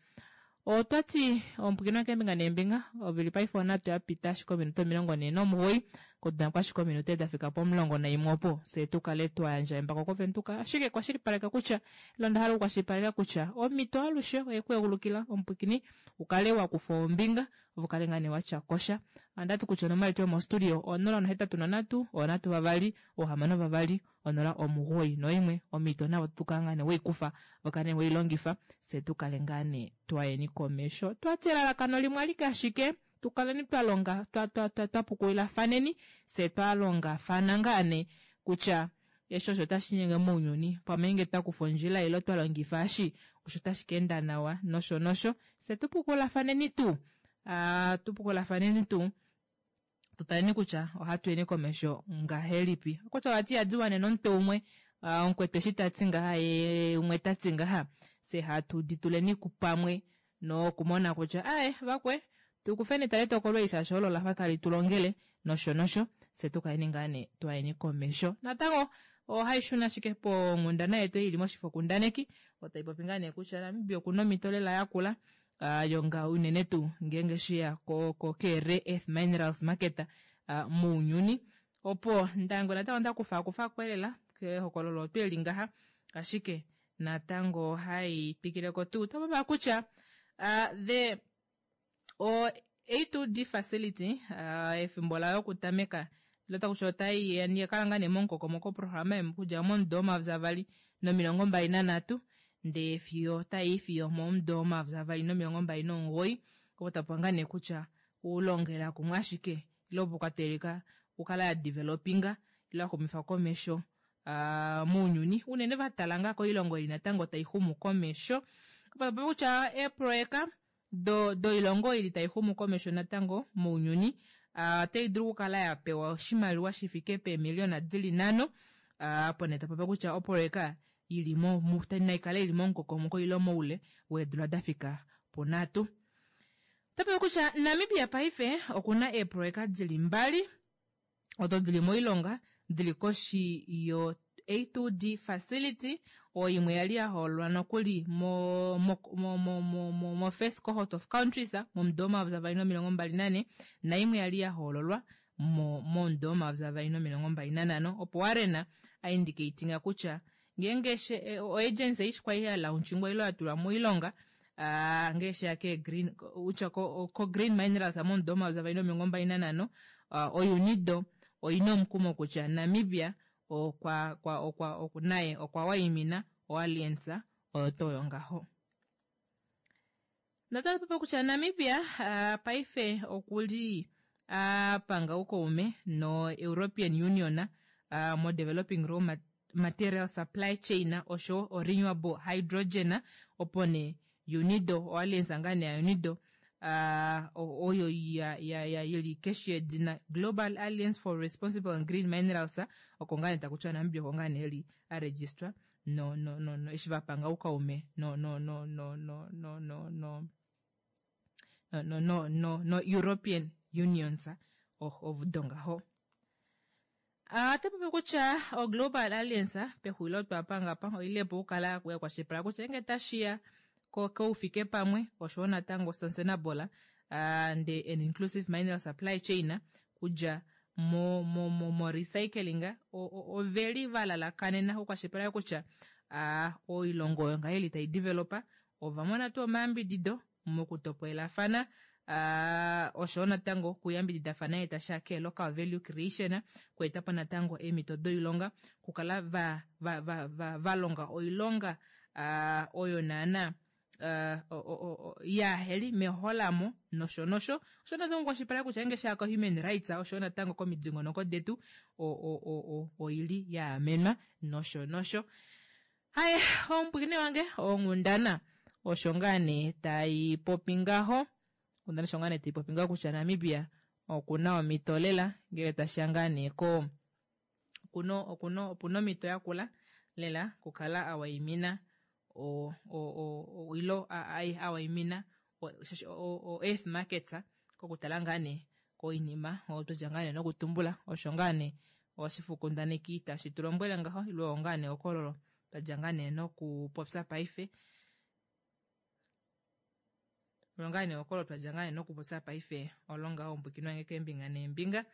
Otwati omupwikinwa keembinga neembinga ovili paife onhatu yapita ashike ominute 49 kodula ashike ominute dafika po11 opo fye tukale twayandja embako kovenduka ashike kwashilipaleka kutya ilo onda hala okukwashilipaleka kutya omhito alushe oye ku egulukila omupwikini ukale wakufa ombinga ovo kale ngaa nee watya kosha. Andati kutya onomola yetu yomostudio 083 3 6 2 091 omhito navo tukala ngaa nee weikufa vo kale nee weilongifa fye tukale ngaa nee twayeni komesho. Twati elalakano limwe alike ashike tukaleni twalonga twapukulilafaneni fye twalongafana ngaa nee kutya eshi osho tashi nyenge mounyuni pamwe nge twakufa ondjila ilo twalongifa eshi osho tashi ka enda nawa nosho nosho fye tupukulafaneni tuu tupukulafaneni tuu tutaleni kutya ohatu yeni komesho ngahelipi. Kutya vati ihadi wanene omutwe umwe omukwetu eshi tati ngaha ye umwe tati ngaha fye hatu dituleni pamwe nokumona kutya ae vakwe tukufeni tale tokolo eli shaashi olo lafa tali tulongele nosho nosho fye tukaleni ngaa nee twayeni komesho. Natango ohai shuna ashike ponghundana yetu ili moshifokundaneki otai popi ngaa nee kutya Namibia okuna omhito lela yakula yonga unene tuu ngeenge sheya ko rare earth minerals market mounyuni opo ndango natango ndakufa lela kehokololo otweli ngaha ashike natango hai twikileko tuu topapa kutya the o A2D facility efimbo layo okutameka ilo takusha otai yakala ngaa nee momukokomoko programa okudja momudo 2023 ndee fiyo tai fiyo momudo 2029 opo tapopiwa ngaa nee kutya ulongela kumwe ashike ilo opo kwateleka okukala ya developinga ilo yaxumifa komesho mounyuni unene vatala ngaa koilongo ili natango tai xumu komesho opo tapopiwa kutya eeproyeka doilongo ili tai xumu komesho natango mounyuni otai dulu okukala yapewa oshimaliwa shifike peemiliona dili 5 opo nee tapopiwa kutya oproyeka ili naikale ili momukokomoko ilo moule weedula dafika punhatu. Otapopiwa kutya Namibia paife okuna eeproyeka dili 2 odo dili moilonga dili koshi yo A2D facility oyo imwe yali yahoololwa nokuli mo first cohort of countries momudo 2024 naimwe yali yahoololwa momudo 2025 opo Warren aindicatinga kutya ngeenge oagency eishi kwali ya launchingwa ilo yatulwa moilonga ngee sheya ke green utya ko green minerals momudo 2025 oUnido oina omukumo kutya Namibia okwa kwa okwa naye okwa waimina oalliance oyo toyo ngaho. Natango kutya Namibia paife okuli apanga oukaume no European Union mo developing Material Supply Chain oshowo o Renewable Hydrogen opo nee UNIDO oalliance ngaa nee ya UNIDO uh, oyo ya, ya, ya yili keshi yedina Global Alliance for Responsible and Green Minerals oko ngaa nee taku tiwa Namibia oko ngaa nee eli a registrwa no, no, no, no eshi va panga oukaume no, no, no, no, no, no, no, no no, no, no, no European Unions ovudo ngaho. Ota popi kutya o Global Alliance pexulilo twa panga pa oile po okukala ya kwashilipaleka kutya ngenge tashiya koufike pamwe oshowo natango sustainable and an inclusive mineral supply chain kudja mo mo mo mo recycling oveli va lalakanena okukwashilipaleka kutya oilongo oyo ngaheli tai developa ova mona tuu omayambidido mokutopolelafana uh, oshowo natango okuyambididafana ye tasha ke local value creation kueta po natango eemhito doilonga kukala va, va, va, va, va longa oilonga uh, oyo naana uh, yaaheli meholamo nosho nosho osho natango kwashipala kutya nge shaka human rights osho natango komidingonoko detu oili ya amenwa nosho nosho Haye, omupwiikini wange, onghundana osho ngaa nee tai popi ngaho. Onghundana osho ngaa nee tai popi ngaho kutya Namibia oku na omhito lela ngele tashi ya ngaa nee ko okuno okuno opuna omhito yakula lela okukala a waimina o o o ilo a a waimina o earth markets kokutala ngaa nee koinima oyo twa dja ngaa nee nokutumbula osho ngaa nee oshifokundaneki tashi tu lombwele ngaho ile oyo ngaa nee okololo twa dja ngaa nee nokupopya paife oyo ngaa nee okololo twa dja ngaa nee nokupopya paife olo ngaho ombwikinwa nge keembinga neembinga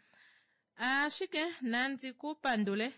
ashike nandi ku pandule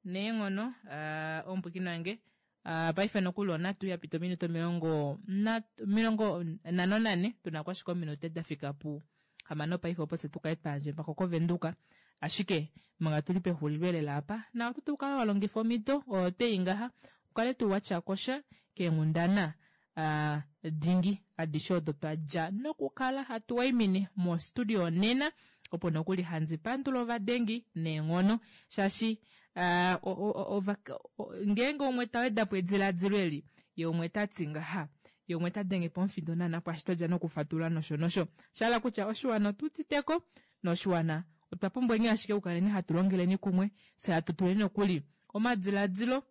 neenghono uh, ombwikinwa nge uh, paife nokuli onatu ya pita ominute 54 tuna ko ashike ominute da fika pu hamano paife opo se tu kale twa yandje mpako kovenduka ashike manga tuli pexulilo elela apa na oto tu kala wa longifa omhito oyo twei ngaha ukale tuu wa tya kosha keenghundana uh, dingi adishe odo twa dja nokukala hatu waimine mostudio nena opo nokuli handi pandula ovadengi neenghono shaashi uh, ngeenge umwe ta weda po ediladilo eli ye umwe ta ti ngaha ye umwe ta denge pomufindo naana pwaashi twa dja nokufatulula nosho nosho sha hala kutya oshiwana otu uditeko noshiwana otwa pumbweni ashike okukaleni hatu longeleni kumwe fye hatu tuleni nokuli omadiladilo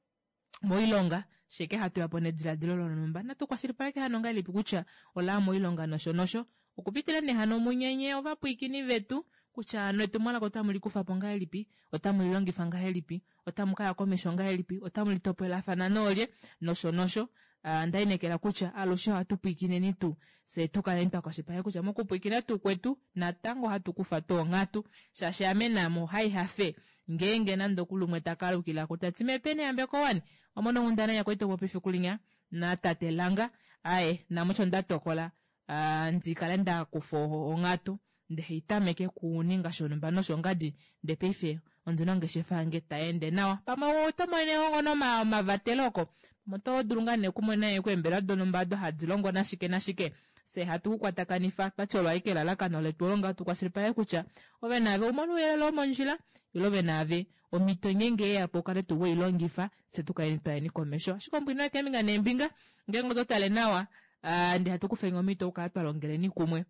moilonga sheke hatu ya po nediladilo lonhumba natu kwashilipaleke hano ngahelipi kutya ola moilonga nosho nosho okupitila nee hano munyenye ovapwiikini vetu kutya hano etumwalaka otamu li kufa po ngahelipi otamu li longifa ngahelipi otamu ka ya komesho ngahelipi otamu li topolelafana noolye nosho nosho Ah, nda inekela kutya alushe ohatu pwiikineni tuu fye tu kaleni twa kwashilipaleka kutya mokupwiikina tuu kwetu natango ohatu kufa tuu onghatu shaashi ame naame ohai hafe ngeenge nande okuli umwe ta kalukila ko ta ti mepeni yambeko wani wamona onghundana ya kwali topopi efiku linya na tate Langa aye name osho nda tokola ah, ndi kale nda kufa onghatu nde haitameke kuninga shonhumba noshongadi nde paife ondina ongeshefa yange tai ende nawa pamwe oto monene ngo omavatelo oko pamwe oto dulu ngaa nee okumona eembelewa donhumba odo hadi longo nashike nashike fye hatu ku kwatakanifa twati olo ashike elalakano letu olo ngaho tu kwashilipaleke kutya ove naave umone ouyelele womondjila ile ove naave omhito ngeenge yeya po ukale tuu weilongifa fye tu kaleni twayeni komesho ashike ombwina keembinga neembinga ngeenge oto tale nawa ah, ndee hatu kufeni omhito okukala twa longeleni kumwe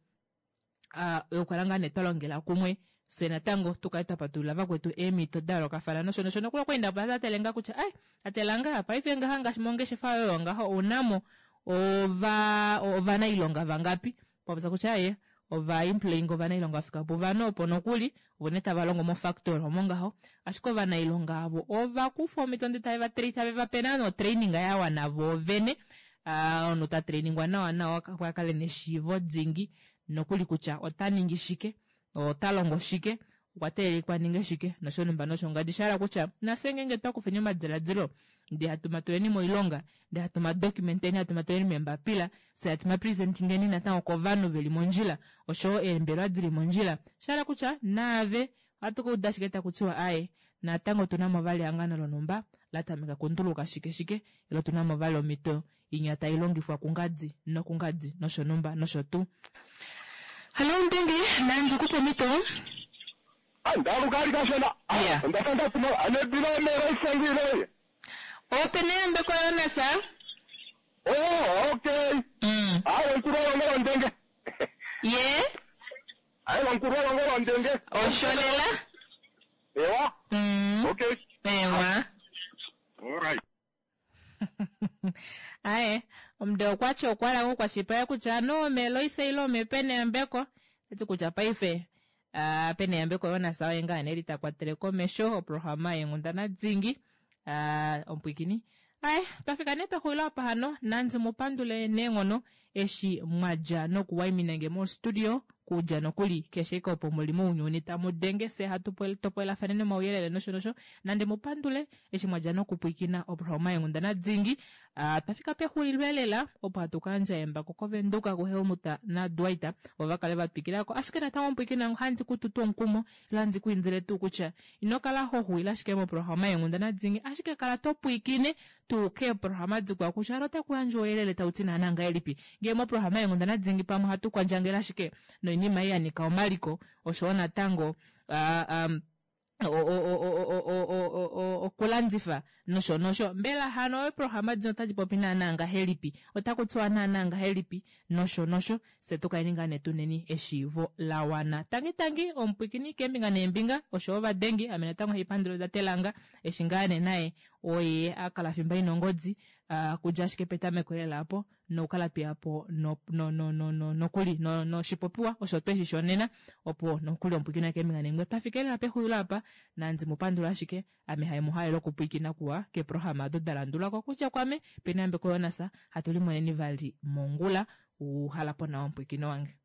ah, yokukala ngaa nee twa longela kumwe fye natango tu kale twa patulula vakwetu eemhito da yoolokafana nosho nosho nokuli okweenda po tatele ngaa kutya ai tatela ngaa paife ngaha ngaashi mongeshefa yoye oyo ngaho ounamo ova ovanailonga vangapi popya kutya ye ova employing ovanailonga va fika puvano opo nokuli ovo nee tava longo mofactory omo ngaho ashike ovanailonga avo ova kufa omhito ndee tave va tave va pe naana otraining ya wana voovene Ah, omunhu ta trainingwa nawa nawa opo a kale neshiivo dingi nokuli kutya ota ningi shike ota longo shike okwa teelekwa ninge shike noshonhumba noshongadi sha hala kutya nafye ngeenge twa kufeni omadiladilo ndee hatu matuleni moilonga ndee hatu madocumenteni hatu matuleni meembapila fye hatu mapresentingeni natango kovanhu veli mondjila oshowo eembelewa dili mondjila sha hala kutya naave ohatu ka uda ashike taku tiwa aaye natango otu na mo vali ehangano lonhumba la tameka kunduluka shike shike ile otu na mo vali omhito inya tai longifwa kungadi nokungadi noshonhumba nosho tuu. Hallo Mutenge, nandi ku pe omhito. Ndaluka ali kashona. Yeah. Onda fa nda tuma anebila mera isangile. Ope neyambeko Jonas. Oh, okay. Awe nkulu walongo londenge. Ye? Awe nkulu walongo londenge. Osholela? Ewa. Okay. Ewa. All right. Aye, omude okwati okwala kukwashipaya kutya anuwa meloise ile omepeneyambeko tati kutya paife ah, peneyambeko Jonas oye ngaa nee ta kwatele komesho oprograma yenghundana dingi ah, omupwikini aye twafika nee pexulilo apa hano nandi mu pandule neenghono eshi mwadja nokuwaimina nge mostudio kudja nokuli keshe ike opo muli mounyuni tamu denge se hatu topolelafaneni omauyelele nosho nosho nande mu pandule eshi mwadja nokupwikina oprograma yenghundana dingi Ah, twafika pexulilo elela opo hatu kayandja embako kovenduka kuhelmut nadwight vo va kale va twikilako ashike natango omupwikina ohandi ku tutu omukumo ile handi ku indile tuu kutya ino kala ho xuwile ashike moprograma yenghundana dingi ashike kala to pwiikine tuu keeprograma dikwao kutya alo otaku yandjwa ouyelele tau ti naana ngahelipi ngee moprograma yenghundana dingi pamwe ohatu kwandjangele ashike noinima ei ya nyika omaliko oshowo natango ah, um, okulandifa nosho nosho mbela hano eeprograma dino otadi popi naana ngahelipi otaku tiwa naana ngahelipi nosho nosho fye tu kaleni ngaa nee tuneni eshiivo la wana tangi tangi omupwikini keembinga neembinga oshowo ovadengi ame natango haipandula datelanga eshi ngaa nee naye oye a kala fimba ina ongodi uh, kudja ashike petameko lela apo nokukala tweya po no, no, no, no, no, nokuli no, noshipopiwa osho twe shi shonena opo nokuli omupwikina keembinga neembinga twafika lela pexulilo apa nandi mu pandula ashike ame hai mu halele okupwikina kuwa keeprograma odo da landula ko kutya kwame penambeko Jonas hatu limoneni vali mongula uhala po nawa omupwikino wange.